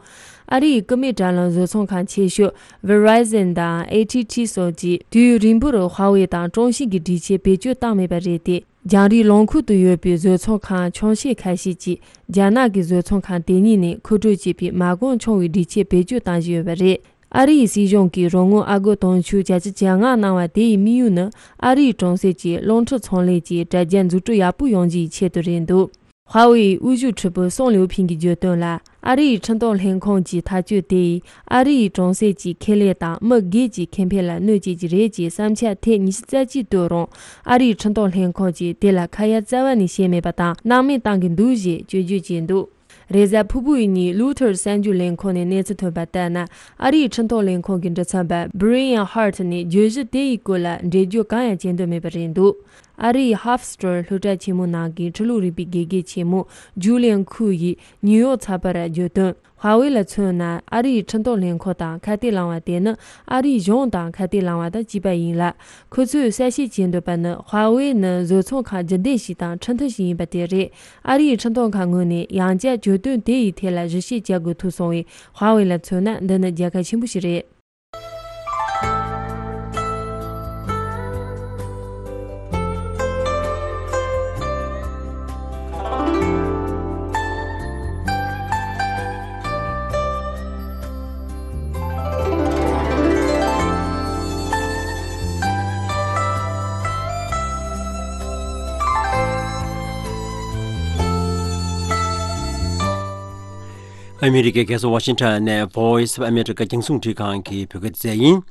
ཨ་རིའི་སྐུད་མེད་དྲ་ལམ་བཟོ་ཚོང་ཁང་ཆེ་ཤོས་Verizon་དང་ཨེ་ཊི་ཊི་སོགས་ཀྱིས་དུས་ཡུན་རིང་པོར་ཧྭ་ཝེ་དང་ཀྲུང་ཤིས་ཀྱི་སྒྲིག་ཆས་བེད་སྤྱོད་བཏང་མེད་པ་རེད་དེ། རྒྱང་རིང་ལུང་ཁུལ་དུ་ཡོད་པའི་བཟོ་ཚོང་ཁང་ཆུང་ཤོས་ཁ་ཤས་ཀྱིས་རྒྱ་ནག་གི་བཟོ་ཚོང་ཁང་དེ་གཉིས་ནས་མཁོ་སྤྲོད་བྱེད་པའི་མ་གོང་ཆུང་བའི་སྒྲིག་ཆས་བེད་སྤྱོད་གཏང་བཞིན་ཡོད་པ་རེད། ཨ་རིའི་སྲིད་གཞུང་གིས་རོགས་དངུལ་ཨ་སྒོར་དུང་ཕྱུར་བརྒྱད་ཅུ་གྱ་ལྔ་གནང་བ་དེ་ཡི་དམིགས་ཡུལ་ནི། ཨ་རིའི་གྲོང་གསེབ་ཀྱི་རླུང་འཕྲིན་ཚོང་ལས་ཀྱི་དྲ་རྒྱ་འཛུགས་སྐྲུན་ཡག་པོ་ཡོང་རྒྱུའི་ཆེད་དུ་རེད་འདུག་ཧྭ་ཝེའི་དབུ་བཞུགས་ཁྲི་པོ་སུང་ལིའུ་ཕིང་གིས་བརྗོད་དོན་ལ། ཨ་རིའི་འཕྲིན་གཏོང་ལྷན་ཁང་གི་ཐག་གཅོད་དེ་ཡིས་ཨ་རིའི་གྲོང་གསེབ་ཀྱི་ཁེ་ལས་དང་མི་སྒེར་གྱི་ཁེ་ཕན་ལ་གནོད་བྱེད་ཀྱི་རེད་ཅེས་བསམ་འཆར་ཐེངས་ཉི་ཤུ་རྩ་གཅིག་བཏོན་རུང་། ཨ་རིའི་འཕྲིན་གཏོང་ལྷན་ཁང་གིས་དེ་ལ་ཁ་ཡ་རྩ་བ་ནས་བྱས་མེད་པ་དང་སྣང་མེད་བཏང་གི་འདུག་ཅེས་སྐྱོན་བརྗོད་བྱས་འདུག་རེས་གཟའ་ཕུར་བུའི་ཉིན་Reuters གསར་འགྱུར་ལས་ཁང་ནས་གནས་ཚུལ་ཐོན་པ་ལྟར་ན། ཨ་རིའི་འཕྲིན་གཏོང་ལས་ཁང་གི་འབྲེལ་ཚན་པ་Brian Hart ནས་བརྗོད་གཞི་དེ་ཡི་སྐོར་ལ་འགྲེལ་བརྗོད་གང་ཡང་བྱེད་འདོད་མེད་པ་རེད་འདུག་ཨ་རིའི་Huff Star སློབ་གྲྭ་ཆེན་མོ་ནང་གི་ཁྲི་ལོ་རིམ་པའི་དགེ་རྒན་ཆེན་མོ་Julian Khou ཡིས་ནིའུ་ཡོག་ཚགས་པར་བརྗོད་དོན། ཧྭ་ཝེ་ལ་མཚོན་ན། ཨ་རིའི་འཕྲིན་གཏོང་ལས་ཁང་དང་ཁ་གཏད་བླངས་པ་དེ་ནི་ཨ་རིའི་གཞུང་དང་ཁ་གཏད་བླངས་པ་དང་གཅིག་པ་ཡིན་ལ། ཁོ་ཚོས་གསལ་བཤད་བྱེད་འདོད་པ་ནི། ཧྭ་ཝེ་ནི་བཟོ་ཚོང་ཁང་རྒྱུན་ལྡན་ཞིག་དང་ཁྲིམས་མཐུན་ཞིག་ཡིན་པ་དེ་རེད། ཨ་རིའི་འཕྲིན་གཏོང་ཁང་ངོས་ནས་ཡང་བསྐྱར་གྱོད་དོན་དེ་ཡི་ཐད་ལ་ཞིབ་བཤེར་བྱ་དགོས་ཐུག་སོང་བས། ཧྭ་ཝེ་ལ་མཚོན་ན་འདི་ནི་རྒྱལ་ཁ་ཆེན་པོ་ཞིག་རེད། ཨ་མི་རི་ཀའི་རྒྱལ་ས་ཝ་ཤིང་ཊོན་ནས་Voice of America རྒྱང་སྲིང་འཕྲིན་ཁང་གི་བོད་སྐད་སྡེ་ཚན་ཡིན།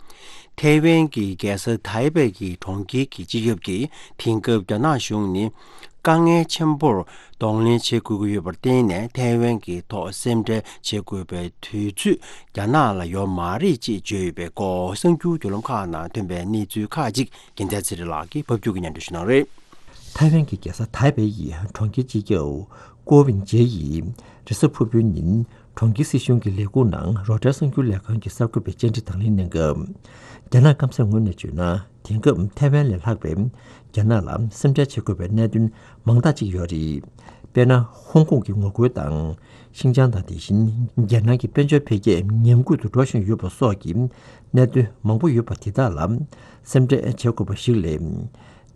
ཐའེ་ཝན་གྱི་རྒྱལ་ས་ཐའེ་པེ་ཡི་གྲོང་ཁྱེར་གྱི་སྤྱི་ཁྱབ་ཀྱིས་དེང་སྐབས་རྒྱ་ནག་གཞུང་ནི་དཀའ་ངལ་ཆེན་པོར་གདོང་ལེན་བྱེད་དགོས་ཀྱི་ཡོད་པར་བརྟེན་ནས། ཐའེ་ཝན་གྱི་ཐོག་སེམས་ཁྲལ་བྱེད་དགོས་པའི་དུས་ཚོད་རྒྱ་ནག་ལ་ཡོད་མ་རེད་ཅེས་བརྗོད་ཡོད་པའི་སྐོར། གསར་འགྱུར་བརྒྱུད་ལམ་ཁག་ནང་ཐོན་པའི་གནས་ཚུལ་ཁག་ཅིག་རྒྱལ་མཚན་ཚེ་རིང་ལགས་ཀྱིས་ཕབ་སྒྱུར་གྱིས་སྙན་སྒྲོན་ཞུ་གནང་རེད། ཐའེ་ཝན་གྱི་རྒྱལ་ས་ཐའེ་པེ་ཡི་གྲོང་ཁྱེར་སྤྱི་ཁྱབ་ཀོ་ཝིན་ཇེ་ཡིས་རེས་གཟའ་ཕུར་བུའི་ཉིན་ གྲོང་ཁྱེར་སྲིད་གཞུང་གི་ལས་ཁུངས་ནང་རོའི་ཊར་གསར་འགྱུར་ལས་ཁང་གི་གསར་འགོད་པས་བཅར་འདྲི་དང་ལེན་གནང་སྐབས། རྒྱ་ནག་སྐམ་སའི་ངོས་ནས་བརྗོད་ན། དེང་སྐབས་ཐའེ་ཝན་ལས་ལྷག་པའི་རྒྱ་ནག་ལ་སེམས་ཁྲལ་བྱེད་དགོས་པའི་གནད་དོན་མང་དག་ཅིག་ཡོད་རེད། དཔེར་ན། ཧོང་ཀོང་གི་ངོ་རྒོལ་དང་། ཤིན་ཅང་དང་། དེ་བཞིན་རྒྱལ་ནང་གི་དཔལ་འབྱོར་འཕེལ་རྒྱས་ཉམས་རྒུད་དུ་འགྲོ་བཞིན་ཡོད་པ་སོགས་ཀྱི་གནད་དོན་མང་པོ་ཡོད་པ་དེ་དག་ལ་སེམས་ཁྲལ་བྱེད་དགོས་པ་ཞིག་ལས།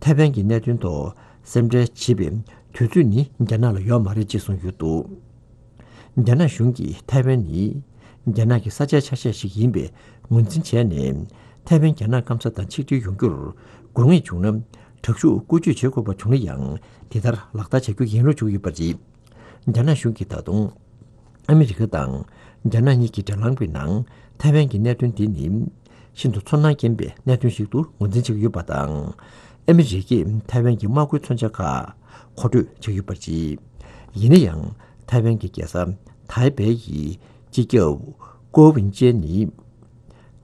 ཐའེ་ཝན་གྱི་གནད་དོན་ཐོག་སེམས་ཁྲལ་བྱེད་པའི་དུས་ཚོད་ནི་རྒྱ་ནག་ལ་ཡོད་མ་རེད་ཅེས་གསུངས་ཡོད་འདུག་རྒྱ་ནག་གཞུང་གིས་ཐའེ་ཝན་ནི་རྒྱ་ནག་གི་ས་ཆའི་ཆ་ཤས་ཤིག་ཡིན་པའི་ངོས་འཛིན་བྱས་ནས། ཐའེ་ཝན་རྒྱ་ནག་སྐམ་ས་དང་ཆིག་སྒྲིལ་ཡོང་རྒྱུར་དགོས་ངེས་བྱུང་ན། དྲག་ཤུགས་བཀོལ་སྤྱོད་བྱེད་དགོས་པ་བྱུང་ན་ཡང་། དེ་ལྟར་ལག་བསྟར་བྱ་རྒྱུ་ཡིན་ལུགས་བརྗོད་ཀྱི་ཡོད་པ་རེད། རྒྱ་ནག་གཞུང་གིས་ད་དུང་ཨ་མི་རི་ཀ་དང་རྒྱ་ནག་གཉིས་ཀྱི་འབྲེལ་ལམ་གྱི་ནང་ཐའེ་ཝན་གྱི་གནད་དོན་འདི་ནི་ཤིན་ཏུ་ཚོར་སྣང་ཅན་པའི་གནད་དོན་ཞིག་ཏུ་ངོས་འཛིན་བྱེད་ཀྱི་ཡོད་པ་དང་། ཨ་མི་རི་ཀས་ཐའེ་ཝན་གྱི་དམག་ཁུལ་མཚོན་ཆ་ཁག་མཁོ་སྤྲོད་བྱེད་ཀྱི་ཡོད་པ་རེད། ཡིན་ན་ཡང་། ཐའེ་ཝན་གྱི་རྒྱལ་ས་ཐའེ་པེ་ཡི་སྤྱི་ཁྱབ་ཀོ་ཝིན་ཅེན་ནི།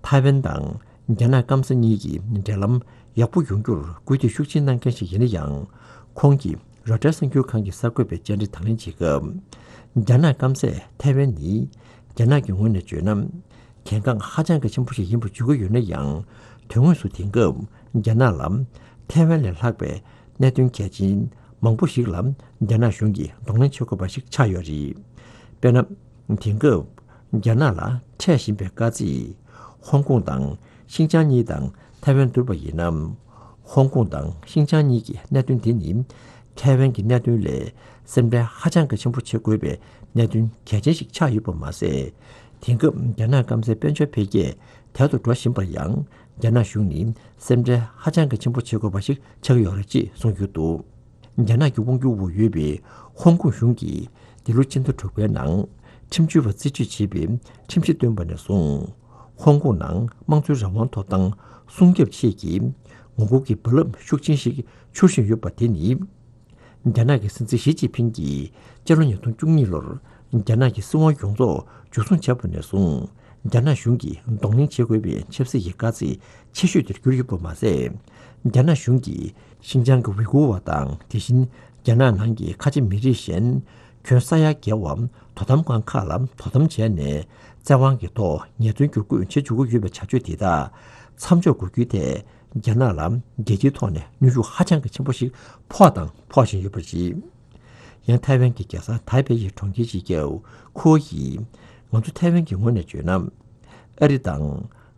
ཐའེ་ཝན་དང་རྒྱ་ནག་སྐམ་ས་གཉིས་ཀྱི་འབྲེལ་ལམ་ཡག་པོ་ཡོང་རྒྱུར་སྐུལ་འདེད་ཤུགས་ཆེན་གནང་མཁན་ཞིག་ཡིན་ན་ཡང་། ཁོང་གིས་རོའི་ཊར་གསར་འགྱུར་ཁང་གི་གསར་འགོད་པའི་བཅར་འདྲི་དང་ལེན་བྱེད་སྐབས། རྒྱ་ནག་སྐམ་སས་ཐའེ་ཝན་ནི་རྒྱ་ནག་གི་ངོས་ནས་བརྗོད་ན། གལ་འགངས་ཧ་ཅང་གི་ཆེན་པོ་ཞིག་ཡིན་པ་བརྗོད་ཀྱི་ཡོད་ན་ཡང་། དོན་དངོས་སུ་དེང་སྐབས་རྒྱ་ནག་ལ་ཐའེ་ཝན་ལས་ལྷག་པའི་གནད་དོན་གལ་ཆེན་མང་པོ་ཞིག་ལ་རྒྱ་ནག་གཞུང་གིས་གདོང་ལེན་བྱེད་དགོས་པ་ཞིག་ཆགས་ཡོད་རེད། དཔེར་ན། དེང་སྐབས་རྒྱ་ནག་ལ་འཕྲད་བཞིན་པའི་དཀའ་ཚེགས། ཧོང་ཀོང་དང་ཤིན་ཅང་གཉིས་དང་ཐའེ་ཝན་བསྡུར་བ་ཡིན་ན། ཧོང་ཀོང་དང་ཤིན་ཅང་གཉིས་ཀྱི་གནད་དོན་དེ་ནི་ཐའེ་ཝན་གྱི་གནད་དོན་ལས་སེམས་ཁྲལ་ཧ་ཅང་གི་ཆེན་པོ་བྱེད་དགོས་པའི་གནད་དོན་གལ་ཆེན་ཞིག་ཆགས་ཡོད་པ་མ་ཟད། དེང་སྐབས་རྒྱ་ནག་སྐམ་སའི་དཔལ་འབྱོར་འཕེལ་རྒྱས་དལ་དུ་འགྲོ་བཞིན་པར་ཡང་། རྒྱ་ནག་གཞུང་ནི་སེམས་ཁྲལ་ཧ་ཅང་གི་ཆེན་པོ་བྱེད་དགོས་པ་ཞིག་ཆགས་ཀྱི་ཡོད་རེད་ཅེས་གསུངས་ཡོད་འདུག་རྒྱ་ནག་གི་དབང་སྒྱུར་འོག་ཡོད་པའི་ཧོང་ཀོང་གཞུང་གིས་འདི་ལོ་སྤྱི་ཟླ་དྲུག་པའི་ནང་ཁྲིམས་གཅོད་པ་རྩིས་སྤྲོད་བྱེད་པའི་ཁྲིམས་གཞི་བཏོན་པ་ནས་བཟུང་། ཧོང་ཀོང་ནང་དམངས་གཙོའི་རང་དབང་ཐོབ་ཐང་སྲུང་སྐྱོབ་ཆེད་ཀྱི་ངོ་རྒོལ་གྱི་རྦ་རླབས་ཤུགས་ཆེན་ཞིག་འཕྱུར་བཞིན་ཡོད་པ་དེ་ནི། རྒྱ་ནག་གི་སྲིད་འཛིན་ཞི་ཅིན་ཕིང་གིས་སྤྱི་ལོ་ཉིས་སྟོང་བཅུ་གཉིས་ལོར་རྒྱ་ནག་གི་སྲིད་དབང་ཡོངས་རྫོགས་འཇུ་བཟུང་བྱས་པ་ནས་བཟུང་། རྒྱ་ནག་གཞུང་གིས་གདོང་ལེན་བྱེད་དགོས་པའི་ཆབ་སྲིད་ཀྱི་དཀའ་ཚེགས་ཆེ་ཤོས་དེར་གྱུར་ཡོད་པ་མ་ཟད། རྒྱ་ནག་གཞུང་གིས་ཤིན་ཅང་གི་ཝི་གུར་བ་དང་། དེ་བཞིན་རྒྱ་ནག་ནང་གི་ཁ་ཆེ་མི་རིགས་གཞན་ཁྱོན་ས་ཡ་བརྒལ་བ་དོ་དམ་ཁང་ཁག་ལ་དོ་དམ་བྱས་ནས། བཙན་དབང་གི་ཐོག་ཉེས་དོན་བསྒྱུར་བཀོད་བྱེད་བཅུག་གི་ཡོད་པའི་བྱ་སྤྱོད་དེ་དག་མཚམས་འཇོག་དགོས་རྒྱུའི་ཐད། རྒྱ་ནག་ལ་རྒྱལ་སྤྱིའི་ཐོག་ནས་གནོན་ཤུགས་ཧ་ཅང་གི་ཆེན་པོ་ཞིག་ཕོག་དང་ཕོག་བཞིན་ཡོད་པ་རེད། ཡང་ཐའེ་ཝན་གྱི་རྒྱལ་ས་ཐའེ་པེ་ཡི་གྲོང་ཁྱེར་སྤྱི་ཁྱབ་ཁོ་ཡིས། ང་ཚོ་ཐའེ་ཝན་གྱི་ངོས་ནས་བརྗོད་ན། ཨ་རི་དང་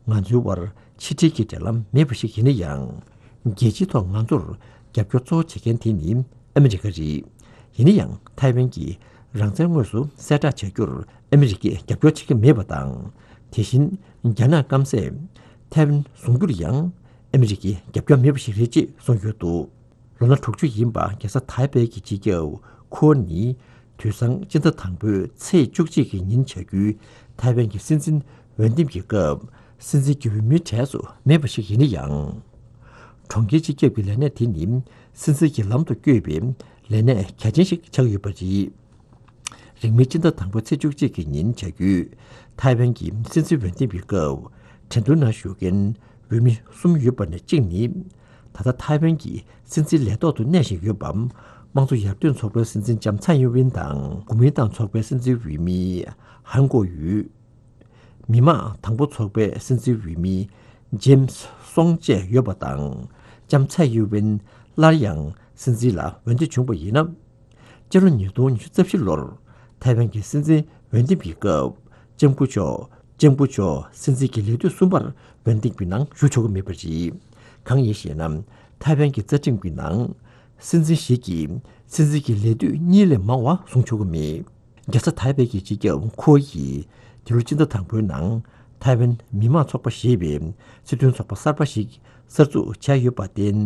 ང་ཚོའི་དབར་ཕྱི་འབྲེལ་གྱི་འབྲེལ་ལམ་མེད་པ་ཞིག་ཡིན་ན་ཡང་། རྒྱལ་སྤྱིའི་ཐོག་ང་ཚོར་རྒྱབ་སྐྱོར་གཙོ་བོ་བྱེད་མཁན་དེ་ནི་ཨ་མི་རི་ཀ་རེད། ཡིན་ན་ཡང་ཐའེ་ཝན་གྱི་རང་བཙན་དངོས་སུ་གསལ་བསྒྲགས་བྱ་རྒྱུར་ཨ་མི་རི་ཀས་རྒྱབ་སྐྱོར་བྱེད་ཀྱི་མེད་པ་དང་། དེ་བཞིན་རྒྱ་ནག་སྐམ་སས་ཐའེ་ཝན་བཟུང་རྒྱུར་ཡང་ཨ་མི་རི་ཀས་རྒྱབ་སྐྱོར་མེད་པ་ཞིག་རེད་ཅེས་གསུངས་ཡོད་འདུག་ལོ་ན་དྲུག་ཅུ་ཡིན་པ་རྒྱལ་ས་ཐའེ་པེ་གྱི་སྤྱི་ཁྱབ་ཁོ་ནི། དུས་སང་སྤྱི་ཟླ་དང་པོའི་ཚེས་བཅུ་གཅིག་གི་ཉིན་བྱ་རྒྱུའི་ཐའེ་ཝན་གྱི་སྲིད་འཛིན་འོས་འདེམས་ཀྱི་སྐབས། སྲིད་འཛིན་གྱི་འོས་མིའི་གྲས་སུ་མེད་པ་ཞིག་ཡིན་ན་ཡང་། གྲོང་ཁྱེར་སྤྱི་ཁྱབ་ཀྱི་ལས་གནས་དེ་ནི་སྲིད་འཛིན་གྱི་ལམ་དུ་བསྐྱོད་པའི་ལས་གནས་གལ་ཆེན་ཞིག་ཆགས་ཡོད་པ་རེད། རིང་མིན་སྤྱི་ཟླ་དང་པོ་ཚེས་བཅུ་གཅིག་གི་ཉིན་བྱ་རྒྱུའི་ཐའེ་ཝན་གྱི་སྲིད་འཛིན་འོས་འདེམས་ཀྱི་སྐབས། ཁྲེང་ཏུའུ་ནང་བཞུགས་མཁན་འོས་མི་གསུམ་ཡོད་པ་ནས་གཅིག་ནི། ད་ལྟ་ཐའེ་ཝན་གྱི་སྲིད་འཛིན་ལས་ཐོག་ཏུ་གནས་བཞིན་ཡོད་པ། དམངས་གཙོ་ཡར་ཐོན་ཚོགས་པའི་སྲིད་འཛིན་ལྕམ་ཚའེ་ཡིན་ཝིན་དང་། གོ་མིན་ཏང་ཚོགས་པའི་སྲིད་འཛིན་འོས་མི་ཧན་གོ་ཡུས། མི་དམངས་དང་པོ་ཚོགས་པའི་སྲིད་འཛིན་འོས་མི་ཇེམ་སི་སོང་བཅས་ཡོད་པ་དང་། ལྕམ་ཚའེ་ཡིན་ཝིན་སླར་ཡང་སྲིད་འཛིན་ལ་འོས་འདེམས་བྱུང་བ་ཡིན་ན། སྤྱི་ལོ་ཉིས་སྟོང་ཉི་ཤུ་རྩ་བཞི་ལོར་ཐའེ་ཝན་གྱི་སྲིད་འཛིན་འོས་འདེམས་ཀྱི་སྐབས། ལྕམ་སྐུ་མཆོག་ལྕམ་སྐུ་མཆོག་སྲིད་འཛིན་གྱི་ལས་དུས་གསུམ་པར་འོས་འདེམས་ཀྱི་ནང་ཞུགས་ཆོག་གི་མེད་པ་རེད། གང་ཡིན་ཞེ་ན། ཐའེ་ཝན་གྱི་རྩ་ཁྲིམས་ཀྱི་ནང་། སྲིད་འཛིན་ཞིག་གིས་སྲིད་འཛིན་གྱི་ལས་དུས་གཉིས་ལས་མང་བ་བཟུང་ཆོག་གི་མེད། རྒྱལ་ས་ཐའེ་པེ་གི་སྤྱི་ཁྱབ་ཁོ་ཡིས་འདི་ལོ་སྤྱི་ཟླ་དང་པོའི་ནང་ཐའེ་ཝན་མི་དམངས་ཚོགས་པ་ཞེས་པའི་སྲིད་དོན་ཚོགས་པ་གསར་པ་ཞིག་གསར་འཛུགས་བྱས་ཡོད་པར་བརྟེན།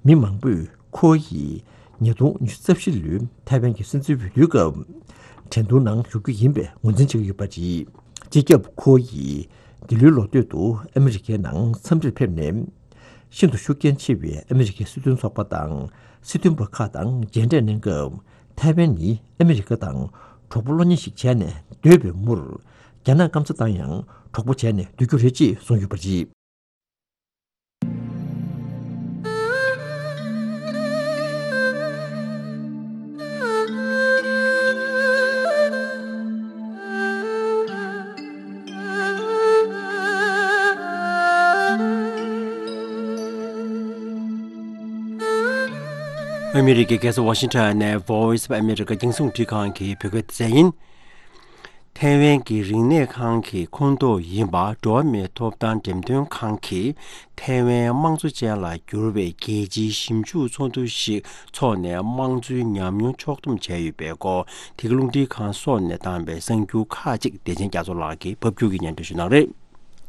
མི་མང་པོས་ཁོ་ཡིས་ཉིས་སྟོང་ཉི་ཤུ་རྩ་བཞི་ལོའི་ཐའེ་ཝན་གྱི་སྲིད་འཛིན་འོས་བསྡུའི་སྐབས་ཁྲེང་ཏུའུ་ནང་ཞུགས་རྒྱུ་ཡིན་པའི་ངོས་འཛིན་བྱེད་ཀྱི་ཡོད་པ་རེད། སྤྱི་ཁྱབ་ཁོ་ཡིས་འདི་ལོའི་ལོ་སྟོད་དུ་ཨ་མི་རི་ཀའི་ནང་འཚམས་འདྲིར་ཕེབས་ནས། ཤིན་ཏུ་ཤུགས་རྐྱེན་ཆེ་བའི་ཨ་མི་རི་ཀའི་སྲིད་དོན་ཚོགས་པ་དང་སྲིད་དོན་པ་ཁག་དང་མཇལ་འཕྲད་གནང་སྐབས། ཐའེ་ཝན་ནི་ཨ་མི་རི་ཀ་དང་གྲོགས་པོ་བློ་མཉེས་ཤིག་བྱས་ནས་སྡོད་པའི་མུར། རྒྱ་ནག་སྐམ་ས་དང་ཡང་གྲོགས་པོ་བྱས་ནས་སྡོད་རྒྱུ་རེད་ཅེས་གསུངས་ཡོད་པ་རེད། ཨ་མི་རི་ཀའི་རྒྱལ་ས་ཝ་ཤིང་ཊོན་ནས་Voice of America རྒྱང་སྲིང་རླུང་འཕྲིན་ཁང་གི་བོད་སྐད་སྡེ་ཚན་ཡིན། ཐའེ་ཝན་གྱི་རིག་གནས་ཁང་གི་ཁོངས་གཏོགས་ཡིན་པ་འགྲོ་བ་མིའི་ཐོབ་ཐང་འགྲེམས་སྟོན་ཁང་གིས་ཐའེ་ཝན་དམངས་གཙོ་ཅན་ལ་གྱུར་བའི་རྒྱལ་སྤྱིའི་ཞིབ་འཇུག་ཚོགས་འདུ་ཞིག་འཚོགས་ནས་དམངས་གཙོའི་ཉམས་མྱོང་ཕྱོགས་བསྡོམས་བྱས་ཡོད་པའི་སྐོར། དེ་ག་རླུང་འཕྲིན་ཁང་སོགས་ནས་བཏང་བའི་གསར་འགྱུར་ཁག་ཅིག་བདེ་ཆེན་རྒྱ་མཚོ་ལགས་ཀྱིས་ཕབ་སྒྱུར་གྱིས་སྙན་སྒྲོན་ཞུ་གནང་རེད།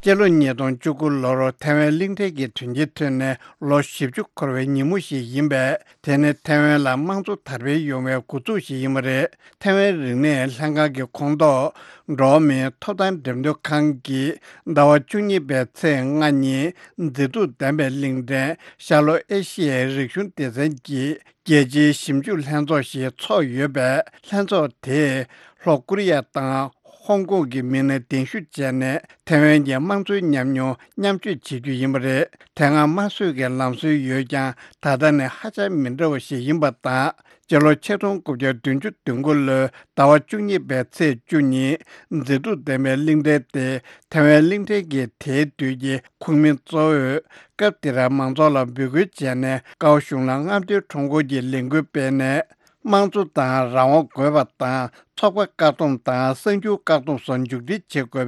སྤྱི་ལོ་ཉིས་སྟོང་བཅུ་དགུ་ལོར་ཐའེ་ཝན་གླིང་ཕྲན་གྱི་དོན་རྐྱེན་ཐོན་ནས་ལོ་བཞི་བཅུ་འཁོར་བའི་ཉིན་མོ་ཞིག་ཡིན་པས། དེ་ནི་ཐའེ་ཝན་ལ་དམངས་གཙོ་དར་སྤེལ་ཡོང་བའི་འགོ་འཛུགས་ཤིག་ཡིན་པ་རེད། ཐའེ་ཝན་རིག་གནས་ལྷན་ཁང་གི་ཁོངས་གཏོགས་འགྲོ་བ་མིའི་ཐོབ་ཐང་འགྲེམས་སྟོན་ཁང་གིས་ཟླ་བ་བཅུ་གཉིས་པའི་ཚེས་ལྔ་ཉིན་མཛེས་སྡུག་ལྡན་པའི་གླིང་ཕྲན་ཤར་ལྷོ་ཨེ་ཤི་ཡའི་རིག་གཞུང་སྡེ་ཚན་གྱི་རྒྱལ་སྤྱིའི་ཞིབ་འཇུག་ལྷན་ཚོགས་ཤིག་འཚོགས་ཡོད་པས། ལྷན་ཚོགས་དེས་ལྷོ་ཀོ་རི་ཡ་དང་ཧོང་ཀོང་གི་མི་སྣ་གདན་ཞུ་བྱས་ནས་ཐའེ་ཝན་གྱི་དམངས་གཙོའི་ཉམས་མྱོང་མཉམ་སྤྱོད་བྱེད་རྒྱུ་ཡིན་པ་རེད། དེ་སྔ་དམར་གསོད་ཀྱི་ལམ་སྲོལ་ཡོད་ཀྱང་། ད་ལྟ་ནི་ཧ་ཅང་མི་འདྲ་བ་ཞིག་ཡིན་པ་དང་། སྤྱི་ལོ་ཆིག་སྟོང་དགུ་བརྒྱ་བདུན་ཅུ་དོན་དགུ་ལོའི་ཟླ་བ་བཅུ་གཉིས་པའི་ཚེས་བཅུ་ཉིན་མཛེས་སྡུག་ལྡན་པའི་གླིང་ཕྲན་དེ་ཐའེ་ཝན་གླིང་ཕྲན་གྱི་དེའི་དུས་ཀྱི་ཁོངས་མི་གཙོ་བོས་སྐབས་དེར་མང་ཚོགས་ལ་འབོད་སྐུལ་བྱས་ནས། ཀའོ་གཞུང་ལ་རྔམ་སྟོན་ཁྲོམ་སྐོར་གྱི་ལས་འགུལ་སྤེལ་ནས། དམངས་གཙོ་དང་རང་དབང་དགོས་པ་དང་། ཚོགས་པ་བཀག་སྡོམ་དང་གསར་འགྱུར་བཀག་སྡོམ་སོགས་མཇུག་སྒྲིལ་བྱེད་དགོས་པའི་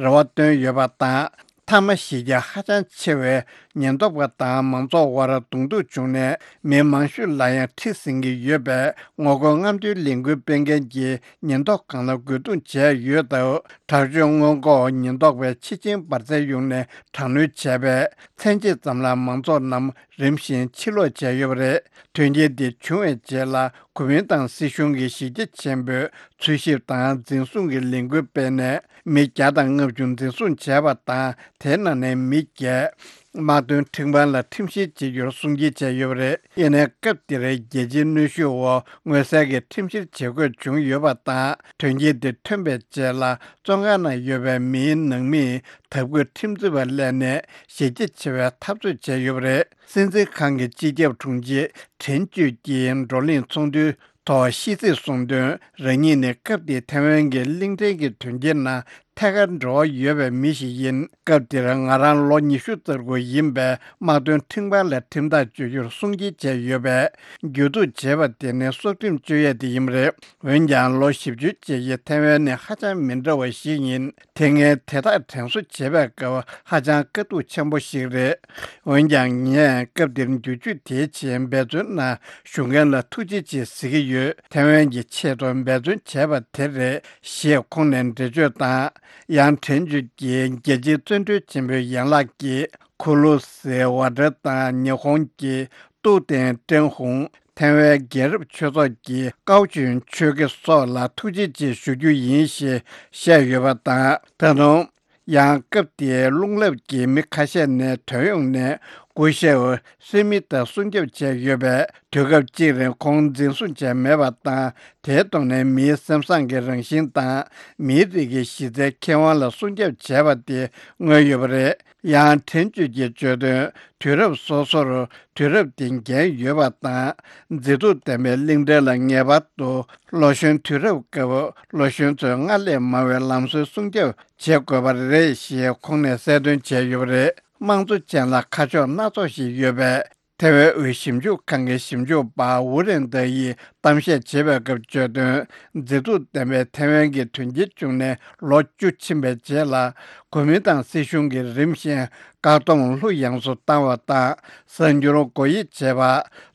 རེ་བ་བཏོན་ཡོད་པ་དང་། མཐའ་མ་གཞི་རྒྱ་ཧ་ཅང་ཆེ་བའི་ཉེན་རྟོག་པ་དང་མང་ཚོགས་དབར་གདོང་ཐུག་བྱུང་ནས། མི་མང་ཤོས་ལ་ཡང་ཁྲི་ཟིན་གྱི་ཡོད་པས། ངོ་རྒོལ་རྔམ་སྟོན་ལས་འགུལ་སྤེལ་མཁན་གྱི་ཉེན་རྟོག་ཁང་ལ་རྒོལ་རྡུང་བྱས་ཡོད་སྟབས། དྲག་སྤྱོད་སྔོན་འགོག་ཉེན་རྟོག་པས་ཆེད་ཆེན་འབར་རྫས་གཡུགས་ནས་དྲག་གནོན་བྱས་པས། མཚན་ཕྱེད་ཙམ་ལ་མང་ཚོགས་རྣམས་རིམ་བཞིན་ཕྱིར་ལོག་བྱས་ཡོད་པ་རེད། དོན་རྐྱེན་འདི་བྱུང་བའི་རྗེས་ལ། གོ་མིན་ཏང་སྲིད་གཞུང་གིས་གཞི་རྒྱ་ཆེན་པོས་འཚོལ་ཞིབ་དང་འཛིན་བཟུང་གི་ལས་འགུལ་སྤེལ་ནས། མི་བརྒྱ་དང་ལྔ་བཅུ་འཛིན་བཟུང་བྱས་པ་དང་། དེའི་ནང་ནས་མི་བརྒྱད་དམག་དོན་ཁྲིམས་ཁང་ལ་ཁྲིམས་བཤེར་བྱེད་རྒྱུར་སྲུང་སྐྱེལ་བྱས་ཡོད་པ་རེད། ཡིན་ནའི་སྐབས་དེར་རྒྱལ་སྤྱིའི་གནོན་ཤུགས་འོག་མངོན་གསལ་གྱི་ཁྲིམས་བཤེར་བྱེད་དགོས་བྱུང་ཡོད་པ་དང་། དོན་རྐྱེན་དེ་ཐོན་པའི་རྗེས་ལ། བཙོན་ཁང་ནང་ཡོད་པའི་མིའི་ནང་མིས་དྭགས་པོའི་ཁྲིམས་རྩོད་པ་གླས་ནས་གཞི་རྒྱ་ཆེ་བའི་འཐབ་རྩོད་བྱས་ཡོད་པ་རེད། སྲིད་འཛིན་ཁང་གི་སྤྱི་ཁྱབ་དྲུང་ཆེ་ཁྲེན་ཅུས་ཀྱིས་བགྲོ་གླེང་ཚོགས་འདུའི་ཐོག་ཤིས་ཚིག་གསུངས་དོན། རང་ཉིད་ནི་སྐབས་དེའི་ཐའེ་ཝན་གྱི་གླིང་ཕྲན་གྱི་དོན་རྐྱེན་ནང་ཐད་ཀར་འབྲེལ་བ་ཡོད་པའི་མི་ཞིག་ཡིན། སྐབས་དེར་ང་རང་ལོ་ཉི་ཤུ་རྩ་དགུ་ཡིན་པས། དམག་དོན་ཁྲིམས་ཁང་ལ་ཁྲིམས་ཐག་གཅོད་རྒྱུར་སྲུང་སྐྱེལ་བྱས་ཡོད་པས། བརྒྱུད་འཛུགས་བྱས་པ་དེ་ནི་སྲོག་ཁྲིམས་གཅོད་ཡས་དེ་ཡིན་པ་རེད། འོན་ཀྱང་ལོ་བཞི་བཅུའི་རྗེས་ཀྱི་ཐའེ་ཝན་ནི་ཧ་ཅང་མི་འདྲ་བ་ཞིག་ཡིན། དེ་སྔའི་དེ་དག་དྲན་གསོ་བྱེད་པའི་སྐབས་ཧ་ཅང་དཀའ་སྡུག་ཆེན་པོ་ཞིག་རེད། འོན་ཀྱང་ངས་སྐབས་དེར་འགྱུར་བཅོས་དེའི་ཆེད་འབད་བརྩོན་གནང་། བཞུགས་མཁན་ལ་ཐུགས་རྗེ་ཆེ་ཟེར་གྱི་ཡོད། ཐའེ་ཝན་གྱི་ཆེད་དུ་འབད་བརྩོན་བྱས་པ་དེ་རེད། ཞེས་ཁོང་ནས་འགྲེལ་བརྗོད་དང་། ཡང་ཁྲེན་ཅུས་ཀྱིས་རྒྱལ་སྤྱིའི་བཙོན་གྲོལ་ཆེན་པོའི་ཡན་ལག་གི་ཁུ་ལུ་སི་ཝ་ཏྲ་དང་ཉི་ཧོང་གི་ཏུའུ་ཏེན་ཀྲེན་ཧུང་། ཐའེ་ཝན་རྒྱལ་རབས་ཆོས་ཚོགས་ཀྱི་ཀའོ་ཅུན་ཆོས་དགེ་སོགས་ལ་ཐུགས་རྗེ་ཆེ་ཞུ་རྒྱུ་ཡིན་ཞེས་བཤད་ཡོད་པ་དང་། ད་དུང་། ཡང་སྐབས་དེའི་རླུང་རླབས་ཀྱི་མི་ཁ་ཤས་ནས་ཐོན་ཡོང་ནས་སྐུ་ཞབས་སི་མི་ཐར་སྲུང་སྐྱོབ་བྱས་ཡོད་པས། དུས་སྐབས་གཅིག་རིང་ཁོང་འཛིན་བཟུང་བྱས་མེད་པ་དང་། དེའི་ཐོག་ནས་མིའི་སེམས་བཟང་གི་རང་བཞིན་དང་། མིའི་རིགས་ཀྱི་གཞི་རྩའི་ཁེ་དབང་ལ་སྲུང་སྐྱོབ་བྱས་པ་དེ་མངོན་ཡོད་པ་རེད། ཡང་ཁྲེན་ཅུས་ཀྱིས་བརྗོད་དོན། དུས་རབས་སོ་སོར་དུས་རབས་དེ་འགན་ཡོད་པ་དང་། མཛེས་སྡུག་ལྡན་པའི་གླིང་ཕྲན་ལ་ངེས་པར་དུ་ལོ་གཞོན་དུས་རབས་སྐབས་ལོ་གཞོན་ཚོས་སྔར་ལས་མང་བའི་ལམ་སྲོལ་སྲུང་སྐྱོབ་བྱེད་དགོས་པ་རེད་ཞེས་ཁོང་ནས་གསལ་སྟོན་བྱས་ཡོད་པ་རེད། དམངས་གཙོ་ཅན་ལ་ཁ་ཕྱོགས་སྣ་ཚོགས་ཤིག་ཡོད་པས། ཐའེ་ཝན་དབུས་ཞིབ་འཇུག་ཁང་གི་ཞིབ་འཇུག་པ་ཝུ་རེན་ཏེ་ཡིས་གཏམ་བཤད་བྱེད་པའི་སྐབས་བརྗོད་དོན། མཛེས་སྡུག་ལྡན་པའི་ཐའེ་ཝན་གྱི་དོན་རྐྱེན་བྱུང་ནས་ལོ་བཅུ་ཕྱིན་པའི་རྗེས་ལ། གོ་མིན་ཏང་སྲིད་གཞུང་གིས་རིམ་བཞིན་བཀག་སྡོམ་ལྷུག་ཡངས་སུ་བཏང་བ་དང་། གསར་འགྱུར་སྒོ་དབྱེ་བྱེད་པ།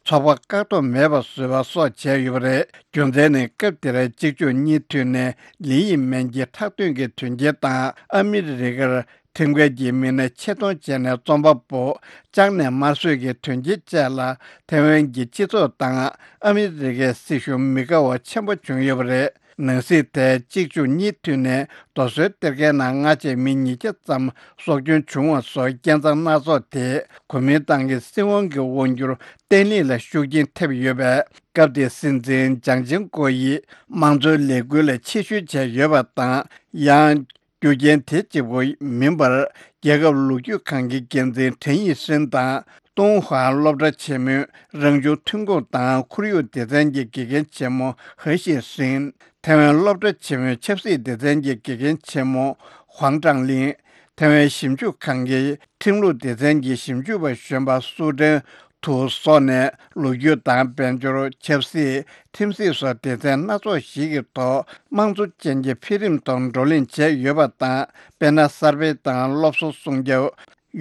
ཚོགས་པ་བཀག་སྡོམ་མེད་པ་བཟོས་པ་སོགས་བྱས་ཡོད་པ་རེད། རྒྱུ་མཚན་ནི་སྐབས་དེར་གཅིག་མཇུག་གཉིས་མཐུད་ནས་ལི་ཡིན་མན་གྱི་ཁྲག་དོན་གྱི་དོན་རྐྱེན་དང་། ཨ་མི་རི་ཀར་ཁྲིམས་འགལ་གྱི་མི་སྣ་ཆེད་གཏོང་བྱས་ནས་རྩོམ་པ་པོ་བཅག་ནས་དམར་གསོད་ཀྱི་དོན་རྐྱེན་བཅས་ལ་ཐའེ་ཝན་གྱི་སྤྱི་ཚོགས་དང་ཨ་མི་རི་ཀའི་སྲིད་གཞུང་མི་དགའ་བ་ཆེན་པོ་བྱུང་ཡོད་པ་རེད། ནང་སྲིད་དེ་གཅིག་མཇུག་གཉིས་མཐུད་ནས་རྡོ་སོལ་གཏེར་ཁའི་ནང་སྔ་རྗེས་མི་ཉིས་བརྒྱ་ཙམ་སྲོག་སྐྱོན་བྱུང་བ་སོགས་རྐྱེན་ཚང་སྣ་ཚོགས་དེས་གོ་མིན་ཏང་གི་སྲིད་དབང་གི་དབང་སྒྱུར་བརྟན་ལྷིང་ལ་ཤུགས་རྐྱེན་ཐེབས་ཡོད་པས། སྐབས་དེའི་སྲིད་འཛིན་ཅང་ཅིང་ཀོ་ཡིས་དམངས་གཙོའི་ལས་འགུལ་ལ་ཕྱིར་བཤོལ་བྱས་ཡོད་པ་དང་། ཡང་། རྒྱུ་རྐྱེན་དེ་གཅིག་པུ་མིན་པར། རྒྱལ་ཁབ་ལོ་རྒྱུས་ཁང་གི་འགན་འཛིན་ཁྲེན་ཡི་ཧྲིན་དང་། ཏུང་ཧྭ་སློབ་གྲྭ་ཆེན་མོའི་རང་བྱུང་ཐོན་ཁུངས་དང་ཁོར་ཡུག་སྡེ་ཚན་གྱི་དགེ་རྒན་ཆེན་མོ་ཧེ་ཤི་ཧྲིན། ཐའེ་ཝན་སློབ་གྲྭ་ཆེན་མོའི་ཆབ་སྲིད་སྡེ་ཚན་གྱི་དགེ་རྒན་ཆེན་མོ་ཧུང་ཀྲང་ལིན། ཐའེ་ཝན་ཞིབ་འཇུག་ཁང་གི་ཁྲིམས་ལུགས་སྡེ་ཚན་གྱི་ཞིབ་འཇུག་པ་གཞོན་པ་སུའུ་ཀྲེན། ཐུག་སོགས་ནས་ལོ་རྒྱུས་དང་དཔལ་འབྱོར། ཆབ་སྲིད། ཁྲིམས་སྲིད་སོགས་སྡེ་ཚན་སྣ་ཚོགས་ཤིག་གི་ཐོག་དམངས་གཙོ་ཅན་གྱི་འཕེལ་རིམ་ཐོག་བགྲོ་གླེང་བྱས་ཡོད་པ་དང་། དཔེར་ན་གསར་སྤེལ་དང་སློབ་གསོ་སྲུང་སྐྱོབ།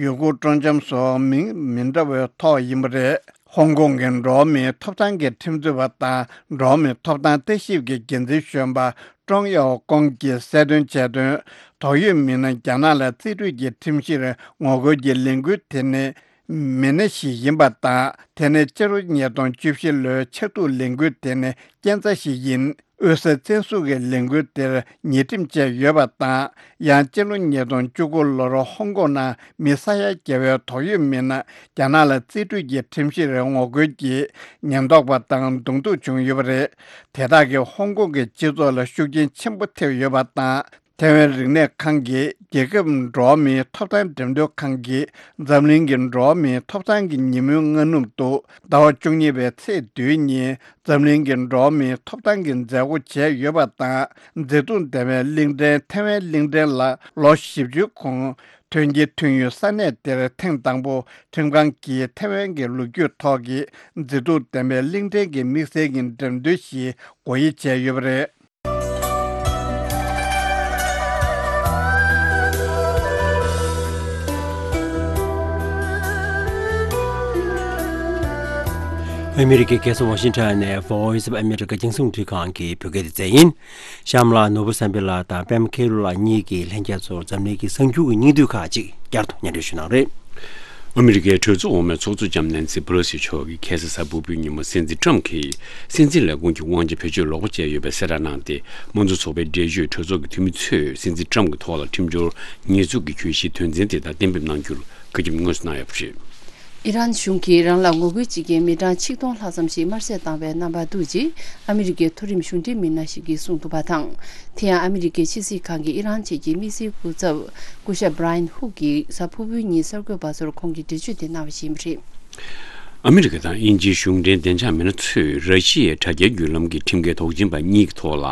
ཡུལ་སྐོར་སྤྲོ་འཆམ་སོགས་མིང་མི་འདྲ་བའི་ཐོག་ཡིན་པ་རེད། ཧོང་ཀོང་གི་འགྲོ་བ་མིའི་ཐོབ་ཐང་གི་ཁྲིམས་རྩོད་པ་དང་འགྲོ་བ་མིའི་ཐོབ་ཐང་ལྟ་ཞིབ་ཀྱི་འགན་འཛིན་གཞོན་པ་ཀྲོང་ཡའོ་ཀོང་གིས་གསལ་སྟོན་བྱས་དོན། དོགས་ཡོད་མི་སྣ་རྒྱ་ནག་ལ་རྩིས་སྤྲོད་ཀྱི་ཁྲིམས་གཞིར་ངོ་རྒོལ་གྱི་ལས་འགུལ་དེ་ནི་མི་སྣ་ཞིག་ཡིན་པ་དང་། དེ་ནི་སྤྱི་ལོ་ཉིས་སྟོང་བཅུ་བཞི་ལོའི་ཕྱག་ཐུག་ལས་འགུལ་དེ་ནི་རྐྱེན་རྩ་ཞིག་ཡིན། དབུས་ས་བཙན་བཟུང་གི་ལས་འགུལ་དེར་ཉེས་ཁྲིམས་བཅས་ཡོད་པ་དང་། ཡང་སྤྱི་ལོ་ཉིས་སྟོང་བཅུ་དགུ་ལོར་ཧོང་ཀོང་ནང་མི་ས་ཡ་བརྒྱ་བའི་དོགས་ཡོད་མི་སྣ་རྒྱ་ནག་ལ་རྩིས་སྤྲོད་ཀྱི་ཁྲིམས་གཞིར་ངོ་རྒོལ་གྱིས་ཉེན་རྟོག་པ་དང་གདོང་ཐུག་བྱུང་ཡོད་པ་རེད། དེ་དག་གིས་ཧོང་ཀོང་གི་སྤྱི་ཚོགས་ལ་ཤུགས་རྐྱེན་ཆེན་པོ་ཐེབས་ཡོད་པ་དང་། ཐའེ་ཝན་རིག་གནས་ཁང་གིས་རྒྱལ་ཁབ་འགྲོ་བ་མིའི་ཐོབ་ཐང་འགྲེམས་སྟོན་ཁང་གིས་འཛམ་གླིང་གི་འགྲོ་བ་མིའི་ཐོབ་ཐང་གི་ཉིན་མོའི་སྔ་ནུབ་ཏུ་ཟླ་བ་བཅུ་གཉིས་པའི་ཚེས་བདུན་ཉིན་འཛམ་གླིང་གི་འགྲོ་བ་མིའི་ཐོབ་ཐང་གི་མཛད་སྒོ་བྱས་ཡོད་པ་དང་། མཛེས་སྡུག་ལྡན་པའི་གླིང་ཕྲན་ཐའེ་ཝན་གླིང་ཕྲན་ལ་ལོ་བཞི་བཅུ་གོང་ཐོན་གྱི་དུས་ཡུན་ས་གནས་དེར་ཐེངས་དང་པོ་ཁྲིམས་ཁང་གིས་ཐའེ་ཝན་གྱི་ལོ་རྒྱུས་ཐོག་གི་མཛེས་སྡུག་ལྡན་པའི་གླིང་ཕྲན་གྱི་དམིགས་བསལ་གྱི་འགྲེམས་སྟོན་ཞིག་སྒོ་དབྱེ་བྱས་ཡོད་པ་རེད། ཨ་མི་རི་ཀའི་རྒྱལ་ས་ཝ་ཤིང་ཊོན་ནས་Voice of America རྒྱང་སྲིང་རླུང་འཕྲིན་ཁང་གི་བོད་སྐད་སྡེ་ཚན་ཡིན། གཤམ་ལ་ནོར་བུ་བསམ་འཕེལ་ལགས་དང་པད་མ་མཁས་གྲུབ་ལགས་གཉིས་ཀྱིས་ལྷན་རྒྱས་ཚོར་འཛམ་གླིང་གི་གསར་འགྱུར་གྱི་སྙིང་བསྡུས་ཁག་ཅིག་བསྐྱར་དུ་སྙན་སྒྲོན་ཞུ་གནང་རེད། ཨ་མི་རི་ཀའི་གྲོས་ཚོགས་འོག་མའི་ཚོགས་གཙོ་ལྕམ་ནན་སི་པེ་ལོ་སི་མཆོག་གིས་ཁ་སང་གཟའ་ཕུར་བུའི་ཉིན་མོ་སྲིད་འཛིན་ཊམ་གྱིས་སྲིད་འཛིན་ལས་ཁུངས་ཀྱི་དབང་ཆ་བེད་སྤྱོད་ལོག་པ་བྱས་ཡོད་པའི་གསལ་བསྒྲགས་གནང་སྟེ། དམངས་གཙོ་ཚོགས་པའི་འགྲེལ་བརྗོད་གྲོས་ཚོགས་ཀྱི་འཐུས་མི་ཚོས་སྲིད་འཛིན་ཊམ་གྱི་ཐོག་ལ་ཁྲིམས་སྦྱོར་ཉེས་འཛུགས་ཀྱི་གྱོད་གཞིའི་དོན་ཚན་དེ་དག་གཏན་འབེབས་གནང་རྒྱུར་བཀའ་འཁྱོལ་དངོས་སུ་གནང་ཡོད་པ་རེད། ཨི་རན་གཞུང་གིས་རང་ལ་ངོ་རྒོལ་བྱེད་མཁན་མི་གྲངས་ཆིག་སྟོང་ལྷག་ཙམ་ཞིག་དམར་གསོད་བཏང་བའི་རྣམ་པ་འདུག་ཅེས་ཨ་མི་རི་ཀའི་མཐོ་རིམ་གཞུང་འབྲེལ་མི་སྣ་ཞིག་གིས་གསུངས་འདུག་པ་དང་། དེ་ཡང་ཨ་མི་རི་ཀའི་ཕྱི་སྲིད་ཁང་གི་ཨི་རན་ཆེད་ཀྱི་དམིགས་བསལ་སྐུ་ཚབ་སྐུ་ཞབས་Brian Hook གིས་གཟའ་ཕུར་བུའི་ཉིན་གསར་འགོད་པ་ཚོར་ཁོང་གིས་འགྲེལ་བརྗོད་དེ་གནང་བ་ཞིག་ཡིན་པ་རེད། ཨ་མི་རི་ཀ་དང་དབྱིན་ཇིའི་གཞུང་འབྲེལ་བདེ་འཇགས་མི་སྣ་ཚོས་ར་ཤི་ཡའི་དྲ་རྒྱའི་བརྒྱུད་ལམ་གྱི་ཁྲིམས་འགལ་དོགས་ཅན་པ་གཉིས་ཀྱི་ཐོག་ལ།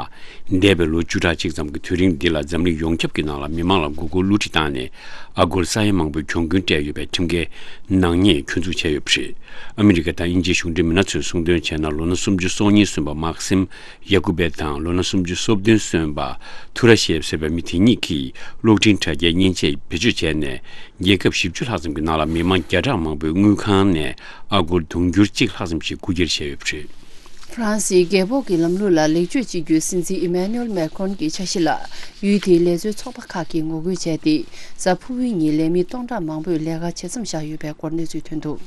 འདས་པའི་ལོ་བཅུ་ཕྲག་གཅིག་ཙམ་གྱི་དུས་རིང་འདི་ལ་འཛམ་གླིང་ཡོངས་ཁྱབ་ཀྱི་ནང་ལ་མི་མང་ལ་མགོ་སྐོར་བསླུ་བྲིད་བཏང་ནས། ཨ་སྒོར་ས་ཡ་མང་པོའི་གྱོང་གུན་སྤྲད་ཡོད་པའི་ཁྲིམས་འགལ་ནག་ཉེས་སྐྱོན་འཛུགས་བྱས་ཡོད་པ་རེད། ཨ་མི་རི་ཀ་དང་དབྱིན་ཇིའི་གཞུང་འབྲེལ་མི་སྣ་ཚོས་གསུངས་དོན་བྱས་ན། ལོ་ན་སུམ་ཅུ་སོ་གཉིས་སོན་པ་མཱག་སིམ་ཡ་ཀུ་བེ་དང་ལོ་ན་སུམ་ཅུ་སོ་བདུན་སོན་པ་ཐུ་ར་ཤེབ་ཟེར་བའི་མི་དེ་གཉིས་ཀྱིས་གློག་འཕྲིན་དྲ་རྒྱའི་མཉེན་ཆས་བེད་སྤྱོད་བྱས་ནས། རྒྱལ་ཁབ་བཞི་བཅུ་ལྷག་ཙམ་གྱི་ནང་ལ་མི་མང་བརྒྱ་ཕྲག་མང་པོའི་དངུལ་ཁང་ནས་ཨ་སྒོར་དུང་ཕྱུར་གཅིག་ལྷག་ཙམ་ཞིག་རྐུ་འཁྱེར་བྱས་ཡོད་པ་རེད། ཧྥ་རན་སིའི་རྒྱལ་ཕོགས་ཀྱི་ལམ་ལུགས་ལ་ལེགས་བཅོས་བྱེད་རྒྱུའི་སྲིད་འཛིན་ཨི་མེ་ནུ་ཨེལ་མེ་ཁོན་གྱི་འཆར་གཞི་ལ་ཡུལ་དེའི་ལས་བཟོའི་ཚོགས་པ་ཁག་གིས་ངོ་རྒོལ་བྱས་ཏེ། གཟའ་ཕུར་བུའི་ཉིན་ལས་མི་སྟོང་ཕྲག་མང་པོས་ལས་ཀ་བྱེད་མཚམས་བཞག་ཡོད་པའི་སྐོར་གནས་ཚུལ་ཐོན་འདུག་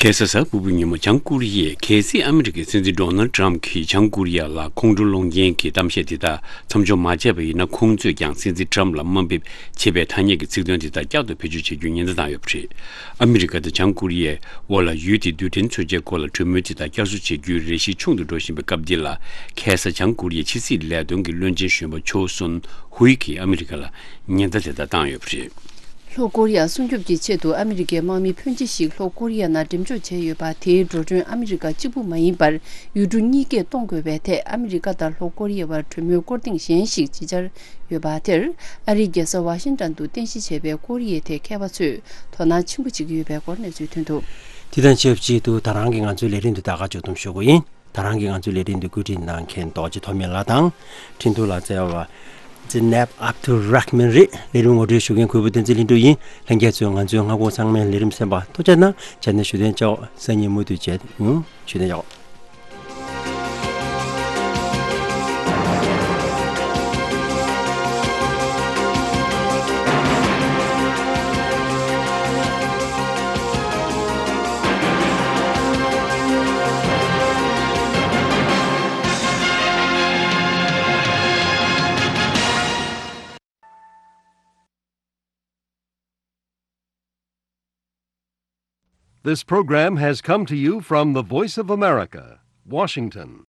ཁ་སང་གཟའ་ཕུར་བུའི་ཉིན་མོ་བྱང་ཀོ་རི་ཡས་གལ་སྲིད་ཨ་མི་རི་ཀའི་སྲིད་འཛིན་ཌོ་ནལ་ཌི་ཊམ་གྱིས་བྱང་ཀོ་རི་ཡ་ལ་ཁོང་ཁྲོ་སློང་མཁན་གྱི་གཏམ་བཤད་དེ་དག་མཚམས་འཇོག་མ་བྱས་པ་ཡིན་ན། ཁོང་ཚོས་ཀྱང་སྲིད་འཛིན་ཊམ་ལ་དམའ་འབེབས་བྱེད་པའི་ཐ་སྙད་ཀྱི་ཚིག་དོན་དེ་དག་བསྐྱར་དུ་བེད་སྤྱོད་བྱེད་རྒྱུའི་ཉེན་བརྡ་བཏང་ཡོད་པ་རེད། ཨ་མི་རི་ཀ་དང་བྱང་ཀོ་རི་ཡའི་དབར་ལ་ཡུལ་དེའི་རྡུལ་ཕྲན་མཚོན་ཆའི་སྐོར་ལ་གྲོས་མོལ་དེ་དག་བསྐྱར་གསོ་བྱེད་རྒྱུའི་རེ་ཞིག་ཆུང་དུ་འགྲོ་བཞིན་པའི་སྐབས་འདི་ལ། ཁ་སང་བྱང་ཀོ་རི་ཡའི་ཕྱི་སྲིད་ལས་དོན་གྱི་བློན་ཆེན་གཞོན་པ་ཆོལ་སོན་ཧུའེ་གིས་ཨ་མི་རི་ཀ་ལ་ཉེན་བརྡ་དེ་དག་བཏང་ཡོད་པ་རེད། ལྷོ་ཀོ་རི་ཡ་སྲུང་སྐྱོབ་ཀྱི་ཆེད་དུ་ཨ་མི་རི་ཀའི་དམག་མི་ཕོན་ཆེ་ཞིག་ལྷོ་ཀོ་རི་ཡ་ནང་འགྲེམས་འཇོག་བྱས་ཡོད་པ། དེའི་འགྲོ་གྲོན་ཨ་མི་རི་ཀ་གཅིག་པུ་མ་ཡིན་པར་ཡུལ་གྲུ་གཉིས་ཀས་གཏོང་དགོས་པའི་ཐད་ཨ་མི་རི་ཀ་དང་ལྷོ་ཀོ་རི་ཡའི་བར་གྲོས་མོལ་སྐོར་ཐེངས་གཞན་ཞིག་ཅིག་འཆར་ཡོད་པ་དེར། ཨ་རིའི་རྒྱལ་ས་ཝ་ཤིང་ཊོན་དུ་རྟེན་གཞི་བྱས་པའི་ཀོ་རི་ཡའི་ཐད་མཁས་པ་ཚོས་དོ་སྣང་ཆེན་པོ་བྱེད་ཀྱི་ཡོད་པའི་སྐོར་གནས་ཚུལ་ཐོན་འདུག་དེ་དང་ཆབས་ཅིག་ཏུ་ད་རང་གི་ང་ཚོའི་ལས་རིམ་འདི་ད་ག་མཇུག་བསྡོམས་ཞུ་དགོས་ཡིན། ད་རང་གི་ང་ཚོའི་ལས་རིམ་འདི་བཀོད་སྒྲིག་གནང་མཁན་རྡོ་རྗེ་ཐོགས་མེད་ལགས་དང་། འཕྲིན་ཐུང་ལ་བསྩལ་བ་ཛི་ནེབ་ཨབ་ཏུ་ར་ཧ་མན་རེད། ལས་རིམ་ངོ་སྤྲོད་ཞུ་མཁན་གུས་པ་བསྟན་འཛིན་ལྷུན་གྲུབ་ཡིན། ལྷན་རྒྱས་ཚོས་ང་ཚོའི་སྔ་དགོང་ཚང་མའི་ལས་རིམ་གསན་པར་ཐུགས་རྗེ་གནང་། བྱས་ན་བཞུགས་གདན་འཇགས། སང་ཉིན་མུ་མཐུད་མཇལ་ཡོང་། བཞུགས་གདན་འཇགས། This program has come to you from the Voice of America, Washington.